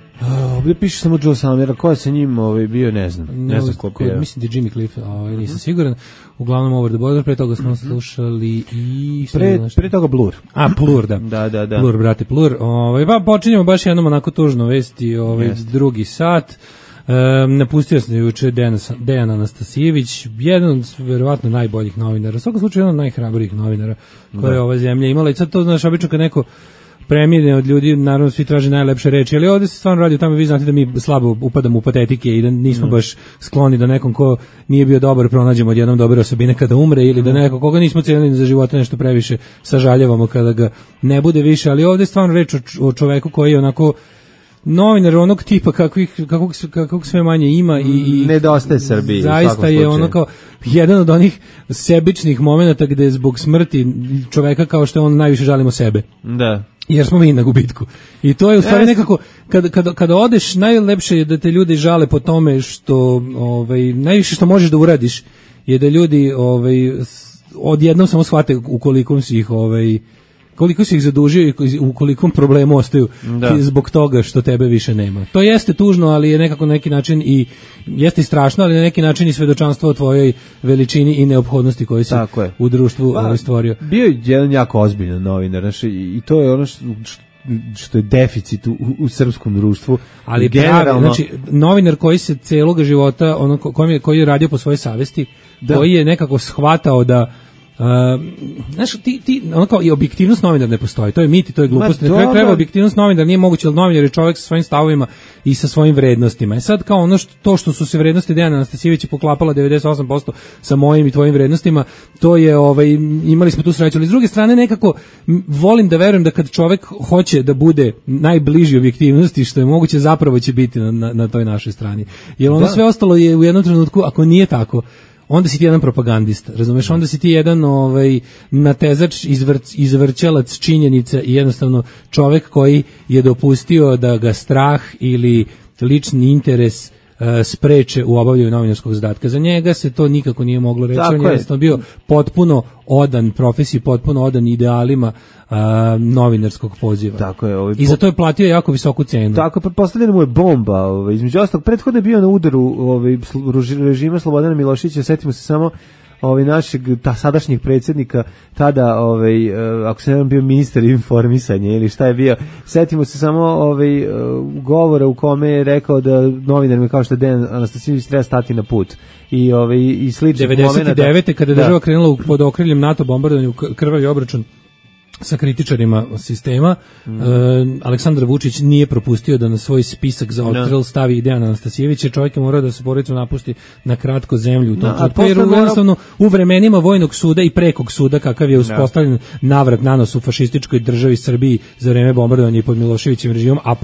Ovdje piše samo Joe Stramer, ko je sa njim bio, ne znam ko je. Mislim da je Jimmy Cliff, nisam siguran. Uglavnom Over the Border, pre toga smo slušali i... Pre toga Blur. Plur, da. Da. Plur, brate, Plur. Pa počinjemo baš jednom onako tužno vesti, drugi sat. Napustio sam juče Dejan Anastasijević, jedan od verovatno najboljih novinara, u svakom slučaju jedan od najhrabrijih novinara koje je ova zemlja imala. I sad to, znaš, obično kad neko premine od ljudi, naravno svi traže najlepše reči, ali ovdje se stvarno radi o tome, vi znate da mi slabo upadamo u patetike i da nismo baš skloni da nekom ko nije bio dobar pronađemo odjednom dobre osobine kada umre, ili da neko koga nismo cijenili za života nešto previše sažaljavamo kada ga ne bude više, ali ovdje je stvarno reč o čoveku koji je onako novinar onog tipa kakvog sve manje ima i nedostaje Srbiji. Zaista je ono kao jedan od onih sebičnih momenata gde zbog smrti čoveka kao što je on najviše žalimo sebe. Da. Jer smo mi na gubitku. I to je u stvari nekako kada odeš, najlepše je da te ljudi žale po tome što najviše što možeš da uradiš je da ljudi odjednom samo shvate koliko si ih zadužio i u kolikom problemu ostaju zbog toga što tebe više nema. To jeste tužno, ali je nekako na neki način i jeste i strašno, ali na neki način i svedočanstvo o tvojoj veličini i neophodnosti koju si u društvu stvorio. Bio je jedan jako ozbiljan novinar, i to je ono što je deficit u srpskom društvu. Ali generalno, znači novinar koji se celog života koji je radio po svojoj savesti, koji je nekako shvatao da znaš, ono kao i objektivnost novinara ne postoji, to je mit i to je glupost. Na kraju krajeva objektivnost novinara nije moguće, jer novinar je čovjek sa svojim stavovima i sa svojim vrednostima. I sad kao to što su se vrednosti Dejana Anastasijevića poklapala 98% sa mojim i tvojim vrednostima, to je imali smo tu sreću, ali s druge strane nekako volim da verujem da kad čovjek hoće da bude najbliži objektivnosti što je moguće, zapravo će biti na toj našoj strani. Jer ono sve ostalo je u jednom trenutku, ako nije tako, onda si ti jedan propagandista, razumeš, onda si ti jedan natezač, izvrćalac činjenica i jednostavno čovek koji je dopustio da ga strah ili lični interes spreče u obavljanju novinarskog zadatka. Za njega se to nikako nije moglo reći, on je jednostavno bio potpuno odan profesiji, potpuno odan idealima novinarskog poziva. Tako je, i za to je platio jako visoku cenu. Tako, pretpostavljena mu je bomba, između ostalog, prethodno je bio na udaru režima Slobodana Miloševića, setimo se samo našeg sadašnjeg predsjednika, tada ako se ne bio ministar informisanja ili šta je bio, setimo se samo govora u kome je rekao da novinarima kao što je Dejan Anastasijević treba stati na put i sličnih momenata. 99. kada je država krenula pod okriljem NATO bombardovanju, krvavi obračun sa kritičarima sistema, Aleksandar Vučić nije propustio da na svoj spisak za odstrel stavi i Dejana Anastasijevića. Čovjek je morao da se porodicom napusti na kratko zemlju u tom trenutku, jer jednostavno u vremenima vojnog suda i prekog suda kakav je uspostavljen navrat nanos u fašističkoj državi Srbiji za vreme bombardovanja i pod Miloševićevim režimom, a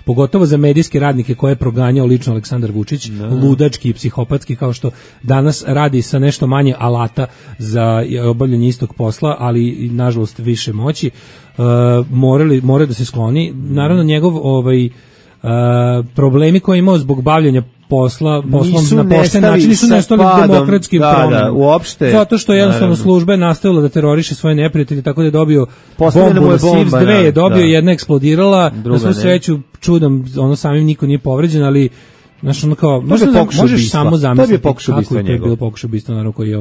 pogotovo za medijske radnike koje je proganjao lično Aleksandar Vučić, ludački i psihopatski, kao što danas radi sa nešto manje alata za obavljanje istog posla, ali nažalost više moći, moraju da se skloni. Naravno, njegov problemi koje je imao zbog bavljanja poslom na pošten način nisu nestali demokratskim promenama. Uopšte. Zato što jednostavno služba je nastavila da teroriše svoje neprijatelje, tako da je dobio bombu na Sivs 2, je dobio, jedna eksplodirala, na svu sreću čudom, samim niko nije povređen, ali znaš, kao, možeš samo zamisliti kako je to bilo pokušaj ubistva, naravno, koji je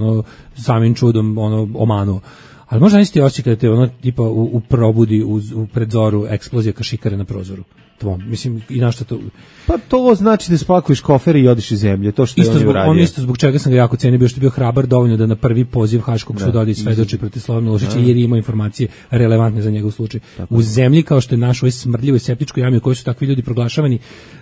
samim čudom omanuo. Ali možda nisi ti osjećaj kada te tipa u probudi u predzoru eksplozija kašikare na prozoru tvom. Mislim, i na što to... Pa to znači da spakuješ kofere i odiš iz zemlje, to što je on uradio. On isto zbog čega sam ga jako cenio, bio što je bio hrabar dovoljno da na prvi poziv Haškog suda odi svedoči protiv Slobodana Miloševića, jer je imao informacije relevantne za njegov slučaj. U zemlji kao što je naš, ovoj smrdljivoj septičkoj jami u kojoj su takvi ljudi proglašavani,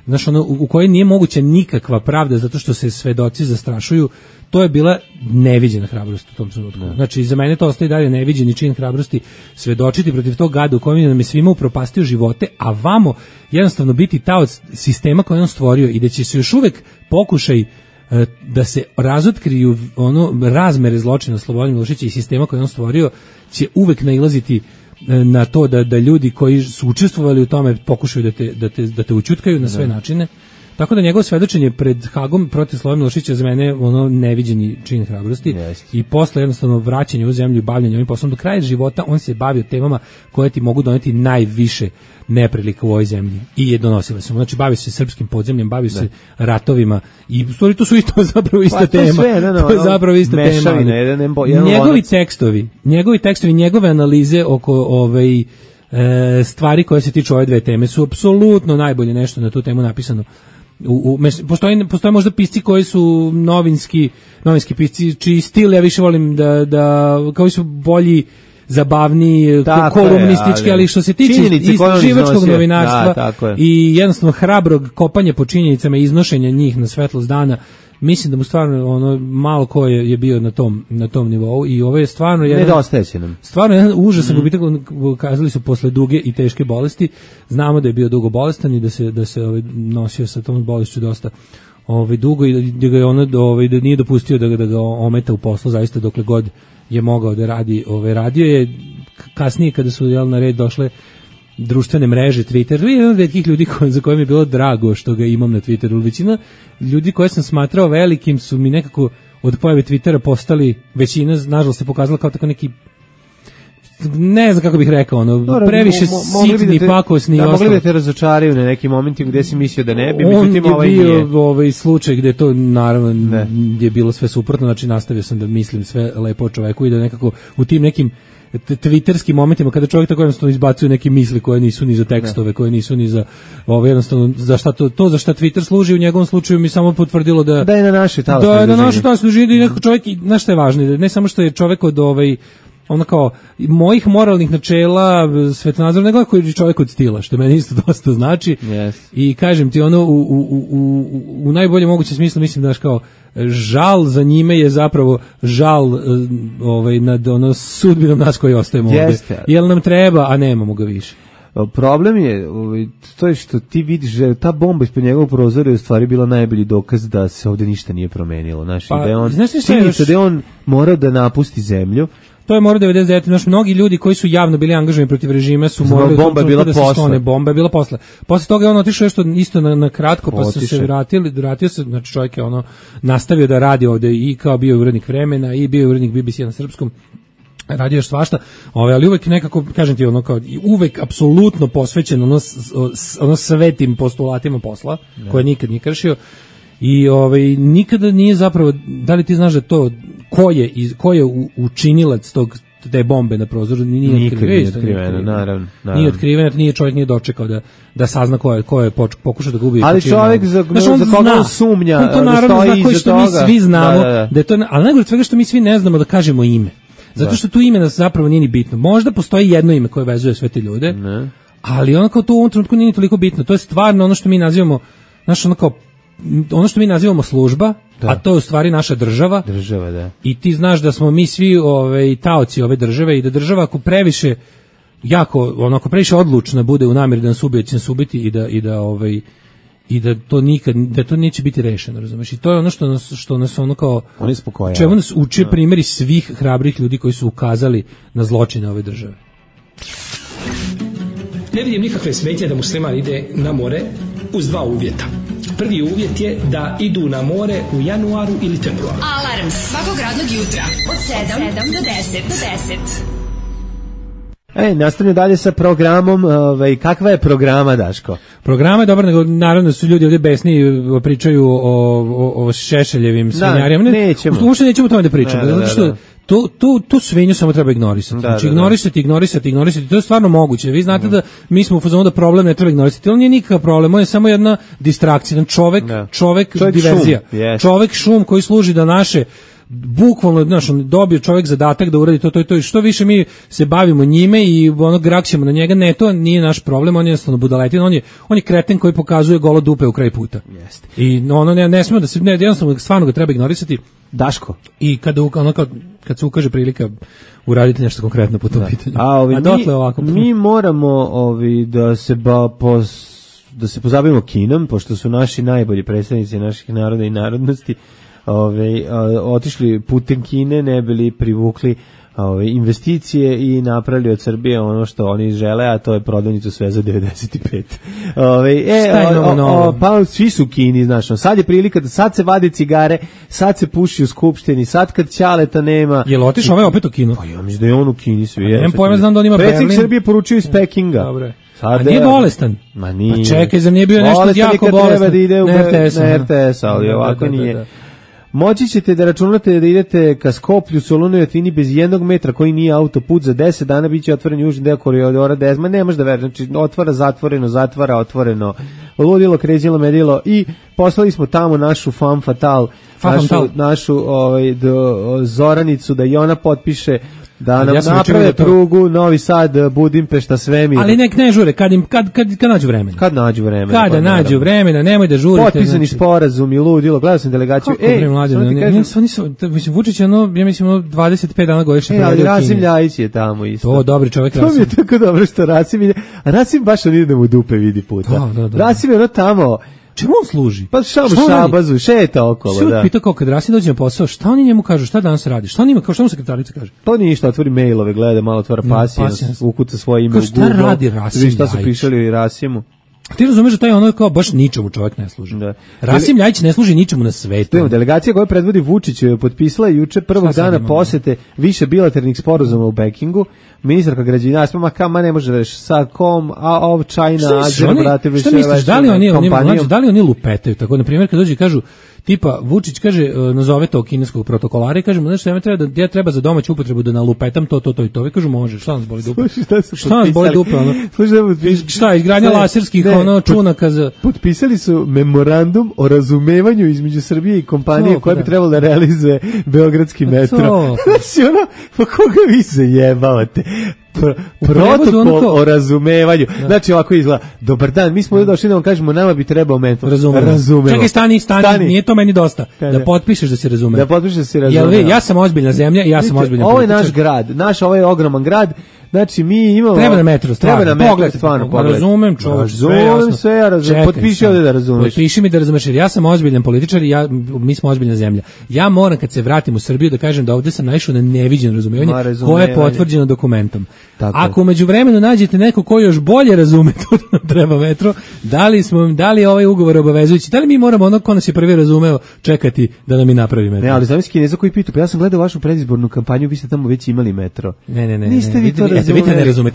znaš, u kojoj nije moguća nikakva pravda zato što se svedoci zastrašuju, to je bila neviđena hrabrost u tom trenutku. Znači, za mene to ostaje dalje neviđeni čin hrabrosti, svedočiti protiv tog gada u kojem nam je svima upropastio živote, a vamo jednostavno biti taoc sistema koji on stvorio i da će se još uvek pokušaj da se razotkriju razmere zločina Slobodana Miloševića i sistema koji on stvorio, će uvek nailaziti na to da ljudi koji su učestvovali u tome pokušaju da te ućutkaju na sve načine. Tako da njegovo svedočenje pred Hagom protiv Slobodana Miloševića za mene neviđeni čin hrabrosti i posle jednostavno vraćanja u zemlju i bavljanja ovim poslom do kraja života on se bavio temama koje ti mogu doneti najviše neprilika u ovoj zemlji i je donosila se. Znači bavio se srpskim podzemljem, bavio se ratovima i u stvari to su isto zapravo ista tema. To je zapravo ista tema. Njegovi tekstovi, njegove analize oko stvari koje se tiču ove dve teme su apsolutno najbolje nešto na tu temu napisano. Postoje možda pisci koji su novinski pisci, čiji stil ja više volim da kao su bolji, zabavniji, kolumnistički, ali što se tiče istraživačkog novinarstva i jednostavno hrabrog kopanja po činjenicama i iznošenja njih na svetlost dana, mislim da mu stvarno malo ko je bio na tom nivou i ovo je stvarno jedan užasan gubitak. Kazali su posle duge i teške bolesti, znamo da je bio dugo bolestan i da se nosio sa tom bolešću dosta dugo i da ga je da nije dopustio da ga ometa u poslu zaista dokle god je mogao da radi. Radio je kasnije kada su na red došle društvene mreže, Twitter, jedan od retkih ljudi za koje mi je bilo drago što ga imam na Twitteru. Većina ljudi koje sam smatrao velikim su mi nekako od pojave Twittera postali, većina nažalost se pokazala kao tako neki, ne znam kako bih rekao, previše sitni, pakosni i ostalo. Mogli da te razočaraju na nekim momentima gde si mislio da ne bi, međutim ovaj nije. Ovaj slučaj gde to naravno je bilo sve suprotno, znači nastavio sam da mislim sve lepo o čoveku i da nekako u tim nekim twitterskim momentima kada čovjek tako jednostavno izbacuje neke misli koje nisu ni za tekstove, koje nisu ni za jednostavno za šta to za šta Twitter služi, u njegovom slučaju mi samo potvrdilo da je na naše služi i nekako čovjek, znaš šta je važno, ne samo što je čovjek od kao mojih moralnih načela, svetonazor, nego koji je čovjek od stila, što meni isto dosta znači. I kažem ti u najboljem mogućem smislu mislim da kao žal za njime je zapravo žal nad sudbinom nas koji ostajemo ovdje. Jel nam treba, a nemamo ga više. Problem je to je što ti vidiš da ta bomba ispod njegovog prozora je u stvari bila najbolji dokaz da se ovdje ništa nije promenilo. Znači, da je on morao da napusti zemlju. To je morao 99. Znaš, mnogi ljudi koji su javno bili angažovani protiv režima su morali da se sklone. Bomba je bila posle. Posle toga je on otišao isto na kratko, pa su se vratio se, znači čovjek je nastavio da radi ovdje i kao bio urednik Vremena i bio urednik BBC na srpskom. radio još svašta, ali uvek nekako, kažem ti, ono kao, uvek apsolutno posvećen ono svetim postulatima posla, koje nikad nije kršio, i nikada nije zapravo, da li ti znaš da to, ko je učinilac te bombe na prozoru, nije otkriveno, naravno. Nije otkriveno, čovjek nije dočekao da sazna ko je pokušao da ga ubije. Ali čovjek za koga on sumnja, to naravno zna koji što mi svi znamo, da je to, ali najgore od svega što mi svi ne znamo da kažemo ime. Zato što tu ime nas zapravo nije ni bitno. Možda postoji jedno ime koje vezuje sve te ljude, ali ono kao to u ovom trenutku nije toliko bitno. To je stvarno ono što mi nazivamo, ono što mi nazivamo služba, a to je u stvari naša država. Država, da. I ti znaš da smo mi svi taoci ove države i da država ako previše ako previše odlučna bude u namjeri da nas ubije, će nas ubiti i da to nikad, da to neće biti rešeno, razumeš? I to je ono što nas ono kao, čemu nas uče primjeri svih hrabrih ljudi koji su ukazali na zločine ove države. Ne vidim nikakve smetnje da musliman ide na more uz dva uvjeta. Prvi uvjet je da idu na more u januaru ili februaru. Alarm svakog radnog jutra od 7 do 10. Nastavljamo dalje sa programom. Kakva je programa, Daško? Programa je dobar, nego naravno su ljudi ovdje besni, pričaju o Šešeljevim svinjarijama. Uopšte nećemo o tome da pričamo, zato što tu svinju samo treba ignorisati. Znači ignorisati, to je stvarno moguće. Vi znate da mi smo u fazonu da problem ne treba ignorisati, on nije nikakav problem, on je samo jedna distrakcija, čovek diverzija, čovek šum koji služi da naše bukvalno, dobio čovjek zadatak da uradi to i što više mi se bavimo njime i grakćemo na njega, ne, to nije naš problem, on je jednostavno budaletin, on je kreten koji pokazuje golo dupe u kraj puta. Jeste. I ne smemo da se, jednostavno stvarno ga treba ignorisati. Daško. I kad se ukaže prilika uraditi nešto konkretno po tom pitanju. Mi moramo da se pozabavimo kinom, pošto su naši najbolji predstavnici naših naroda i narodnosti otišli putem Kine, ne bili privukli investicije i napravili od Srbije ono što oni žele, a to je prodavnicu sve za 95. Pa svi su u Kini, znaš, sad je prilika da sad se vade cigare, sad se puši u skupštini, sad kad Ćaleta nema. Jel otišao opet u Kinu? Pa ja mislim da je on u Kini svi. Nemam pojma, znam da on ima Berlin. Predsjednik Srbije poručio iz Pekinga. Dobre. A nije bolestan? Ma nije. Pa čekaj, zar nije bio nešto jako bolestan? Treba da ide na RTS, ali ovako nije. Moći ćete da računate da idete ka Skoplju, Solunu i Atvini bez 1 metra koji nije autoput, za 10 dana biće otvoren južni deo koridora 10, ma ne može da veruješ, znači otvara, zatvoreno, zatvara, otvoreno, ludilo, kređilo, medilo i poslali smo tamo našu femme fatale, našu Zoranicu da i ona potpiše da nam naprave prugu Novi Sad, Budimpešta, Svemir. Ali nek ne žure, kad nađu vremena. Kad nađu vremena. Kada nađu vremena, nemoj da žurite. Potpisani sporazumi, ludilo, gledao sam delegaciju. Vučić je ja mislim 25 dana godišnje. Ali Rasim Ljajić je tamo isto. To dobri čovjek. To mi je tako dobro što Rasim ide. A Rasim baš on ide da mu dupe vidi puta. Rasim je tamo. Čemu on služi? Pa šabazu, šeta okolo, da. Sve pitao kao kad Rasim dođe na posao, šta oni njemu kažu, šta danas radi? Šta on ima, kao šta mu sekretarica kaže? Pa ništa, otvori mailove, gleda, malo otvara pasijans, ukuca svoje ime u Google. Šta radi Rasim Ljajić? Šta su pišali o Rasimu? Ti razumeš da taj ono kao baš ničemu čovjek ne služi. Da. Rasim Ljajić ne služi ničemu na svetu. Delegacija koju predvodi Vučić potpisala je juče prvog dana posete više bilateralnih sporazuma u Pekingu. Ministarka građevinarstva, ma ne može da reši sa kom, China, Azerbajdžan, šta misliš, da li oni lupetaju? Tako, na primjer, kad dođe i kažu, tipa, Vučić kaže, nazove to kineskog protokolara i kaže mu, znaš, ja treba za domaću upotrebu da nalupetam to i to. Vi kažu, može, šta nas boli dupe? Šta nas boli dupe, ono? Šta, izgradnja laserskih čunaka za... Potpisali su memorandum o razumevanju između Srbije i kompanije koja bi trebala da realizuje beogradski metro. Znači, pa koga vi zajebavate? Protokol o razumevanju. Znači ovako izgleda. Dobar dan, mi smo došli da vam kažemo, nama bi trebao metro. Razumemo. Čekaj, stani, nije to meni dosta. Da potpišeš da se razume. Ja sam ozbiljna zemlja i ja sam ozbiljna politika. Ovo je naš grad, ovo je ogroman grad. Znači, mi imamo... Treba na metro, stvarno. Pogled. Razumem, čovječ, sve, ja razumem. Potpiši ovdje da razumeš. Potpiši mi da razumeš, jer ja sam ozbiljan političar i mi smo ozbiljna zemlja. Ja moram kad se vratim u Srbiju da kažem da ovdje sam naišao na neviđeno razumevanje koje je potvrđeno dokumentom. Tako. Ako umeđu vremenu nađete neko ko još bolje razume to da nam treba metro, da li je ovaj ugovor obavezujući, da li mi moramo ono ko nas je prvi razumeo čekati da nam i napravi metro? Ne, ali zamisli Kineza koji pitu, pa ja sam gledao vašu predizbornu kampanju, vi ste tamo već imali metro. Ne. Niste vi to razumeli.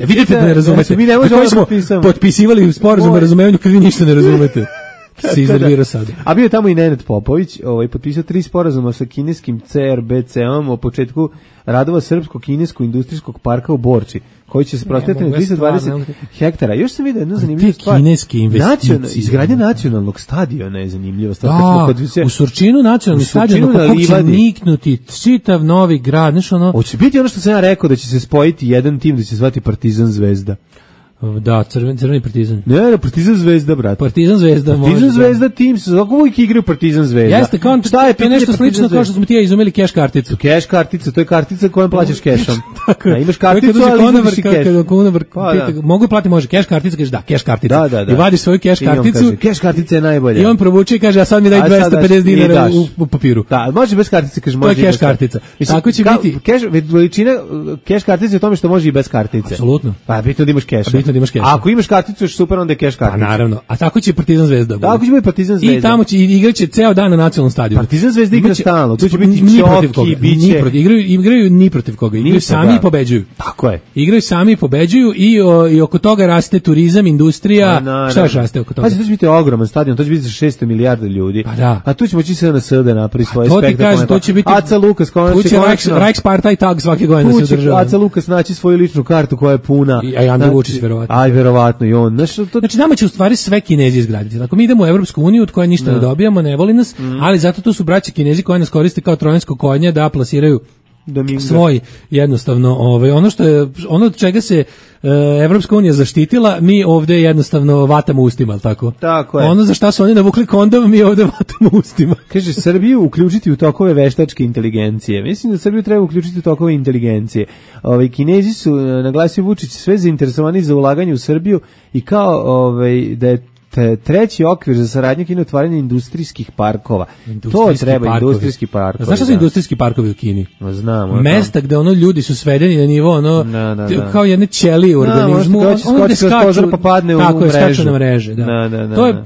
Vidite da ne razumete. Mi ne možemo smo potpisivali sporazum o razumevanju kad vi ništa ne razumete. Se iznervirao sad. A bio je tamo i Nenad Popović, potpisao 3 sporazuma sa kineskim CRBC-om o početku radova srpsko-kineskog industrijskog parka u Borči, koji će se prostoriti na 320 hektara. Još sam vidio jednu zanimljivu stvar. Kineske investicije. Izgradnja nacionalnog stadiona je zanimljiva stvar. U Surčinu nacionalni stadion, kako će niknuti čitav novi grad. Hoće biti ono što sam ja rekao, da će se spojiti jedan tim da će se zvati Partizan Zvezda. Da, crveni Partizan. Ne, Partizan Zvezda, brate. Partizan Zvezda tim se zove uvijek igraju Partizan Zvezda. Jeste, to je nešto slično kao što smo ti ja izumeli keš karticu. Keš kartica, to je kartica kojom plaćaš kešom. Da, imaš karticu, ali izvadiš i keš. Mogu platiti, može, keš kartica, kažeš da, keš kartica. Da. I vadiš svoju keš karticu. Keš kartica je najbolja. I on provuče i kaže, a sad mi daj 250 dinara u papiru. Da, može bez kartice, kaže, može. To je keš kartica. Tako će biti. Veličina keš kartice je u tome što može i bez kartice. Apsolutno. Pa bitno da imaš keš. Ako imaš karticu, još super, onda je keš kartica. Pa naravno. A tako će Partizan Zvezda. Tako će biti Partizan Zvezda. I tamo će igraće ceo dan na nacionalnom stadionu. Partizan Zvezda igra stalno. Tu će biti Čoki, biće. Igraju ni protiv koga. Igraju sami i pobeđuju. Tako je. Igraju sami i pobeđuju i oko toga raste turizam, industrija. Šta još raste oko toga? Pa to će biti ogroman stadion, to će biti za 600 milijardi ljudi. Pa da. A tu će moći se na sada napravi svoje spektakle. To će biti Aca Lukas, tu će Reichspartei Tag svake godine se održava. Aca Lukas naći svoju ličnu kartu koja je puna. I Andrej Vučić verovatno. Aj verovatno i on. Znači nama će u stvari sve Kinezi izgraditi. Ako mi idemo u Evropsku uniju od koje ništa ne dobijamo, ne voli nas, ali zato tu su braća Kinezi koji nas koriste kao trojansko konje da plasiraju svoj jednostavno ono od čega se Evropska unija zaštitila, mi ovdje jednostavno vatamo ustima, al tako? Tako je. Ono za šta su oni navukli kondom, mi ovdje vatamo ustima. Kaže, Srbiju uključiti u tokove veštačke inteligencije. Mislim da Srbiju treba uključiti u tokove inteligencije. Kinezi su, naglasio Vučić, sve zainteresovani za ulaganje u Srbiju i kao da je treći okvir za saradnju i otvaranje industrijskih parkova. To treba industrijski parkovi. Znaš šta su industrijski parkovi u Kini? Znamo. Mesta gde ljudi su svedeni na nivo kao jedne ćelije u organizmu. Ono skaču, pa padne u mrežu. Skaču na mreže.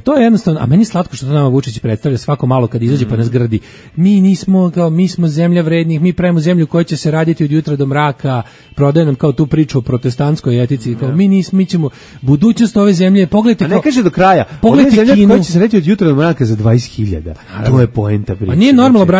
To je jednostavno, a meni je slatko što to nama Vučić predstavlja svako malo kad izađe pa nas gradi. Mi smo zemlja vrednih, mi pravimo zemlju koja će se raditi od jutra do mraka, prodaje nam kao tu priču o protestantskoj etici, kao mi ćemo budućnost ove zemlje, pogledajte. A ne kaže do kraja. Pogledajte Kinu. Koja će se reći od jutra do mraka za 20.000. To je poenta priče. Pa nije normalno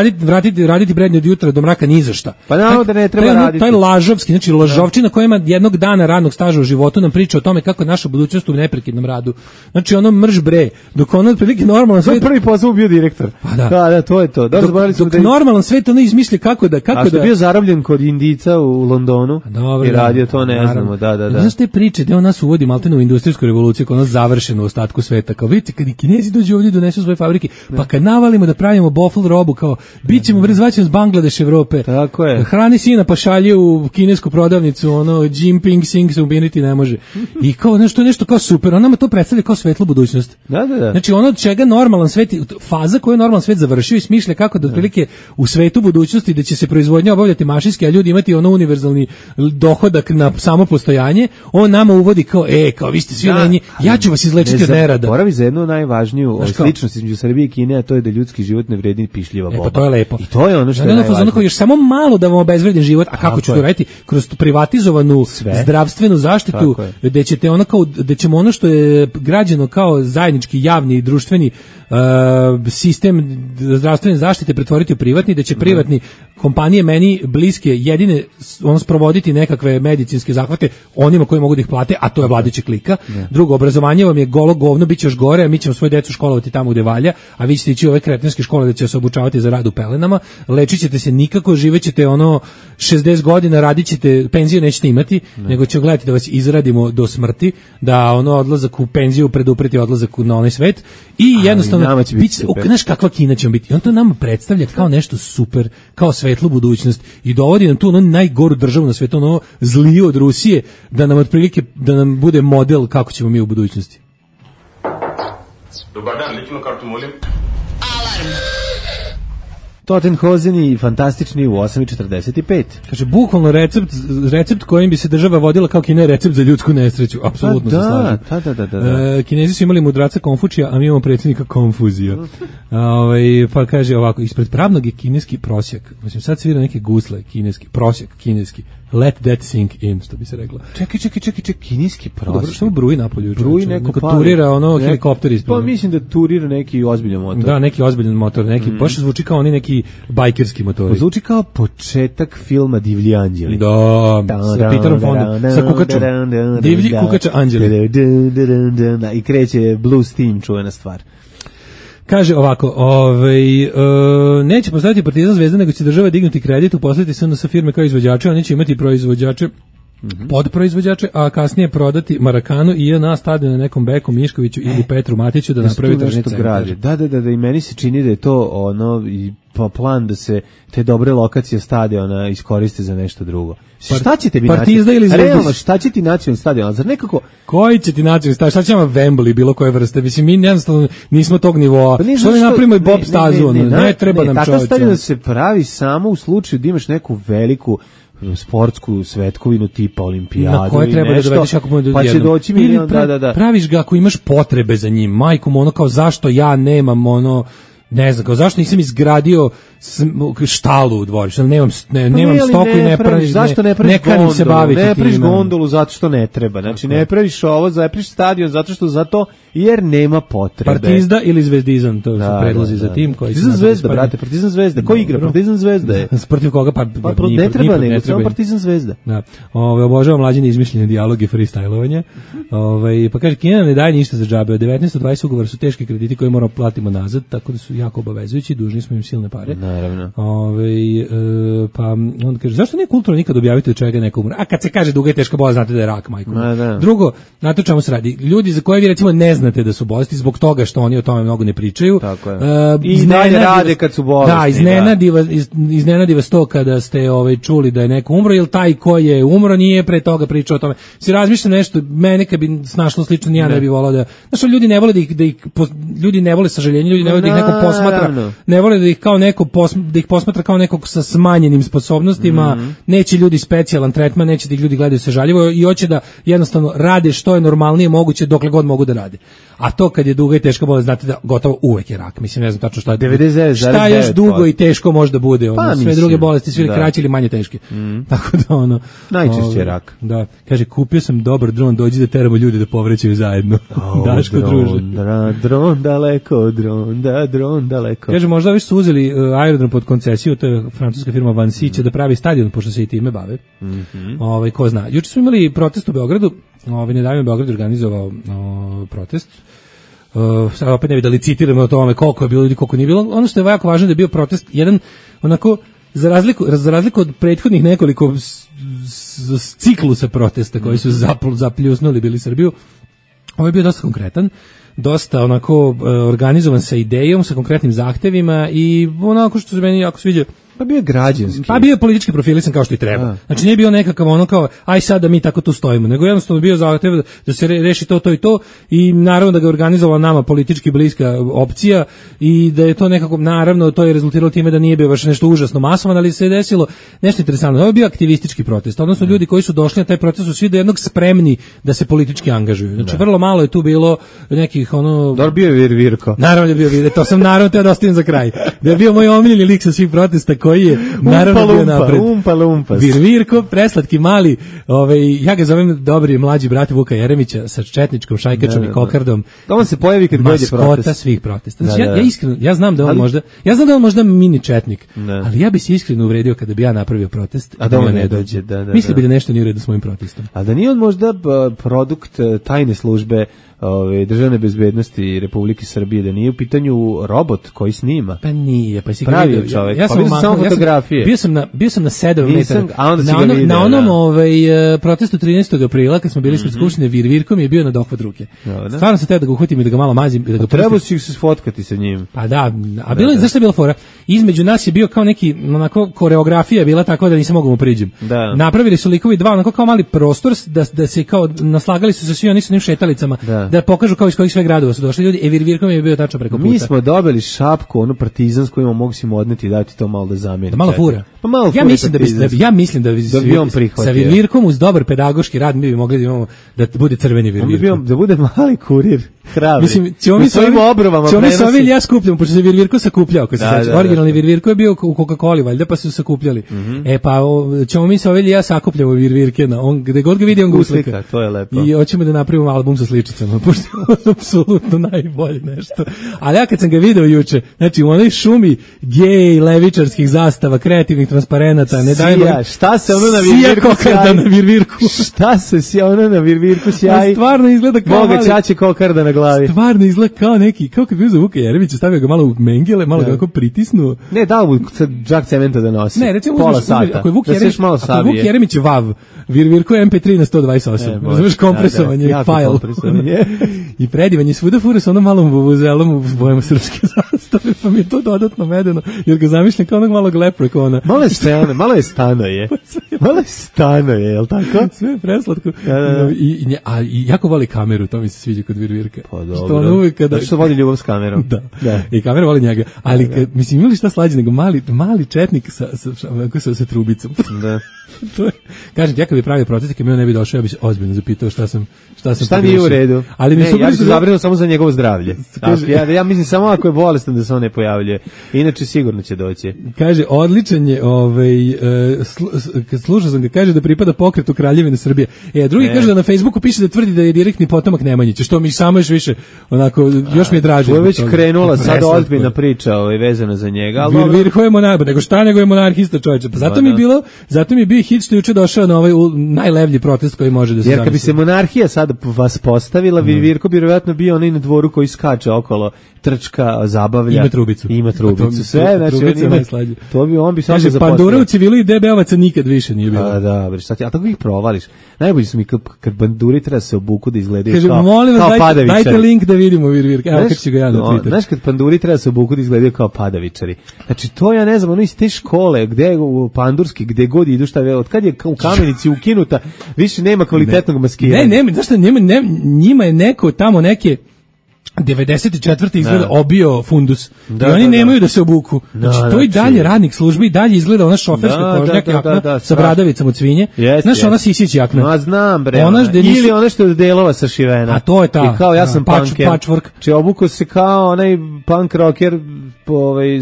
raditi prednje od jutra do mraka ni za šta. Pa naravno da ne treba raditi. Taj lažovski, znači lažovčina koja ima jednog dana radnog staža u životu nam priča o tome kako je naša budućnost u neprekidnom radu. Znači ono mrž bre, dok ono otprilike normalan svet. Prvi posao bio direktor. Pa da. Da, to je to. Dok normalan svet ono izmisli kako da A što je bio zarobljen kod Indica u Londonu i radio to, ne znamo. Da. Znaš te priče da on nas uvodi maltene u industrijsku revoluciju, kao ono završeno u ostatku sveta, kao vidite kad i Kinezi dođu ovdje donesu svoje fabrike, pa kad navalimo da pravimo bofl robu, kao bit ćemo zvaćemo s Bangladeš Evrope. Tako je. Hrani sina pa šalje u kinesku prodavnicu, Jinping Sing se ubiniti ne može. I kao nešto kao super, on nama to predstavlja kao svetlu budućnost. Da. Znači ono od čega normalan svet, faza koju je normalan svet završio i smišlja kako da otprilike u svetu budućnosti da će se proizvodnja obavljati mašinski, a ljudi imati ono univerzalni dohodak na samo postojanje, on nama uvodi kao vi ste svi lenji, ja ću vas izlečiti od nerada. Boravi za jednu najvažniju sličnost između Srbije i Kine, a to je da ljudski život ne vredi pišljiva boba. Pa to je lepo. I to je ono što je najvažnije. Još samo malo da vam obezvredim život, a kako ću to raditi? Kroz privatizovanu zdravstvenu zaštitu, gde ćemo ono što je građeno kao zajednički javni i društveni sistem zdravstvene zaštite pretvoriti u privatni, da će privatni kompanije meni bliske jedine sprovoditi nekakve medicinske zahvate onima koji mogu da ih plate, a to je vladajuća klika. Drugo, obrazovanje vam je golo govno, bit će još gore, a mi ćemo svoje decu školovati tamo gde valja, a vi ćete ići u ove kretenske škole da će se obučavati za rad u pelenama, lečit ćete se nikako, živećete 60 godina, radit ćete, penziju nećete imati, nego će gledati da vas izradimo do smrti, da odlazak u penziju predupreti odlazak na onaj svet i jednostavno, znaš kakva Kina će biti. I on to nama predstavlja kao nešto super, kao svet svetlu budućnost i dovodi nam tu ono najgoru državu na svetu, ono zliju od Rusije, da nam otprilike, da nam bude model kako ćemo mi u budućnosti. Dobar dan, lično kartu molim. Alarm. Tottenhozeni fantastični u 8:45. Kaže, bukvalno recept kojim bi se država vodila kao Kina je recept za ljudsku nesreću. Apsolutno se slažem. Da. Kinezi su imali mudraca Konfučija, a mi imamo predsjednika Konfuzija. Pa kaže ovako, ispred pravnog je kineski prosjek. Mislim, sad svira neke gusle, kineski, prosjek, kineski. Let that sink in, što bi se reklo. Čekaj, kineski prosjek. Dobro, što bruji napolju? Bruji neko turira helikopter ispred. Pa mislim da turira neki ozbiljan motor. Da, neki ozbiljan motor, neki, baš zvuči kao oni neki bajkerski motori. Zvuči kao početak filma Divlji anđeli. Da, sa Peterom Fondom, sa kukačom. Divlji kukača anđeli. I kreće Blues Team, čuvena stvar. Kaže ovako, neće postaviti Partizan Zvezda, nego će država dignuti kredit, uposliti se sa firme kao izvođače, oni će imati proizvođače, podproizvođače, a kasnije prodati Marakanu i JNA stadion na nekom Beku Miškoviću ili Petru Matiću da napravi tržni centar. Da, i meni se čini da je to ono i plan da se te dobre lokacije stadiona iskoriste za nešto drugo. Šta ćete mi Partizda ili Zvezda? Realno, šta će ti nacionalni stadion? Zar nekako... Koji će ti nacionalni stadion? Šta će vam Wembley, bilo koje vrste? Mislim, mi jednostavno nismo tog nivoa. Što ne napravimo i Bob stazu? Ne treba nam čovječe. Takav stadion se pravi samo u slučaju da imaš neku veliku sportsku svetkovinu tipa olimpijadu na koje treba nešto, da dovedeš jako puno ljudi pa će doći milion, da. Praviš ga ako imaš potrebe za njim, majkom, ono kao zašto ja nemam ono, ne znam, kao zašto nisam izgradio štalu u dvorištu, nemam stoku i ne praviš, zašto ne praviš gondolu, ne praviš gondolu zato što ne treba, znači ne praviš ovo, zapraviš stadion zato što zato, jer nema potrebe. Partizda ili Zvezdizam, to su predlozi za tim koji Partizan Zvezda, brate, Partizan Zvezda, ko igra? Partizan Zvezda je. Protiv koga? Pa ne treba nego, samo Partizan Zvezda. Da. Obožavam mlađine izmišljene dijaloge, freestylovanje. Pa kaže, Kina ne daje ništa za džabe, od 19 do 20 ugovora su teški krediti koje moramo platimo nazad, tako da su jako obavezujući, dužni smo im silne pare. Naravno. Pa on kaže, zašto nije kulturno nikad objaviti od čega neko umre? A kad se kaže duga i teška bolest, znate da je rak, majko. Drugo, znate o čemu se radi? Ljudi za koje vi recimo ne znate da su bolesti zbog toga što oni o tome mnogo ne pričaju. Tako je. I dalje rade kad su bolesti. Da, iznenadi vas to kada ste čuli da je neko umro, jer taj ko je umro nije pre toga pričao o tome. Si razmišljam nešto, mene kad bi snašlo slično, ja ne bi volao da... Znaš, ljudi ne vole ljudi ne vole sažaljenje, ljudi ne vole da ih neko posmatra, ne vole da ih kao neko da ih posmatra kao nekog sa smanjenim sposobnostima, neće ljudi specijalan tretman, neće da ih ljudi gledaju sažaljivo i hoće da jednostavno rade što je normalnije moguće dokle god mogu da rade. A to kad je duga i teška bolest, znate da gotovo uvek je rak. Mislim, ne znam tačno šta je. 99,9%. Šta još dugo i teško može da bude? Sve druge bolesti su kraće ili manje teške. Tako da najčešće je rak. Da. Kaže, kupio sam dobar dron, dođi da teramo ljudi da povrećaju zajedno. Daško druže. Dron daleko. Kaže, možda već su uzeli aerodrom pod koncesiju, to je francuska firma Vansi, će da pravi stadion, pošto se i time bave. Ko zna. Juče smo imali protest u Beogradu, nedavno u Beogradu organizovao protest. Sad opet ne bi da licitiramo o tome koliko je bilo ljudi, koliko nije bilo. Ono što je jako važno da je bio protest, jedan onako, za razliku od prethodnih nekoliko ciklusa protesta koji su zapljusnuli bili Srbiju, ovo je bio dosta konkretan, dosta onako organizovan sa idejom, sa konkretnim zahtevima i onako što se meni jako sviđa. Pa bio je građanski. Pa bio je politički profilisan kao što i treba. Znači nije bio nekakav ono kao aj sad da mi tako tu stojimo, nego jednostavno bio zahtev da se reši to i to i naravno da ga organizovala nama politički bliska opcija i da je to nekako, naravno to je rezultiralo time da nije bio baš nešto užasno masovan, ali se je desilo nešto interesantno. Ovo je bio aktivistički protest, odnosno ljudi koji su došli na taj protest su svi do jednog spremni da se politički angažuju. Znači vrlo malo je tu bilo nekih Dobro bio je Virvirko. Naravno je bio Virvirko, to sam naravno teo da ostavim za kraj. Da je bio moj omiljeni lik sa svih protesta koji je naravno bio napred. Umpa. Virvirko, preslatki mali, ja ga zovem dobri mlađi brat Vuka Jeremića sa četničkom šajkačom i kokardom. Da on se pojavi kad dođe protest. Maskota svih protesta. Znači, ja iskreno, ja znam da on možda mini četnik, ali ja bi se iskreno uvredio kada bi ja napravio protest, a da on ne dođe. Misli bi da nešto nije u redu s mojim protestom. A da nije on možda produkt tajne službe državne bezbednosti Republike Srbije, da nije u pitanju robot koji snima. Pa nije, pa si pravi vidio, čovjek. Ja sam samo fotografije. Bio sam na 7 metara. Na onom protestu 13. aprila kad smo bili ispred skupštine, Virvirkom je bio na dohvat ruke. Stvarno sam teo da ga uhvatim i da ga malo mazim i da ga treba si se sfotkati sa njim. Pa da, a bilo je zašto je bila fora? Između nas je bio kao neki onako koreografija bila tako da nisam mogao mu priđem. Napravili su likovi dva onako kao mali prostor da se kao naslagali su se svi oni su njim šetalicama da pokažu kao iz kojih sve gradova su došli ljudi. Virvirkom je bio tačno preko puta. Mi smo dobili šapku, onu partizansku, imamo mogu si mu odneti i dati to malo da zameni. Da malo fura. Pa malo ja mislim da bi on prihvatio. Sa Virvirkom uz dobar pedagoški rad mi bi mogli da imamo da bude crveni Virvirko. Da bude mali kurir, hrabri. Mislim, ćemo mi svojim obrvama prenosi. Ja skupljam, pošto se Virvirko sakupljao, ako se sećaš. Originalni Virvirko je bio u Coca-Coli, valjda, pa su sakupljali. E pa ćemo mi sa Ovelji ja sakupljamo Virvirke, on gde god ga vidi on ga uslika. To je lepo. I hoćemo da napravimo album sa sličicama, pošto je apsolutno najbolje nešto. Ali ja kad sam ga video juče, znači u onoj šumi gej, levičarskih zastava, kreativnih transparenata, ne dajmo. Šta se ono na Virvirku sjaji? Na Virvirku. Šta se ono na Virvirku sjaji? Stvarno izgleda kao Boga ćaće kokarda na glavi. Stvarno izgleda kao neki, kao kad bi uzeo Vuka Jeremića, stavio ga malo u mengele, malo ga onako pritisnuo. Ne, dao mu džak cementa da nosi. Ne, recimo pola sata. Ako je Vuk Jeremić vav, Virvirko je MP3 na 128. Razumeš, kompresovanje, file. I predivanje, svuda fura sa onom malom vuvuzelom u bojama srpske zastave, pa mi je to dodatno medeno, jer ga zamišljam kao onog malog leprekona. Malo je stano je, jel tako? Sve je preslatko. I jako voli kameru, to mi se sviđa kod Virvirka. Pa dobro. Što voli ljubav s kamerom. Da. I kamera voli njega. Ali, mislim, imali šta slađe nego mali četnik sa trubicom. Da. Kažem ti, ja kad bi pravio protest, kad mi on ne bi došao, ja bi se ozbiljno zapitao šta nije u redu. Ali ne, ja bi se zabrinuo samo za njegovo zdravlje. Ja mislim samo ako je bolestan da se on ne pojavljuje. Inače sigurno će doći. Kaže, odličan je, kad slušao sam ga, kaže da pripada pokretu Kraljevine Srbije. Drugi kaže da na Facebooku piše da tvrdi da je direktni potomak Nemanjića, što mi samo još više, onako, još mi je draže. To je već krenula sad ozbiljna priča vezana za njega. Virvirko je monarh, nego je monarhista, čoveče. Pa zato mi je bio hit što je juče došao na ovaj najlevlji protest koji može da se zamisli. Jer kad bi se monarhija sad vas postavila, Virvirko bi vjerojatno bio onaj na dvoru koji skače okolo, trčka, zabavlja. Ima trubicu. Sve, znači on bi samo zaposlio. Pandura u civilu i DB-ovaca nikad više nije bilo. Da, bre, šta ti, a tako ih provališ. Najbolji su mi kad banduri treba se obuku da izgledaju kao padavičari. Dajte link da vidimo Virvirka. Evo kako ću ga ja na Twitter. Znaš kad panduri treba se obuku da izgledaju kao padavičari. Znači to ja ne znam, ono iz te škole, gde u pandurski, gde god idu, šta od kad je u Kamenici ukinuta, više nema kvalitetnog maskiranja. Ne, zašto njima je neko tamo neke 94. izgleda obio fundus. I oni nemaju da se obuku. Znači, to i dalje radnik službe i dalje izgleda ona šoferska kožnjak jakna sa bradavicom od svinje. Znaš, ona Sisić jakna. Ma znam, bre. Ili ona što je od delova sašivena. A to je ta. I kao ja sam punker. Patchwork. Či obuku se kao onaj punk rocker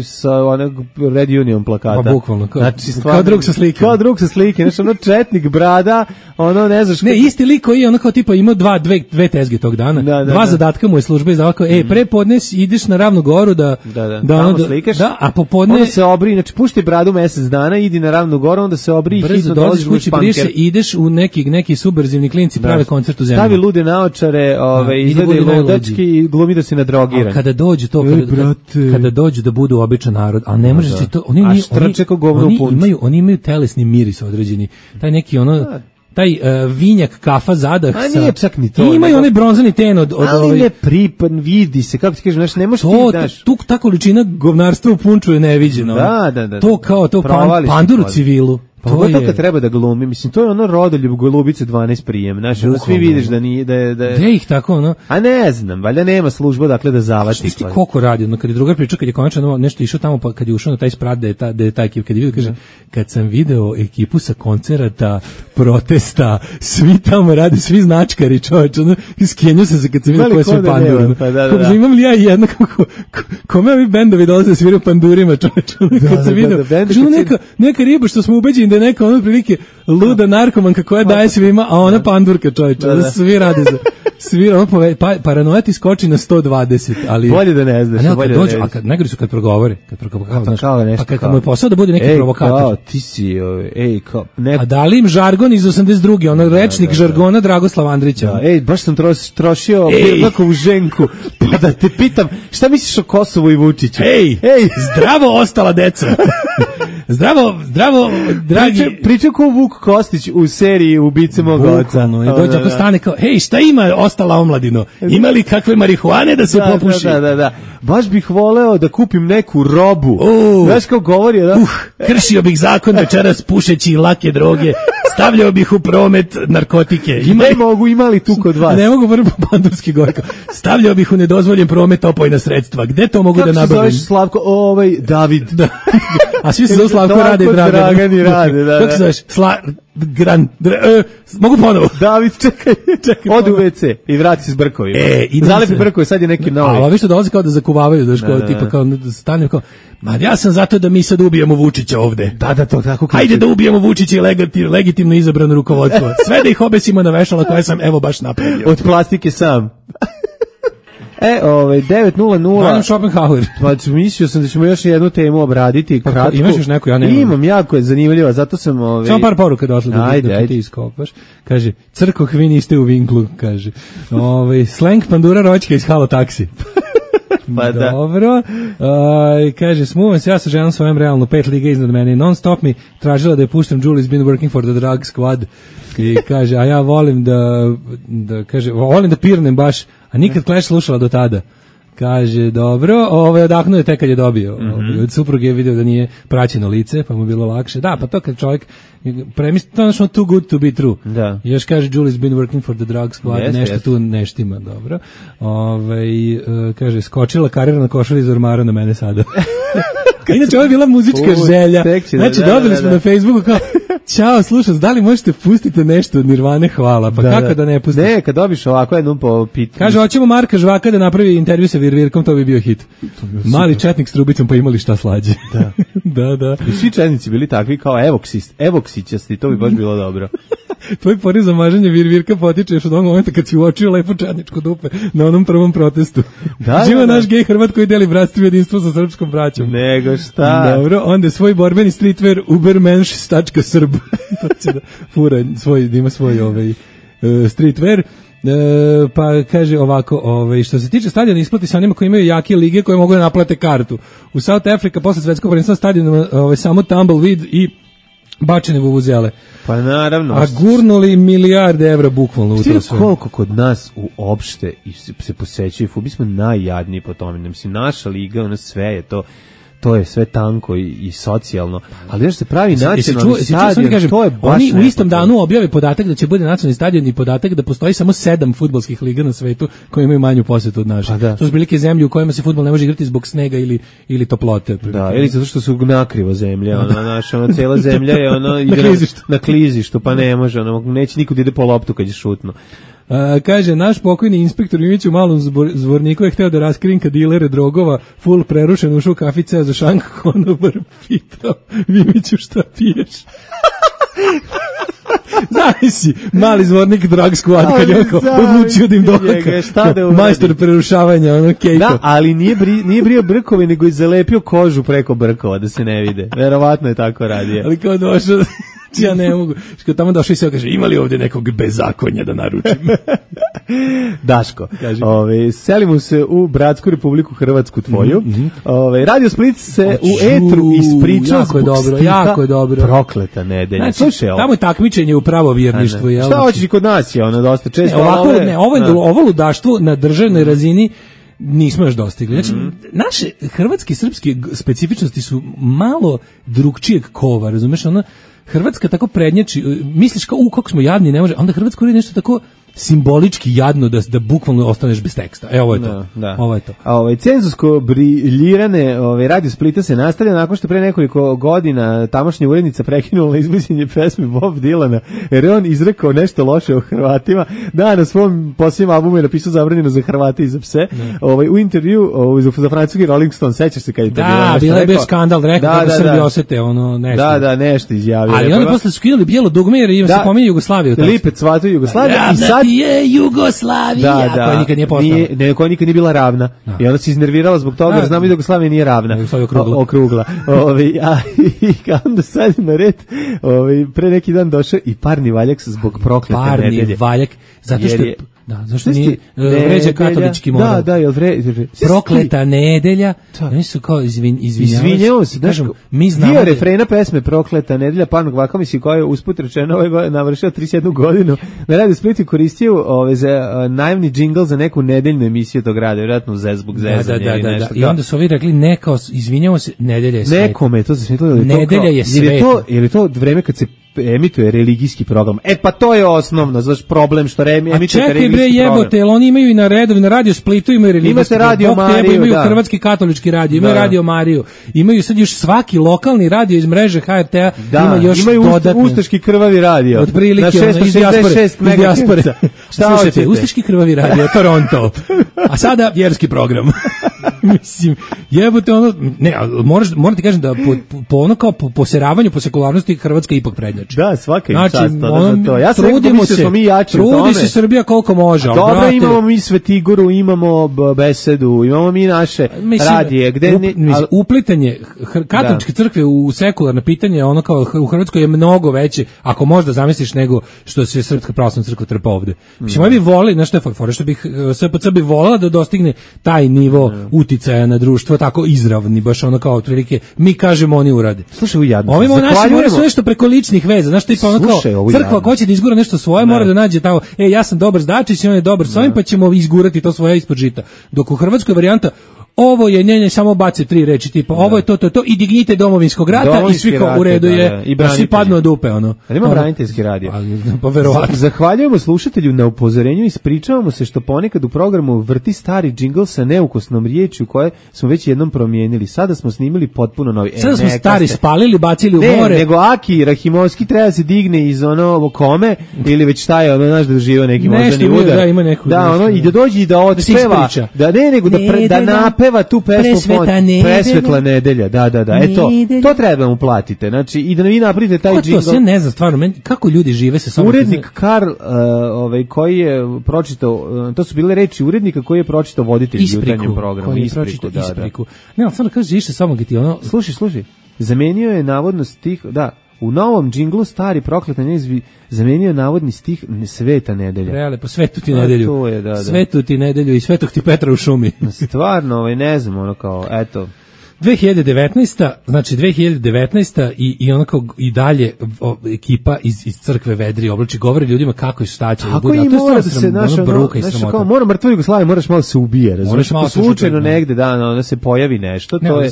sa onog Red Union plakata. Pa bukvalno. Kao drug sa slike. Kao drug sa slike. Znači, ono četnik, brada, ono ne znaš. Ne, isti lik koji je ono kao tipa imao dve tezge tog dana. Dva zadatka mu je služba izdala kao, pre podnes ideš na Ravnu Goru da tamo slikaš. Da, a popodne onda se obri, znači pušti bradu mesec dana, idi na Ravnu Goru, onda se obri i hitno dolaziš kući, briše, ideš u neki subverzivni klinci prave koncert u zemlji. Stavi lude naočare, izgleda i ludački i glumi da si nadrogiran. A kada dođe to, kada dođu da budu običan narod, a ne možeš ti to, oni imaju telesni miris određeni. Taj neki taj vinjak kafa zadah sa... nije čak ni to. Imaju onaj bronzani ten od ali ne pripan, vidi se, kako ti kažeš, znači ne možeš ti daš. Ta količina govnarstva u Punču je neviđena. Da. To kao to pandur u civilu. Pa to kad treba da glumi, mislim, to je ono Rodoljub Golubice 12 prijem, znači, ono svi vidiš da nije, da je... Gde ih tako, ono? A ne znam, valjda nema služba, dakle, da zavati. Što ti koliko radi, ono, kad je drugar pričao, kad je konačno nešto išao tamo, pa kad je ušao na taj sprat, da je ta ekipa, kad je vidio, kaže, kad sam video ekipu sa koncerata, protesta, svi tamo radi, svi značkari, čovječ, ono, iskenio sam se kad sam vidio koje sve pandure, ono. Pa imam li ja jedno, kome ovi bendovi dolaze da sviraju pandurima, čovječ, kad sam vidio, neka riba što smo ubeđeni da je neka ono prilike luda narkomanka koja daje svima, a ona pandurka, čovječe. Da. Svi rade za... Paranoja ti skoči na 120, ali... Bolje da ne znaš. A kad najgori su kad progovore. Pa kad mu je posao da bude neki provokator. Kao, ti si, A da li im žargon iz 82. Ono rečnik žargona Dragoslava Andrića. Baš sam trošio Bjebakovu ženku, pa da te pitam, šta misliš o Kosovu i Vučiću? Zdravo ostala deca. Zdravo, dragi. Priča ko Vuk Kostić u seriji Ubice mog oca. I dođe ako stane kao, šta ima ostala omladino? Ima li kakve marihuane da se popuši? Da. Baš bih voleo da kupim neku robu. Znaš kao govori, da? Kršio bih zakon večeras pušeći lake droge. Stavljao bih u promet narkotike. Ima li tu kod vas? Ne mogu prvo pandurski gorka. Stavljao bih u nedozvoljen promet opojna sredstva. Gde to mogu da nabavim? Kako se zoveš, Slavko? David. Da. A svi se zove Slavko, Rade i Dragani rade. Kako se zoveš? Mogu ponovo. David, čekaj. Odi u WC i vrati se s brkovima. Zalepi brkove, sad je neki novi. A vi što dolazi kao da zakuvavaju, daš kao tipa kao stane kao, ja sam zato da mi sad ubijemo Vučića ovde. Da, to tako. Hajde da ubijemo Vučića i legitimno izabrano rukovodstvo. Sve da ih obesimo na vešala koje sam evo baš napravio. Od plastike sam. 9:00. Adam Schopenhauer. Pa mislio sam da ćemo još jednu temu obraditi. Kratko. Imaš još neku, ja nemam. Imam, jako je zanimljivo, zato sam... Samo par poruka došlo da ti iskopaš. Kaže, crkoh, vi niste u vinklu, kaže. Slang pandura roćka iz Halo taksi. Pa da. Dobro. Kaže, smuvam se, ja sa ženom svojom realno 5 liga iznad mene. Non stop mi tražila da je puštam Julie's been working for the drug squad. I kaže, a ja volim volim da pirnem baš, a nikad Clash slušala do tada. Kaže, dobro, odahnuo je tek kad je dobio. Od supruge je video da nije praćeno lice, pa mu bilo lakše. Da, pa to kad čovjek premisli, to je too good to be true. Da. I još kaže, Julie's been working for the drug squad, nešto tu neštima, dobro. Kaže, skočila karirna košulja iz ormara na mene sada. Inače, ovo je bila muzička želja. Znači, dobili smo na Facebooku kao, ćao, slušam, da li možete pustiti nešto od Nirvane, hvala, pa kako da ne pustite? Ne, kad dobiš ovako jednom po pitanju. Kaže, hoćemo Marka Žvaka da napravi intervju sa Virvirkom, to bi bio hit. Mali četnik s trubicom, pa imali šta slađe. Da. I svi četnici bili takvi kao evoksićasti, to bi baš bilo dobro. Tvoj poriv za mažanje Virvirka potiče još od onog momenta kad si uočio lepo četničko dupe na onom prvom protestu. Živa naš gej Hrvat koji deli bratstvo i jedinstvo sa srpskom braćom. Nego šta? Dobro, onda svoj borbeni streetwear ubermensch.srb. To će da fura da ima svoj streetwear. Pa kaže ovako, što se tiče stadiona, isplati se onima koji imaju jake lige koje mogu da naplate kartu. U South Africa posle svetskog prvenstva stadiona samo tumbleweed i bačene vuvuzele. Pa naravno. A gurnuli milijarde evra bukvalno u to sve. Koliko kod nas uopšte se posećuje, mi smo najjadniji po tome. Mislim, naša liga, sve je to je sve tanko i socijalno, ali još se pravi nacionalni stadion, to je baš oni u istom danu objave podatak da će bude nacionalni stadion i podatak da postoji samo 7 fudbalskih liga na svetu koje imaju manju posetu od naše. To su velike zemlje u kojima se fudbal ne može igrati zbog snega ili toplote. Da, ili zato što su nakrivo zemlja, naša cijela zemlja je na klizištu, pa ne može, neće nikud ide po loptu kad je šutno. Kaže, naš pokojni inspektor Mimić u Malom Zvorniku je hteo da raskrinka dilere drogova, full prerušen, ušao u kafice za šank, konobar pitao Mimiću šta piješ. Zavisi, mali Zvornik drug squad kad je odlučio da im dohaka majstor prerušavanja kejko. Da, ali nije brio brkove, nego je zalepio kožu preko brkova da se ne vide. Verovatno je tako radio. Ali kao došao, ja ne mogu. Što tamo došao i se kaže, ima li ovdje nekog bezakonja da naručim? Daško, selimo se u bratsku Republiku Hrvatsku tvoju. Radio Split se u etru ispričao zbog jako je dobro. Prokleta nedelja. Znači, tamo je takmičenje u pravovjerništvu. Šta hoćeš i kod nas je dosta često. Ovo ludaštvo na državnoj razini nismo još dostigli. Znači, naše hrvatske i srpske specifičnosti su malo drugčijeg kova, razumeš? Hrvatska tako prednjači, misliš kao, kako smo jadni, ne može, onda Hrvatska uredi nešto tako simbolički jadno da bukvalno ostaneš bez teksta. Ovo je to. Da. Ovo je to. A cenzusko briljirane Radio Splita se nastavlja nakon što pre nekoliko godina tamošnja urednica prekinula izvođenje pesme Bob Dylana, jer on izrekao nešto loše o Hrvatima. Da, na svom posljednjem albumu je napisao zabranjeno za Hrvate i za pse. U intervju za francuski Rolling Stone, sećaš se kad je to bilo? Da, bilo je bio skandal, rekao da Srbi osete ono nešto. Da, nešto izjavio. Ali oni posle skidali bijelo dugme jer im se pominje Jugoslaviju. Lipec svatao Jugoslaviju i sad je Jugoslavija, koja nikad nije postala. Koja nikad nije bila ravna. I ona se iznervirala zbog toga, jer znamo da Jugoslavija nije ravna. Okrugla. I onda sad na red, pre neki dan došao i parni valjak zbog proklete nedelje. Parni valjak, zato što zašto nije vređa katolički moral. Da, jel vređa. Prokleta nedelja. Oni su kao izvinjavaju se. Mi znamo dio refrena pesme Prokleta nedelja Parnog Vaka, mislim, koja je usput rečeno navršila 31 godinu. Na Radio Splitu koristio za najavni džingl za neku nedeljnu emisiju tog rada, vjerojatno zbog zezanja ili nešto. I onda su ovi rekli, izvinjavamo se, nedelja je svet. Nekome to zasvetilo. Nedelja je svet. Je to vreme kad se emituje religijski program? Pa to je osnovno, znaš, problem što emituje religijski program. A čekaj bre, jebote, jel oni imaju i na Radio Splitu imaju religijski program. Radio Mariju, imaju Hrvatski katolički radio, imaju Radio Mariju, imaju sad još svaki lokalni radio iz mreže HRT-a, ima još dodatno. Imaju ustaški krvavi radio. Otprilike, na 666 MHz. Slušajte, ustaški krvavi radio, Toronto. A sada vjerski program. Mislim, jebote, ono, ne, moram ti kažem da po ono kao po seravanju, po sekularnosti Hrvatska ipak prednjači. Da, svaka im čast za to. Ja sam trudimo se, mi jači u tome. Trudi se Srbija koliko može. Dobro, imamo mi Svetigoru, imamo Besedu, imamo mi naše radije. Uplitanje katoličke crkve u sekularna pitanje, ono kao u Hrvatskoj je mnogo veće, ako možda zamisliš, nego što se Srpska pravoslavna crkva trpa ovde. Mislim, bi volili, znaš što je fora, što bih SPC bi volila da dostigne taj nivo uticaja na društvo, tako izravni, baš ono kao otprilike, mi kažemo, oni urade. Slušaj, u jadnosti. Ovimo naši moraju sve što preko ličnih veza, znaš, tipa ono kao, crkva ko će da izgura nešto svoje, mora da nađe tamo, ja sam dobar s Dačićem, on je dobar s ovim, pa ćemo izgurati to svoje ispod žita. Dok u Hrvatskoj varijanta, ovo je samo bace 3 reči, tipa ovo je to i dignite domovinskog rata i svi kao u redu je, i svi padnu od dupe, ono. Ali ima braniteljski radio. Pa verovatno. Zahvaljujemo slušatelju na upozorenju i ispričavamo se što ponekad u programu vrti stari džingl sa neukosnom riječju koje smo već jednom promijenili. Sada smo snimili potpuno novi. Sada smo stari spalili, bacili u more. Nego Aki Rahimovski treba se digne iz ono kome ili već šta je, ono, znaš, da doživio neki moždani udar. Da, ima neku. Da, ono, i da dođe i da odspeva. Da napeva tu pesmu Presvetla nedelja, da, to treba mu platite, znači, i da vi napravite taj džingl. To se ne zna stvarno, kako ljudi žive se samo... Urednik Karl, koji je pročitao, to su bile reči urednika koji je pročitao voditelj jutarnjem programu. Ispriku. Ne, ali stvarno kaže, ište samo ga ti ono... Slušaj, zamenio je navodno stih, u novom džinglu stari prokleta neizvi zamenio je navodni stih Sveta nedelja. Reale, po svetu ti nedelju. To je, da. Svetu ti nedelju i svetog ti Petra u šumi. Stvarno, ne znam, ono kao, eto. 2019. i ono kao i dalje ekipa iz crkve vedri oblači, govori ljudima kako i šta će bude. A to mora da se kao mora mrtvo Jugoslavija, moraš malo se ubije, razumiješ, ako slučajno negde da se pojavi nešto, to je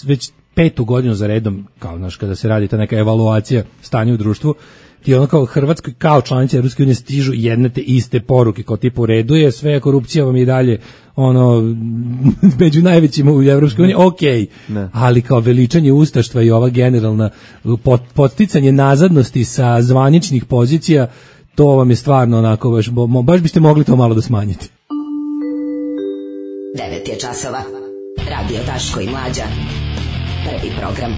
već 5. godinu za redom, kao znaš, kada se radi ta neka evaluacija stanja u društvu, ti ono kao Hrvatskoj, kao članice Evropske unije stižu jedne te iste poruke, kao tipu u redu je, sve korupcija vam i dalje ono među najvećima u Evropskoj uniji, ali kao veličanje ustaštva i ova generalna podsticanje nazadnosti sa zvaničnih pozicija, to vam je stvarno onako, baš biste mogli to malo da smanjite. 9 je časova. Radio Daško i Mlađa. Prvi program.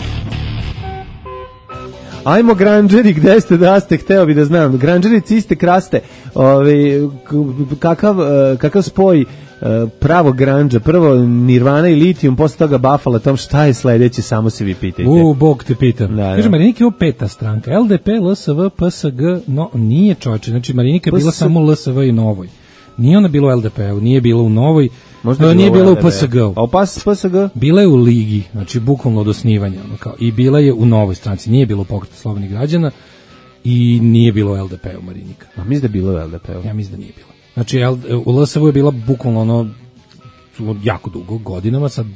Ajmo granđeri, gde ste da ste, hteo bi da znam. Granđeri ciste kraste, kakav spoj pravog granđa, prvo Nirvana i Litijum, posle toga Buffalo Tom, šta je sledeće, samo se vi pitajte. Bog te pita. Kaže, Marinika je ovo 5. stranka, LDP, LSV, PSG, no nije čoveče, znači Marinika je bila samo LSV i Novoj. Nije ona bila u LDP-u, nije bila u Novoj, nije bila u PSG-u. A u PSG? Bila je u Ligi, znači bukvalno od osnivanja. I bila je u Novoj stranci, nije bila u Pokretu slobodnih građana i nije bilo u LDP-u Marinika. A mislim da je bilo u LDP-u? Ja mislim da nije bilo. Znači u LSV je bila bukvalno ono jako dugo, godinama, sad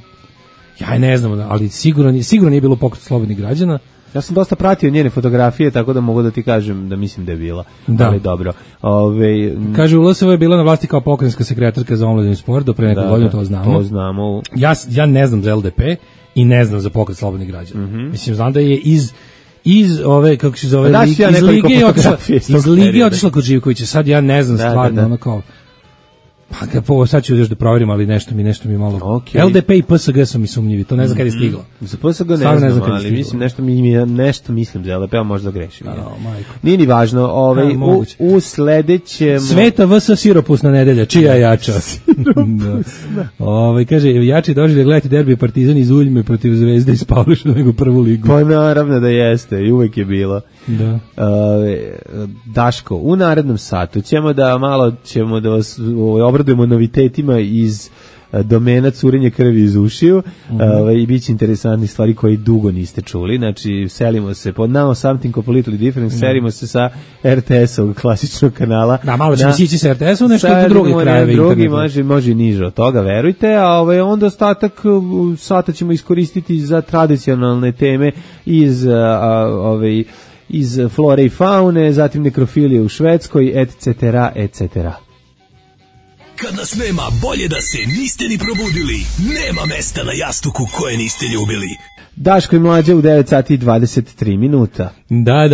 ja ne znam, ali sigurno nije bilo u Pokretu slobodnih građana. Ja sam dosta pratio njene fotografije, tako da mogu da ti kažem da mislim da je bila. Da. Ali dobro. Kaže, u LSV je bila na vlasti kao pokrajinska sekretarka za omladinu i sport, do pre nekog godina, to znamo. To znamo. Ja ne znam za LDP i ne znam za pokret slobodnih građana. Mislim, znam da je iz ove, kako se zove, iz Lige otišla kod Živkovića. Sad ja ne znam stvarno, ono kao... Pa sad ću još da proverim, ali nešto mi malo... Okay. LDP i PSG su mi sumnjivi, to ne znam kada je stiglo. Za PSG ne znam, ali mislim, nešto mislim za LDP, a možda grešim. Nije ni važno. U sledećem... Sveta vs. siropusna nedelja, čija je jača? Kaže, jači došli da gledati derbi Partizan iz Uljme protiv Zvezde iz Pavliša nego prvu ligu. Pa naravno da jeste, i uvek je bilo. Da. Daško, u narednom satu ćemo da vas obradujemo novitetima iz domena curenja krvi iz ušiju i bit će interesantnih stvari koje dugo niste čuli. Znači, selimo se pod Now Something Completely Different, selimo se sa RTS-ovog klasičnog kanala. Da, malo ćemo sići sa RTS-om, nešto od drugih krajeva. Drugi može niže od toga, verujte, a onda ostatak sata ćemo iskoristiti za tradicionalne teme iz flore i faune, zatim nekrofilije u Švedskoj, etc., etc. Kad nas nema, bolje da se niste ni probudili. Nema mesta na jastuku koje niste ljubili. Daško i Mlađa u 9 sati i 23 minuta. Da,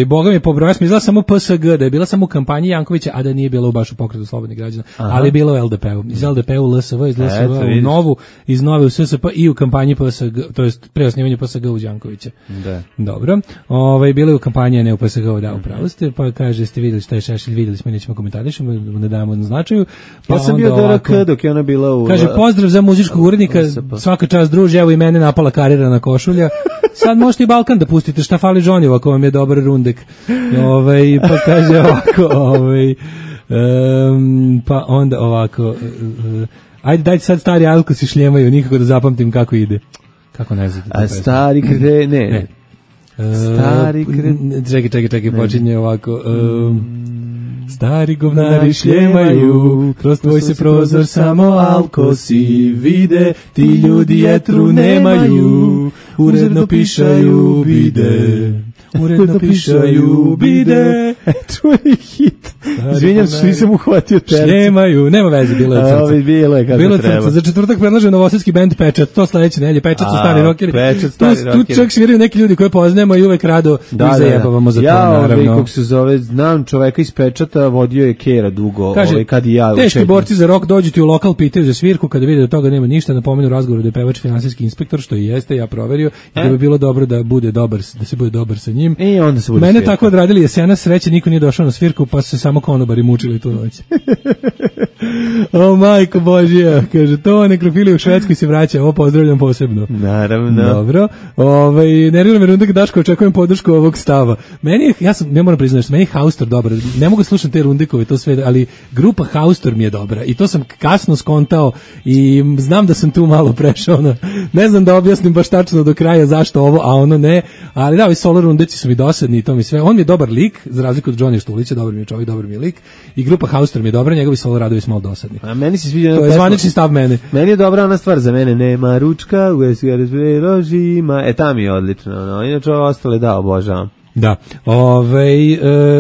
Boga mi pobrojao, sam izgleda samo PSG, da je bila samo u kampanji Jankovića, a da nije bilo baš u pokretu slobodnih građana, ali je bilo u LDP-u. Iz LDP-u u LSV, iz LSV u Novu, iz Nove u SSP i u kampanji PSG, to jest pre osnivanja PSG u Jankovića. Da. Dobro. Bilo je u kampanji, a ne u PSG-u, da, upravo ste, pa kaže, ste vidjeli šta je Šešelj, vidjeli smo, nećemo komentarišemo, ne damo na značaju. Pa sam bio DRK dok je ona bila u... Kaže, pozdrav za muzičkog urednika, svaka čast druže, evo i mene napala karirana košulja. Sad možete i Balkan da pustite, šta fali Žonjevo ako vam je dobar rundek. Pa kaže ovako, pa onda ovako, ajde dajte sad stari Alko si šljemaju, nikako da zapamtim kako ide. Kako ne znate? A stari krede, ne. Stari krede... Čekaj, počinje ovako... Stari govnari šljemaju, kroz tvoj se prozor samo alkosi vide, ti ljudi jetru nemaju, uredno pišaju bide. Uredno pišaju bide. Čuj hit. Izvinjam se što nisam uhvatio tercu. Šljemaju, nema veze, bilo je od srca. Bilo je kako treba. Za četvrtak predlaže novosadski bend Pečat, to sledeće nedelje, Pečat su stari rokeri. Tu čak sviraju neki ljudi koje poznajemo i uvek rado ih zajebavamo za to, naravno. Ja, kako se zove, znam čoveka iz Pečata, vodio je Kera dugo, kad i ja. Teški borci za rok dođu ti u lokal, pitaju za svirku, kada vide da toga nema ništa, napomenu razgovoru da je pevač finansijski inspektor, što i jeste, ja proverio, i da bi bilo dobro da bude dobar, da se bude dobar sa njim. I onda se bude mene svirka. Tako odradili jesena, sreće, niko nije došao na svirku, pa su se samo konobari mučili tu noć. O majko Božija, kaže, to nekrofilija u Švedskoj se vraća, ovo pozdravljam posebno. Naravno. Dobro, nervira me Rundak, Daško, očekujem podršku ovog stava. Ja moram priznati, meni je Haustor dobar, ne mogu slušati te Rundikove, to sve, ali grupa Haustor mi je dobra i to sam kasno skontao i znam da sam tu malo prešao, ne znam da objasnim baš tačno do kraja zašto ovo, a ono ne, ali da, ovi solo Rundeci su mi dosadni i to mi sve, on mi je dobar lik, za razliku od Johnny Štulića, dobar mi je čovjek, dobar mi je lik, i grupa Haustor mi je dobra, njegovi solo radovi su malo dosadni. A meni se sviđa, to je zvanični stav mene. Meni je dobra ona stvar, za mene nema ručka, ložima, ta mi je odlično, inače ovo ostale da obožavam. Da,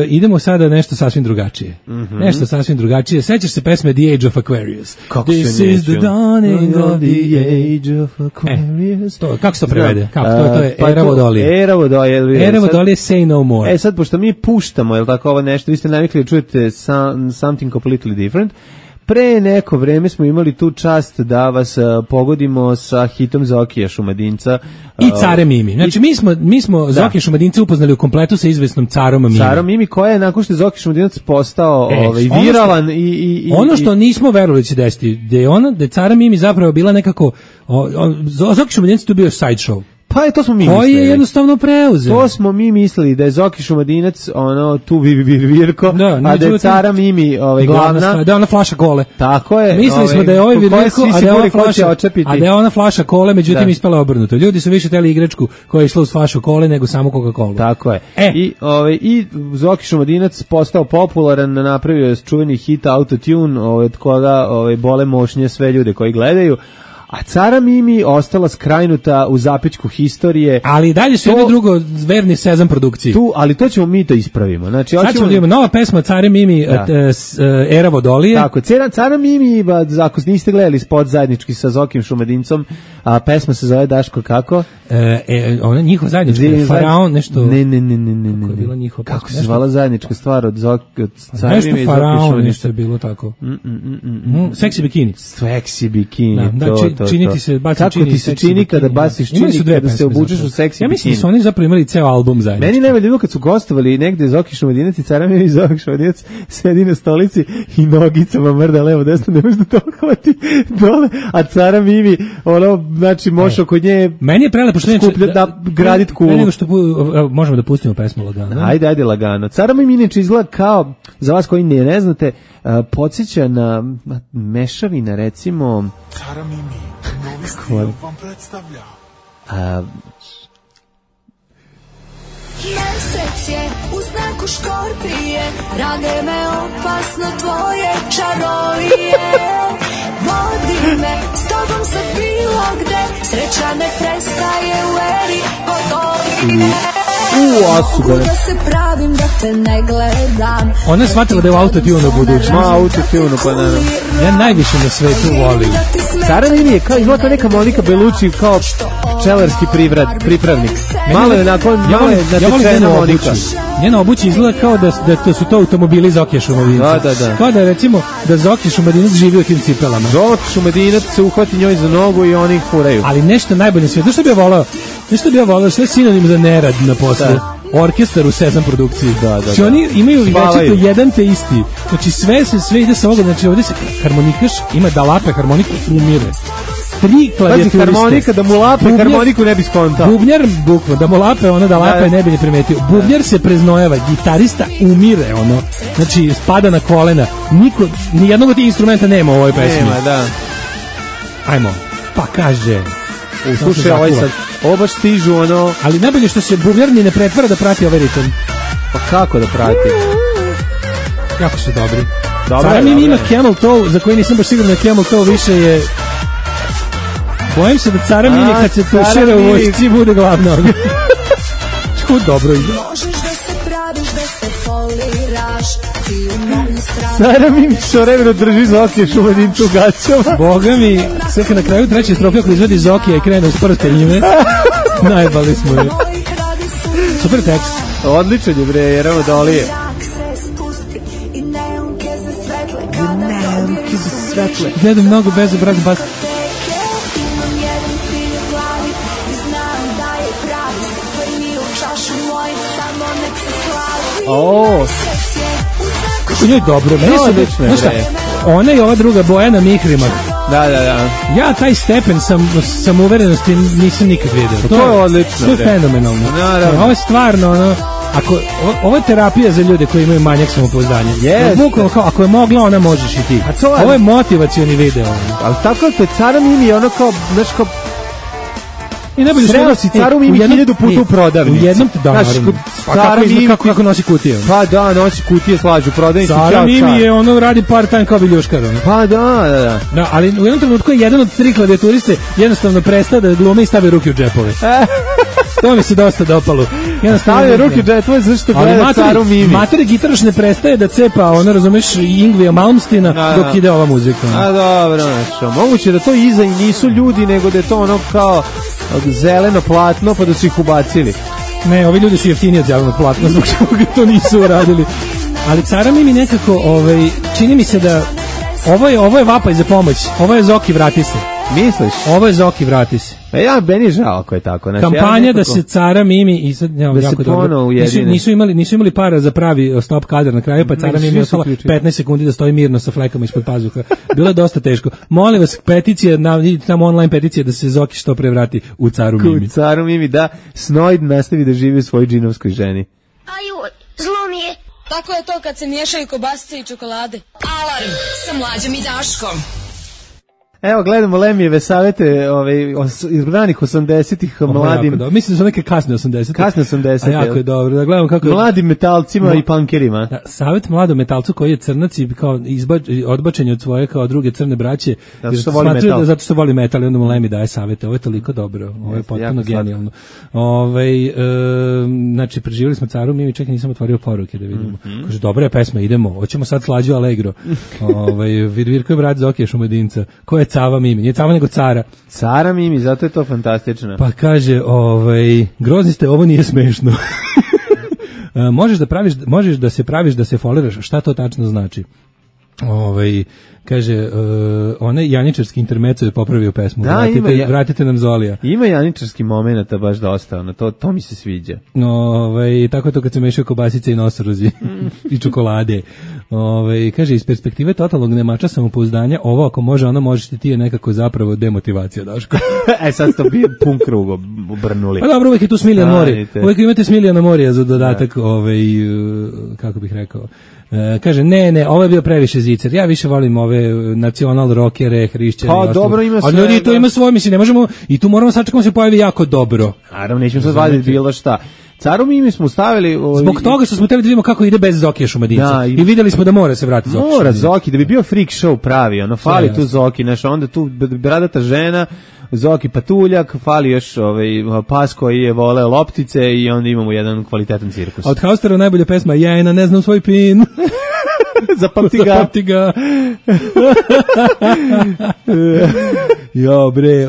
idemo sada nešto sasvim drugačije. Nešto sasvim drugačije. Sećaš se pesme The Age of Aquarius? This is the dawning of the age of Aquarius. Kako se to prevede? To je Era Vodolije. Era Vodolije. Era Vodolije, Say No More. Sad, pošto mi puštamo, je li tako ovo nešto, vi ste navikli da čujete Something Completely Different, pre neko vreme smo imali tu čast da vas pogodimo sa hitom Zokija Šumadinca i Care Mimi. Znači mi smo Zokija Šumadinca upoznali u kompletu sa izvesnom Carom Mimi. Carom Mimi, koja je nakon što je Zoki Šumadinac postao viralan i ono što nismo verovali će desiti, da je Cara Mimi zapravo bila nekako Zoki Šumadinac tu bio side show. Pa to smo mi mislili. To je jednostavno preuzeo. To smo mi mislili da je Zoki Šumadinac tu virvirko, a da je Cara Mimi glavna. Da je ona flaša kole. Tako je. Mislili smo da je virvirko, a da je ona flaša kole, međutim ispala obrnuto. Ljudi su više teli igračku koja je išla uz flašu kole nego samo Coca-Cola. Tako je. I Zoki Šumadinac postao popularan, napravio čuveni hit Autotune, od koga bole mošnje sve ljude koji gledaju. a Cara Mimi ostala skrajnuta u zapećku historije. Ali dalje su jedno drugo verni Sezam produkciji. Ali to ćemo mi da ispravimo. Znači, sad ćemo da imamo nova pesma Care Mimi, Era Vodolije. Tako, Cara Mimi, ako niste gledali spot zajednički sa Zokim Šumadincom, a pesma se zove Daško kako? Ona njihova zajednička, Faraon, nešto... Ne. Kako se zvala zajednička stvar od Cara Mimi i Zoki Faraon, nešto je bilo tako. Seksi bikini. Seksi bikini, to. Činiti se, baci kako ti se čini kada baciš čini, kada se obučeš u seksi bikini. Ja mislim da su oni zapravo imali ceo album zajedno. Meni najbolje bilo kad su gostovali negde Zoki Šumadinac i Cara Mimi i Zoki Šumadinac sedi na stolici i nogicama mrda levo desno, ne može da to hvati dole, a Cara Mimi, znači mošao kod nje. Meni je prelepo što da gradit kulu. Nego što možemo da pustimo pesmu lagano. Ajde lagano. Cara Mimi inače izgleda kao, za vas koji ne znate, podsjeća na mešavina, recimo... Cara Mimi, novi stil vam predstavlja. Mesec je u znaku škorpije, rade me opasno tvoje čarolije. Vodi me s tobom sad bilo gde, sreća ne prestaje u eri Vodolije. Da se pravim da te ne gledam. Ona je shvatila da je u autotune u budućnosti. Autotune, pa naravno. Ja najviše na svetu volim. Cara Mimi je kao izgleda neka Monika Belucci, kao pčelarski pripravnik. Malo je natečena Monika. Njena obuća izgleda kao da su to automobili Zokija Šumadinca. Da. Kao da je recimo da Zoki Šumadinac živi u tim cipelama. Zoki Šumadinac se uhvati njoj za nogu i oni ih furaju. Ali nešto najbolje sve. Nešto bi ja volao, sve sinonim za nerad na poslu. Orkestar u Sezam produkciji. Znači oni imaju večito jedan te isti. Znači sve ide sa ovoga, znači ovdje se harmonikaš ima da lape harmoniku umire. 3 klavijaturiste. Harmonika, da mu lape harmoniku ne bi skontao. Bubnjar, bukva, da mu lape ona da lape ne bi ni primetio. Bubnjar se preznojava, gitarista umire, znači spada na kolena. Ni jednog od tih instrumenta nema u ovoj pesmi. Nema, da. Ajmo, pa kaže... Slušaj, ovaj sad, baš stižu ali najbolje što se bubnjar ni ne pretvara da prati ovaj ritam. Pa kako da prati? Jako su dobri. Cara Mimi ima Camel Toe, za koji nisam baš siguran da Camel Toe više je... Bojim se da Cara Mimi kad se tušira u vojsci bude glavna. Čko dobro ide. Cara Mimi što vremeno drži Zokija Šumadincu u gaćama. Boga mi, sve kad na kraju treće strofe ako izvedi Zokija i krene uz prste njime, najbali smo je. Super tekst. Odličan je bre, Era Vodolije. Gledam mnogo bezobrazno bas. Kako njoj dobro, meni su odlično. Ona i ova druga Bojana Mihrimak. Da. Ja taj stepen sam uverenosti nisam nikad vidio. To je odlično. To je fenomenalno. Ovo je stvarno ovo je terapija za ljude koji imaju manjak samopouzdanja. Bukvalno kao, ako je mogla, ona možeš i ti. Ovo je motivacioni video. Ali tako je Cara Mimi, ono kao, znaš kao, i najbolje sreo si Caru Mimi 1000 puta u prodavnici. U jednom te naravno. Kako nosi kutije. Pa da, nosi kutije, slađu prodavnici. Cara Mimi je radi part time kao viljuškar. Pa da. Ali u jednom trenutku je jedan od 3 klavijaturiste jednostavno prestao da glume i stavi ruke u džepove. To mi se dosta dopalo. Stavio ruke u džepove zašto gleda Caru Mimi. Mater gitaraš ne prestaje da cepa, razumeš, Ingvija Malmstina dok ide ova muzika. A dobro, znači, moguće da to iza i nisu ljudi, nego da je to kao zeleno platno, pa da su ih ubacili. Ne, ovi ljudi su jeftiniji od zelenog platna, zbog čega to nisu uradili. Ali Cara Mimi nekako, čini mi se da ovo je vapaj za pomoć. Ovo je Zoki vrati se. Misliš? Ovo je Zoki vrati se. Meni je žao ako je tako. Znači, kampanja da se Cara Mimi i sad da jako se ponovo ujedine. Nisu imali para za pravi stop kadar na kraju, pa Cara Mimi ostala 15 sekundi da stoji mirno sa flekama ispod pazuha. Bilo je dosta teško. Molim vas, peticija, tamo online peticija da se Zoki što pre vrati u Caru Mimi. U Caru Mimi, da Snoid nastavi da živi u svojoj džinovskoj ženi. Aju, zlo mi je. Tako je to kad se miješaju kobasice i čokolade. Alarm sa Mlađom i Daškom. Evo, gledamo Lemijeve savete iz ranih 80-ih mladim. Mislim da su neke kasne 80-ih. Kasne 80-ih. A jako je dobro. Da gledamo kako mladim metalcima i punkerima. Da, savet mladom metalcu koji je crnac i kao odbačen od svoje kao druge crne braće. Zato što voli metal i onda mu Lemi daje savete. Ovo je toliko dobro. Ovo je potpuno genijalno. Znači, preživjeli smo Caru Mimi, čekaj, nisam otvorio poruke da vidimo. Kaže, dobra je pesma, idemo. Hoćemo sad Slađu Allegro. Virko je brat Zokije Šumadinca. Ko je Cava Mimi? Nije Cava nego Cara. Cara Mimi, zato je to fantastično. Pa kaže, grozni ste, ovo nije smešno. Možeš da se praviš da se foliraš. Šta to tačno znači? Kaže, onaj janičarski intermeco je popravio pesmu. Da, vratite nam Zolija. Ima janičarski momenata baš dosta, to mi se sviđa. Tako je to kad se mešaju kobasice i nosorozi i čokolade. Kaže, iz perspektive totalnog nemača samopouzdanja, ovo ako može, ono možete ti je nekako zapravo demotivacija, Daško. Sad ste bio pun krug obrnuli. Pa dobro, uvek je tu Smiljana Morija. Uvek imate Smiljana Morija za dodatak, kako bih rekao. Kaže, ne, ovo je bio previše zicer. Ja više volim ove nacional rockere, hrišćane. Pa dobro, ima sve. A ljudi to ima svoje, mislim, ne možemo, i tu moramo sačekamo se pojavi jako dobro. Naravno, nećemo sad vaditi bilo šta. Caru Mimi smo stavili... Zbog toga što smo hteli da vidimo kako ide bez Zokije Šumadinca. I videli smo da mora se vratiti Zoki. Mora Zoki, da bi bio freak show pravi. Fali tu Zoki, onda tu bradata žena, Zoki patuljak, fali još pas koji je vole loptice i onda imamo jedan kvalitetan cirkus. A od Haustera najbolja pesma Jajna, ne znam svoj pin. Zapamti ga. Jo bre,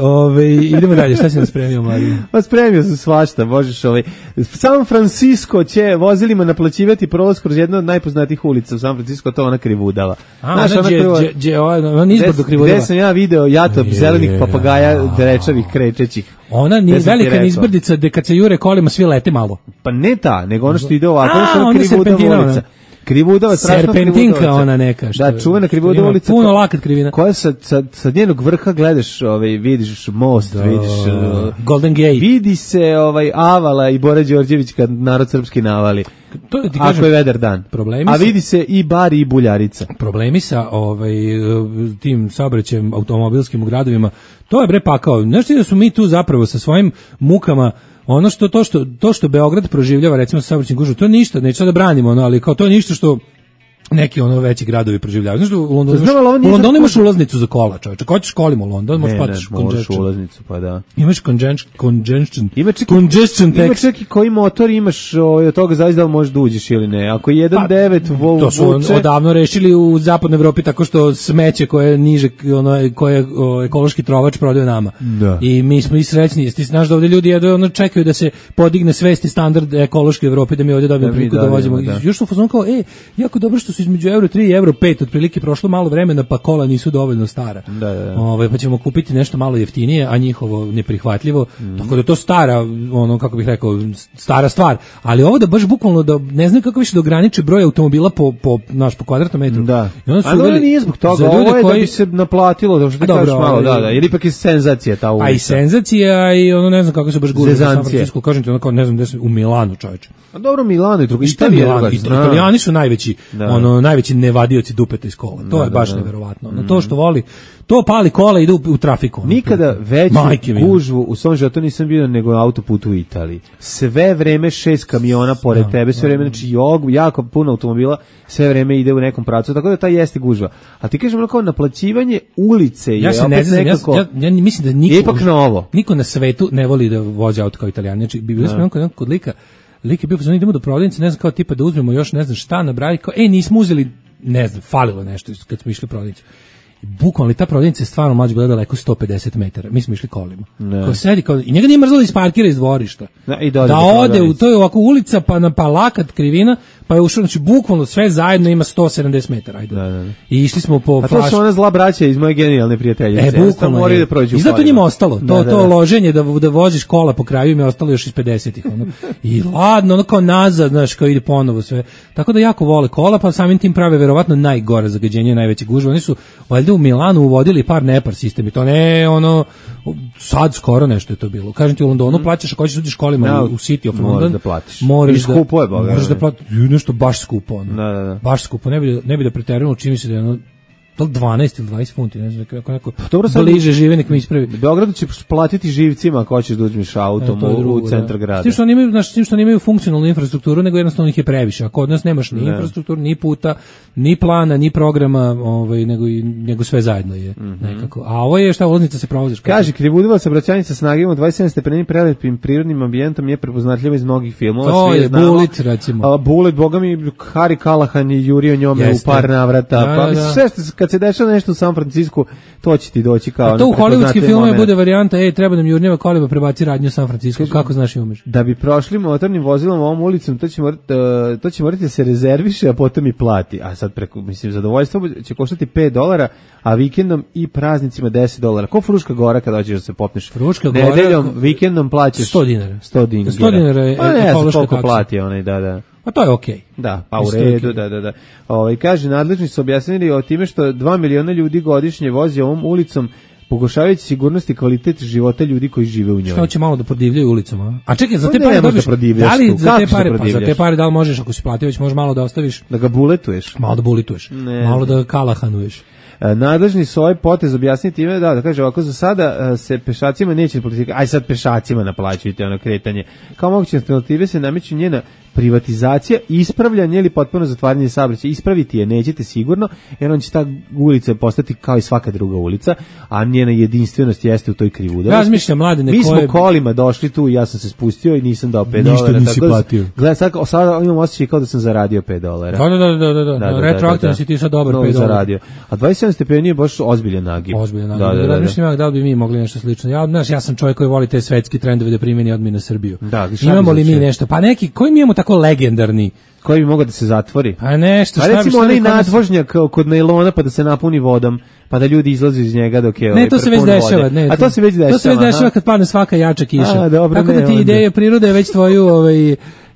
idemo dalje, šta si nam spremio, Marija? Pa spremio sam svašta, možeš San Francisco će vozilima naplaćivati prolaz kroz jednu od najpoznatijih ulica u San Francisco, to ona Krivudava. Ona izbor do Krivudava. Gde sam ja video jatop zelenih papagaja drečavih krećećih. Ona nije velika nizbrdica gde kad se jure kolima svi lete malo. Pa ne ta, nego ono što ide ovako, ono što je Krivudava ulica. Krivudava, strašno serpentinka ona neka što. Da, čuvena Krivudava ulica. Puno lakat krivina. Koja sa njenog vrha gledaš, vidiš most, vidiš Golden Gate. Vidi se Avala i Bora Đorđević kad narod srpski navali. To ti kažem, ako je vedar dan. A vidi se i Bari i Buljarica. Problemi sa tim saobraćajem automobilskim u gradovima, to je bre pakao. Znaš ti da su mi tu zapravo sa svojim mukama ono to što Beograd proživljava recimo sa saobraćajnim gužvom, to je ništa, neću da branimo ali kao to je ništa što neki veći gradovi proživljavaju. Znaš, u Londonu imaš ulaznicu za kola, čovječe. Ko ćeš kolima u London, možeš platiš congestion. Ulaznicu, pa da. Imaš congestion. Ima čak i koji motor imaš, od toga zaista možeš da uđeš ili ne. Ako je 1.9 to su odavno rešili u zapadnoj Evropi tako što smeće koje je niže, koje ekološki trovač prodaje nama. Da. I mi smo i srećni. Ti znaš da ovdje ljudi čekaju da se podigne svesti standard ekološke Evrope, da mi ovdje dobijemo priliku da vozimo. Još su fazon kao, jako dobro što između euro 3 i euro 5 otprilike prošlo malo vremena pa kola nisu dovoljno stara. Da. Pa ćemo kupiti nešto malo jeftinije, a njihovo neprihvatljivo. Tako da to stara, kako bih rekao, stara stvar. Ali ovo da baš bukvalno da ne znam kako više da ograniče broj automobila po kvadratnom metru. Da. Ali nije zbog toga, ovo je da bi se naplatilo, da što ti kažeš malo, da. Ili ipak je senzacija ta ulica. A i senzacija i ne znam kako se baš gura u San Francisco, kažem ti ne znam gde se u Milanu, čoveče. A dobro, Milano i drugo. Italijani su najveći, najveći nevadioci dupeta iz kola. To je baš neverovatno. To što voli, to pali kola i ide u trafiku. Nikada veću gužvu u svom životu nisam bio nego na autoputu u Italiji. Sve vreme 6 kamiona pored tebe, sve vreme, znači jako puno automobila, sve vreme ide u nekom pravcu, tako da ta jeste gužva. A ti kažem kao naplaćivanje ulice je opet nekako... Ja mislim da niko na svetu ne voli da vozi auto kao Italijani. Znači, bi bilo smo kod lika, lik je bio pozvani, idemo do prodavnice, ne znam kao tipa da uzmemo još ne znam šta na bravi, kao nismo uzeli, ne znam, falilo nešto kad smo išli u prodavnicu. Bukvalno, ta prodavnica je stvarno mlađe bila daleko 150 metara. Mi smo išli kolima. Ko sedi, i njega nije mrzalo da isparkira iz dvorišta. Da ode, to je ovako ulica, pa lakat krivina, pa je ušao, znači bukvalno sve zajedno ima 170 metara. Ajde. Da. I išli smo po flaš. A to su ona zla braća iz moje genijalne prijateljice. Bukvalno je. I zato njima ostalo. To loženje da voziš kola po kraju im je ostalo još iz 50-ih. I ladno, kao nazad, znaš, kao ide ponovo sve. Tako da jako vole kola, pa samim tim prave verovatno najgore zagađenje, najveće gužve. Oni su valjda u Milanu uvodili par nepar sistemi, to ne sad skoro nešto je to bilo. Kažem ti, u Londonu plaćaš, ako hoćeš da uđeš kolima u City of London, da platiš. Moraš da platiš nešto baš skupo. Baš skupo, ne bi da preterujemo, čini mi se da je to 12 ili 20 funti, ne znam, neko bliže žive, nek mi ispravi. U Beogradu ćeš platiti živcima ako hoćeš da uzmeš autom u centar grada. S tim što oni imaju funkcionalnu infrastrukturu, nego jednostavno ih je previše. A kod nas nemaš ni infrastrukturu, ni puta, ni plana, ni programa, nego sve zajedno je nekako. A ovo je šta ulaznica se provoziš. Kaže, Krivudovac saobraćajnica s nagibom 27 stepeni prelepim prirodnim ambijentom je prepoznatljiva iz mnogih filmova. To je Bullet, recimo. Bullet, boga mi, Harry Callahan je jurio njome u par navrata. Pa sve kad se dešava nešto u San Francisku, to će ti doći kao... A to u hollywoodskim filmovima bude varijanta, treba nam jurnjava koleba, prebaci radnju u San Francisco. Kako znaš i umeš? Da bi prošli motornim vozilom ovom ulicom, to će morati da se rezerviše, a potom i plati. A sad preko, mislim, zadovoljstvo će koštati $5, a vikendom i praznicima $10. Ko Fruška Gora kada hoćeš da se popneš? Fruška Gora... Nedeljom, vikendom plaćaš... $100. $100 je ekološka koliko plati onaj, da. A to je okej. Da, pa u redu, da. Kaže, nadležni su objasnili o time što 2 miliona ljudi godišnje vozi ovom ulicom, pogoršavajući sigurnost i kvalitet života ljudi koji žive u njoj. Što će malo da prodivljaju ulicom, a čekaj, za te pare dobiš, da li za te pare da li možeš, ako si platio, već možeš malo da ostaviš, da ga buletuješ, malo da bulituješ, malo da kalahanuješ. Nadležni su ovaj potez objasniti time da kaže ovako, za sada se pešacima neće politika, aj sad pešacima naplaćujete ono kretanje. Kao moguće alternative se nameću njena privatizacija, ispravljanje ili potpuno zatvaranje saobraćaja. Ispraviti je nećete sigurno, jer on će ta ulica postati kao i svaka druga ulica, a njena jedinstvenost jeste u toj Krivudovosti. Razmišljam, mladine, mi smo kolima došli tu i ja sam se spustio i nisam dao $5. Ništa nisi platio. Gledaj, sad imam osjećaj kao da sam zaradio $5. Da. Retroaktivno si ti sad dobar $5. Zaradio. A 27 stepeni je baš ozbiljan nagib. Da. Razmišljam da li bi mi mogli nešto slično. Ja sam čovjek koji voli te svetski trendove da primeni odmah na Srbiju. Imamo li mi nešto? Pa neki, koji mi imamo tako legendarni? Koji bi mogao da se zatvori? Pa nešto, šta recimo onaj nadvožnjak kod nailona pa da se napuni vodom, pa da ljudi izlaze iz njega dok je to se već dešava, a to se već dešava. To se već dešava kad padne svaka jača kiša. Tako da ti ideje prirode već tvoju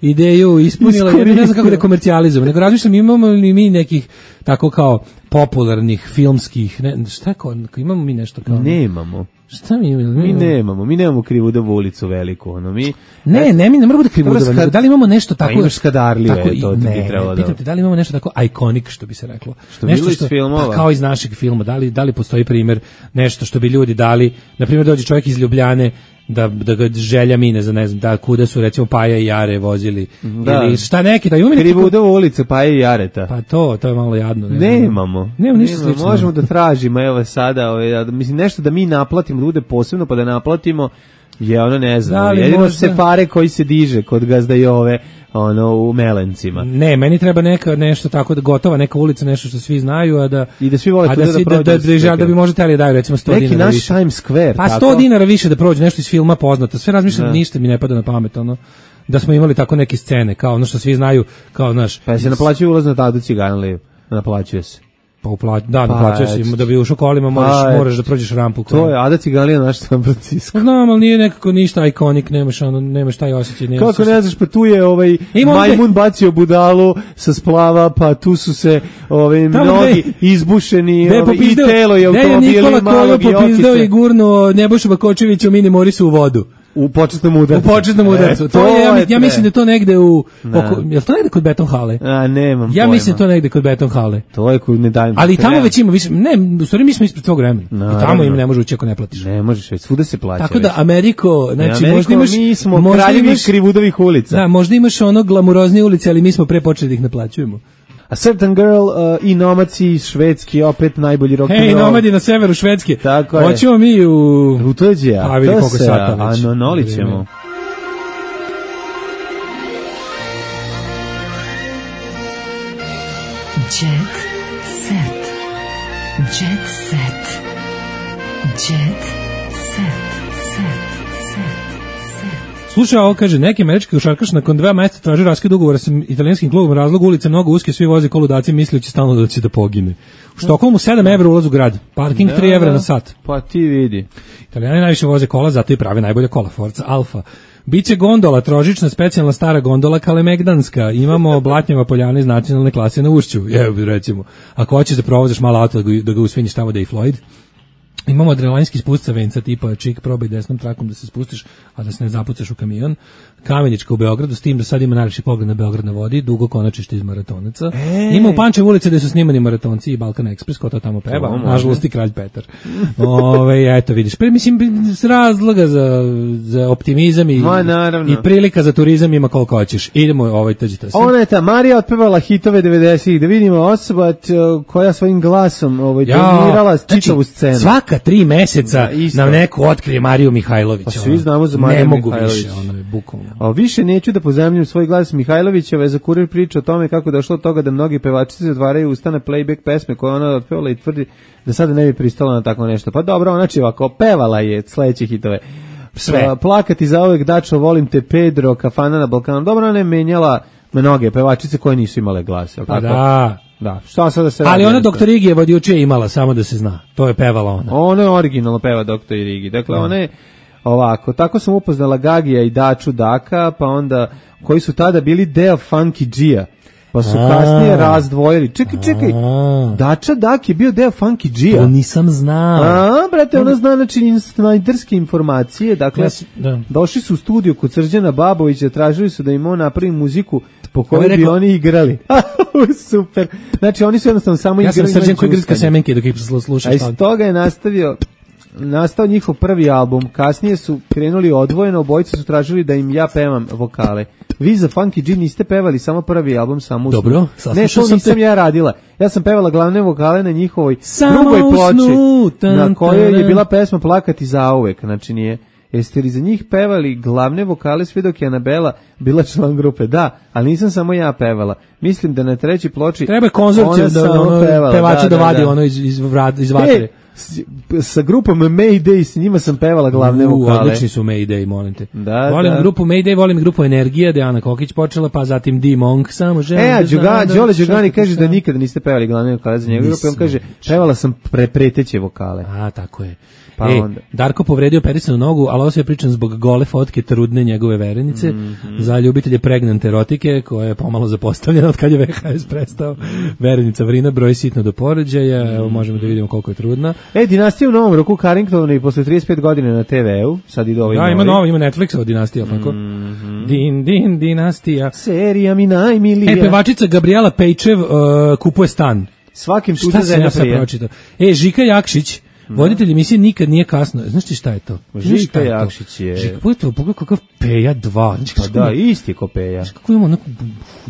ideju ispunila, ja ne znam kako da komercijalizujemo, nego razmišljam imamo li mi nekih tako kao popularnih filmskih, imamo mi nešto kao... Nemamo. Šta mi imamo? Mi nemamo Krivudovu ulicu veliku, mi ne moramo da Krivudovu, da li imamo nešto tako... Pa imaš Skadarlije, to ti bi trebalo da... Pitam te, da li imamo nešto tako iconic, što bi se reklo? Što bilo iz filmova? Pa kao iz našeg filma, da li postoji primjer, nešto što bi ljudi dali, na primjer dođe čovjek iz Ljubljane, da ga želja mine za ne znam da kuda su recimo Paja i Jare vozili ili šta neki da imamo Krivudovu ulicu Paja i Jareta. Pa to je malo jadno. Nemamo ništa slično. Možemo da tražimo evo sada, mislim nešto da mi naplatimo, da bude posebno pa da naplatimo je ne znam. Jedino se pare koji se diže kod gazda i ove u Melencima. Ne, meni treba nešto tako da gotova neka ulica, nešto što svi znaju, a da i da svi vole da bi možda teli daju recimo $100 neki dinara naš više. Times Square. Pa $100 više da prođe nešto iz filma poznato. Sve razmišljam, ništa mi ne pada na pamet, da smo imali tako neke scene, kao ono što svi znaju, kao naš. Pa se naplaćuje ulaz na Tadu Ciganliju. Naplaćuje se. Naplaćuje se, da bi ušao kolima moraš da prođeš rampu. To je Ada Ciganlija naš San Francisco. Znam, ali nije nekako ništa ikonik, nemaš taj osjećaj. Kako ne znaš, pa tu je majmun bacio budalu sa splava, pa tu su se mnogi izbušeni i telo je automobili malog i okice. Nikola popizdeo i gurnuo Nebojšu Bakočevića u Mini Morisu u vodu. U početnom udarcu. To je, ja mislim da to negde je to negde kod Beton hale? Nemam Ja mislim to negde kod Beton hale. To je kod ne dajem. Ali tamo već ima više, u stvari mi smo ispred svog vremena. I tamo im ne može ući ako ne platiš. Ne možeš već, svuda se plaća. Tako da Ameriko, znači možda imaš kraljevi Krivudovih ulica. Da, možda imaš glamuroznije ulice, ali mi smo pre počeli da ih naplaćujemo. A Certain Girl i Nomaci Švedski, opet najbolji rock and roll. Hej, Nomadi na severu Švedske. Tako je. Hoćemo mi u Tuđija. Pa vidi koliko sata već. Anonolit ćemo. Jet set. Jet set. Jet set. Slušaj, ovo kaže, neki američki košarkaš nakon 2 mjeseca traži raskid ugovora sa italijanskim klubom, razlog ulice mnogo uske, svi voze koludaci, misleći stalno da će da pogine. U Štokholmu €7 ulaz u grad, parking €3 na sat. Pa ti vidi. Italijani najviše voze kola, zato i prave najbolje kola, Forza Alfa. Biće gondola, trožična, specijalna stara gondola Kalemegdanska. Imamo Blatnjeva Poljana iz nacionalne klase na Ušću, recimo. Ako hoćeš da provozaš malo auto da ga usvinjiš tamo da i Floyd. Imamo adrenalinski spust sa venca tipa čik, probaj desnom trakom da se spustiš, a da se ne zapucaš u kamion. Kamenička u Beogradu, s tim da sad ima najlepši pogled na Beograd na vodi, dugo konačište iz maratonaca. Ima u Pančevu ulici gde su snimani maratonci i Balkan Express, ko to tamo peva, nažalost i Kralj Petar. Eto vidiš, mislim, s razloga za optimizam i prilika za turizam ima koliko hoćeš. Idemo, tađite se. Ona je ta Marija otpevala hitove 90-ih, da vidimo osoba koja svojim glasom dominirala čitavu scenu. Svaka 3 meseca nam neko otkrije Mariju Mihajlović. Pa svi znamo za Mariju Mihajlović. Ne mogu više, ono je bukvalno. Više neću da pozemljam svoj glas Mihajlovićeve, za Kurir priča o tome kako došlo od toga da mnogi pevačice zatvaraju usta na playback pesme koje ona otpevala i tvrdi da sada ne bi pristala na tako nešto. Pa dobro, znači ovako, pevala je sledeće hitove. Sve. Plakati zauvek, Dačo, volim te, Pedro, Kafana na Balkanu. Dobro, ona je menjala mnoge pevačice koje nisu imale glas. Pa da. Da, šta sad da se radi? Ali ona Doktor Igijeva od juče je imala, samo da se zna. To je pevala ona. Ona je originalno peva Doktor Igi. Dakle, ona je ovako, tako sam upoznala Gagija i Daču Daka, pa onda, koji su tada bili deo Funky G-a, pa su kasnije razdvojili. Čekaj, Dača Dak je bio deo Funky G-a. To nisam znao. Brate, ona zna instajderske informacije, dakle, došli su u studiju kod Srđana Babovića, tražili su da im on napravi muziku po kojoj bi oni igrali. Super. Znači, oni su jednostavno samo igrali. Ja sam Srđan koji grska semenke dok ih slušaš. A iz toga je nastao njihov prvi album. Kasnije su krenuli odvojeno, obojice su tražili da im ja pevam vokale. Vi za Funky G niste pevali samo prvi album, samo usnu. Dobro, ne, to nisam ja radila. Ja sam pevala glavne vokale na njihovoj drugoj ploči, na kojoj je bila pesma Plakati zauvek. Znači nije. Jeste li za njih pevali glavne vokale sve dok je Anabela bila član grupe? Da, ali nisam samo ja pevala. Mislim da na trećoj ploči treba konzorcijum da pevača da vadi ono iz vatre. Sa grupom Mayday, s njima sam pevala glavne vokale. Odlični su Mayday, molim te. Volim grupu Mayday, volim grupu Energija, da je Ana Kokić počela, pa zatim D-Monk, samo želim. Đole Đugani kaže da nikada niste pevali glavne vokale za njegu grupu, on kaže, pevala sam preteće vokale. Tako je. Darko povredio perisanu nogu, ali ovo se je pričan zbog gole fotke trudne njegove verenice, za ljubitelje pregnante erotike, koja je pomalo zapostavljena od kad je VHS prestao. Verenica Vrina broji sitno do porođaja, evo možemo da vidimo koliko je trudna. Dinastija u Novom Roku, Carrington i posle 35 godina na TV-u, sad ide ovaj novi. Ima Netflixova Dinastija, tako? Dinastija. Serija mi najmilija. Pevačica Gabriela Pejčev kupuje stan. Svakim tuđa zemlja prije. Žika Jakšić, voditelj emisije Nikad nije kasno. Znaš ti šta je to? Žika Jakšić je... Žika, pogledaj kakav Peja 2. Pa da, isti je ko Peja. Kako imamo onako...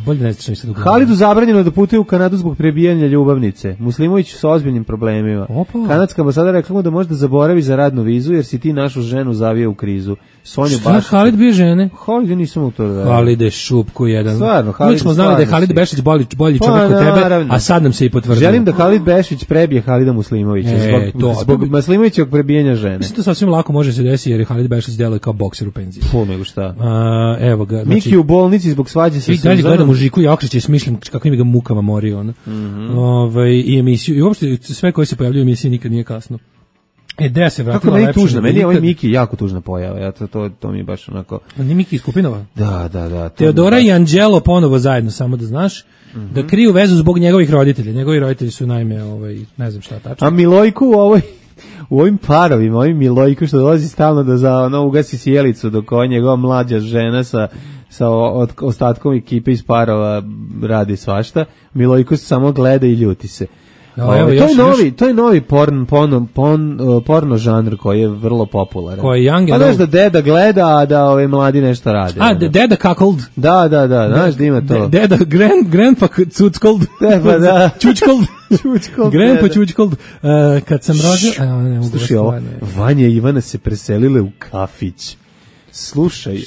Bolje ne znam što mi sad Halidu zabranjeno da putuje u Kanadu zbog prebijanja ljubavnice. Muslimović sa ozbiljnim problemima. Kanadska ambasada rekla mu da možda zaboravi za radnu vizu jer si ti našu ženu zavio u krizu. Sonju Bašić. Šta Halid bio žene? Halid je nisam u to da. Halide Šupko jedan. Stvarno, Halid. Mi smo znali da je Halid Bešić bolji čovjek od tebe, a sad nam se i potvrdilo. Želim da Halid Bešić prebije Halida Muslimovića zbog Muslimovićevog prebijanja žene. Mislim da sasvim lako može se desiti jer je Halid Bešić deluje kao bokser u penziji. Nego šta. Evo ga. Miki u bolnici zbog svađe sa Suzanom. I dalje gledam u Žiku Jakšića i smišljam kako im ga mukama mori ona. I emisiju, i uopšte sve koje se pojavljaju u emisiji Nikad nije kasno. Gde se vratila lepša? Tužna, meni je ovaj Miki jako tužna pojava. To mi je baš onako... Nije Miki iz Kupinova? Da. Teodora i Anđelo ponovo zajedno, samo da znaš, da kriju vezu zbog njegovih roditelja. Njegovi roditelji su naime, ne znam šta tačno. A Milojku u ovim parovima, ovim Milojku što dolazi stalno da ugasi sjelicu dok ova njegova mlađa žena sa ostatkom ekipe iz parova radi svašta, Milojko se samo gleda i ljuti se. To je novi porno žanr koji je vrlo popularan. Koji je young pa znaš da deda gleda, a da ove mladi nešto rade. Deda cuckold. Da, znaš da ima to. Deda, grandpa cuckold. Da. Čučkold. Grandpa čučkold. Kad sam rođen... Slušaj ovo, Vanja i Ivana se preselile u kafić. Slušaj,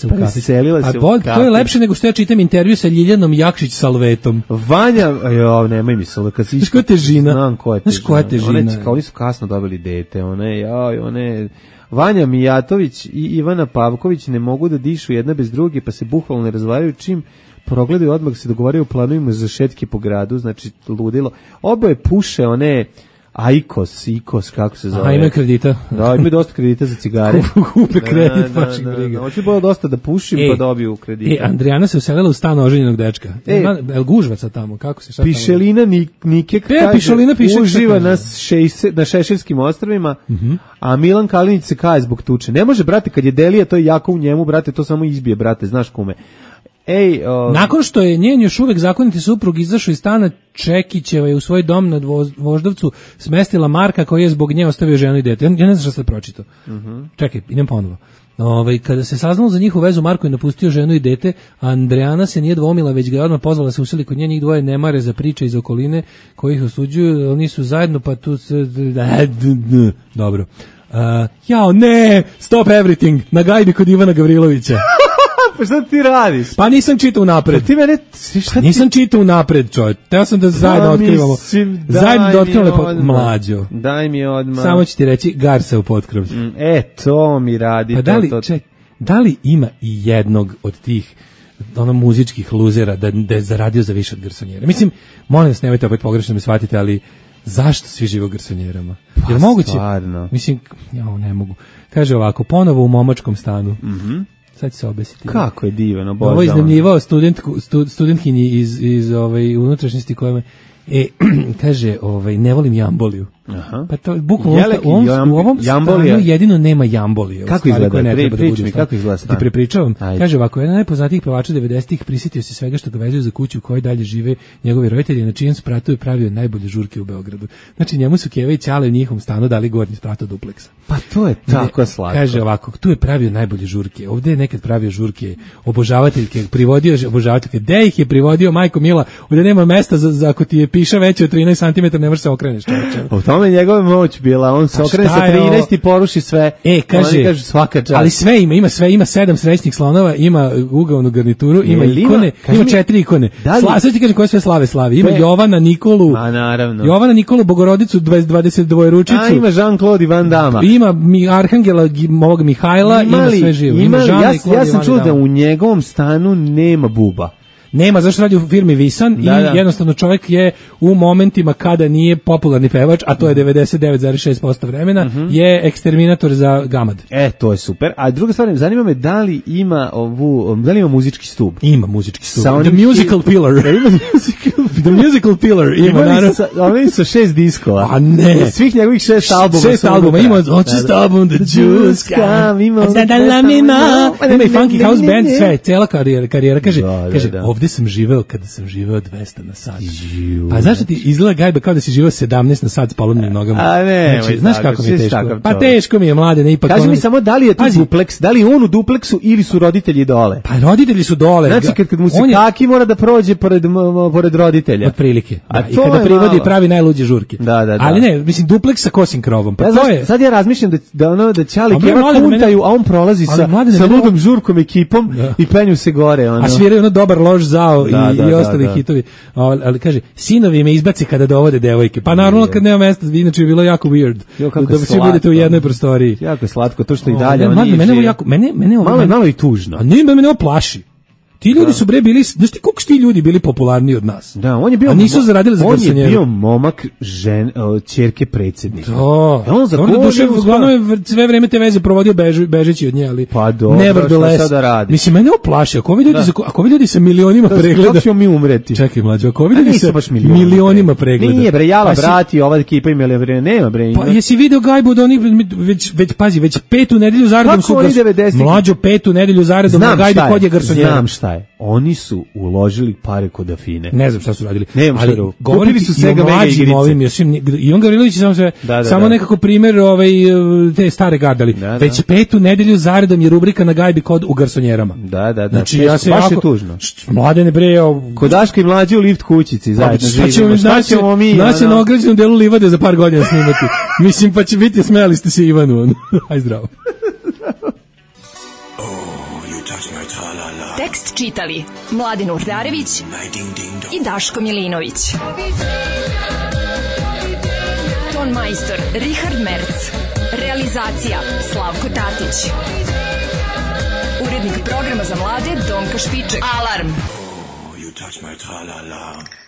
preselila se u kafić. To je lepše nego što ja čitam intervju sa Ljiljanom Jakšić Salvetom. Vanja, nemoj mi se, kad si išla... Znaš koja je težina? Znam koja je težina. Oni su kasno dobili dete, Vanja Mijatović i Ivana Pavković ne mogu da dišu jedna bez druge, pa se bukvalno ne razvaraju čim progledaju, odmah se dogovaraju planovima za šetke po gradu, znači ludilo. Oboje puše IKOS, kako se zove. A imaju kredita. Da, imaju dosta kredita za cigare. Kupe kredit, baš ih briga. Hoće bilo dosta da pušim, pa dobiju kredita. Andrijana se uselila u stan oženjenog dečka. El gužvaca tamo, kako se šta tamo? Pišelina Nike uživa na Šešeljskim ostrvima, a Milan Kalinić se kaje zbog tuče. Ne može, brate, kad je Delija, to je jako u njemu, brate, to samo izbije, brate, znaš kume. Nakon što je njen još uvek zakoniti suprug izašao iz stana, Čekićeva je u svoj dom na Voždovcu smestila Marka koji je zbog nje ostavio ženu i dete. Ja ne znam šta sam pročitao. Čekaj, idem ponovo. Kada se saznalo za njihovu vezu, Marko je napustio ženu i dete, a Andrijana se nije dvomila, već ga je odmah pozvala da se useli kod nje. Njih dvoje ne mare za priče iz okoline koji ih osuđuju, oni su zajedno, pa tu se... Dobro. Jao, ne! Stop everything! Na gajbi kod Ivana Gavrilovića. Pa šta ti radiš? Pa nisam čitao napred. Pa ti mene... Nisam čitao napred, čovjek. Teo sam da zajedno otkrivamo. Zajedno da otkrivamo Mlađo. Daj mi odmah. Samo ću ti reći, Garsa u potkrovlju. To mi radi. Pa da li ima i jednog od tih muzičkih luzera da je zaradio za više od garsonjera? Mislim, molim vas, nemojte opet pogrešno me shvatite, ali zašto svi žive u garsonjerama? Pa moguće? Stvarno. Mislim, ne mogu. Kaže ovako, ponovo u momačkom stanu. Sad će se obesiti. Kako je divno, obožavam. Ovo je iznajmljivao studentkinji iz unutrašnjosti koja me... kaže, ne volim jamboliju. Aha. Pa to bukvalno u ovom stanu jedino nema jambolije. Kako izgleda? Priči mi, kako izgleda stan? Ti prepričavam. Kaže ovako, jedan najpoznatijih pevača 90-ih prisjetio se svega što ga vezuju za kuću u kojoj dalje žive njegovi roditelji, na čijem spratu je pravio najbolje žurke u Beogradu. Znači njemu su Keva i Ćale u njihovom stanu dali gornji sprat od dupleksa. Pa to je tako slatko. Kaže ovako, tu je pravio najbolje žurke. Ovdje je nekad pravio žurke obožavateljke, privodio obožavateljke. Gde ih je privodio, majko mila? Ovdje nema mesta za ako ti je piša veće od 13 cm, ne možeš se okreneš, čovječe. U tome njegova moć bila, on se okrene sa 13 i poruši sve. Kaže svaka čast. Ali sve ima 7 srećnih slonova, ima ugaonu garnituru, ima ikone, ima 4 ikone. Sad ti kažem koje sve slavi. Ima Jovana, Nikolu, Bogorodicu, 22 ručicu. A ima Jean-Claude Van Damme. Ima Arhangela ovog Mihajla, ima sve živo. Ja sam čuo da u njegovom stanu nema buba. Nema, zašto radi u firmi Visan i jednostavno čovjek je u momentima kada nije popularni pevač, a to je 99,6% vremena, je eksterminator za gamad. To je super. A druga stvar, zanima me da li ima muzički stub? Ima muzički stub. The musical pillar. The musical pillar ima, naravno. Oni su 6 diskova. A ne. Svih njegovih 6 albuma. 6 albuma. Ima Just album, The Juice Come. Ima i Funky House Band, sve, cela karijera. Kaže, ovdje sam živeo kada sam živeo 200 na sat. Pa znaš da ti izgleda gajba kao da si živeo 17 na sat s polomnim nogama? A ne, znači, znaš kako mi je teško? Pa teško mi je, mlade, ne ipak. Kaži mi samo da li je tu dupleks, da li je on u dupleksu ili su roditelji dole? Pa roditelji su dole. Znači kad mu se kaki mora da prođe pored roditelja. Otprilike. I kada privodi pravi najluđe žurke. Da. Ali ne, mislim dupleks sa kosim krovom. Pa to je. Sad ja razmišljam da Ćali Keva kuntaju, a on prolazi sa ludom žurkom ekipom i penju se gore. A sviraju ono dobar lož zao i ostali hitovi. Ali kaže, sinovi me izbaci kada dovode devojke. Pa naravno kad nema mesta, inače bi bilo jako weird. Da svi budete u jednoj prostoriji. Jako je slatko, to što i dalje oni žive. Malo i tužno. A ne, mene ovo plaši. Ti ljudi su bili, znaš ti koliko su ti ljudi bili popularniji od nas? Da, on je bio, a nisu zaradili za garsonjeru. On je bio momak ćerke predsjednika. Da. On za uglavnom je sve vreme te veze provodio bežeći od nje, ali pa dobro, šta sada radi? Mislim, mene oplaši, ako ovi ljudi sa milionima pregleda... Kako ćemo mi umreti? Čekaj, mlađo, ako ovi ljudi sa milionima pregleda... Nije bre, jala brati, ova ekipa imali bre, nema bre. Pa jesi video gajbu da oni, već petu nedelju zaredom su... Mlađo, petu nedelju zaredom na gajbi kod je garsonjera. Znam šta je. Oni su uložili pare kod Afine. Ne znam šta su radili. Ali govorili su Sega Mega igrice. I on Gavrilović samo nekako primjer te stare gardali. Već petu nedelju zaredom je rubrika na gajbi kod u garsonjerama. Da. Znači ja se baš je tužno. Mladene bre, kod Daška i Mlađe u lift kućici zajedno živimo. Šta ćemo mi? Nas je na ograđenom delu livade za par godina snimati. Mislim pa će biti, smijali ste se Ivanu. Aj zdravo. Tekst čitali Mladen Urdarević i Daško Milinović. Ton majstor Richard Merc. Realizacija Slavko Tatić. Urednik programa za mlade Donka Špiček. Alarm! Oh, you touch my tra-la-la.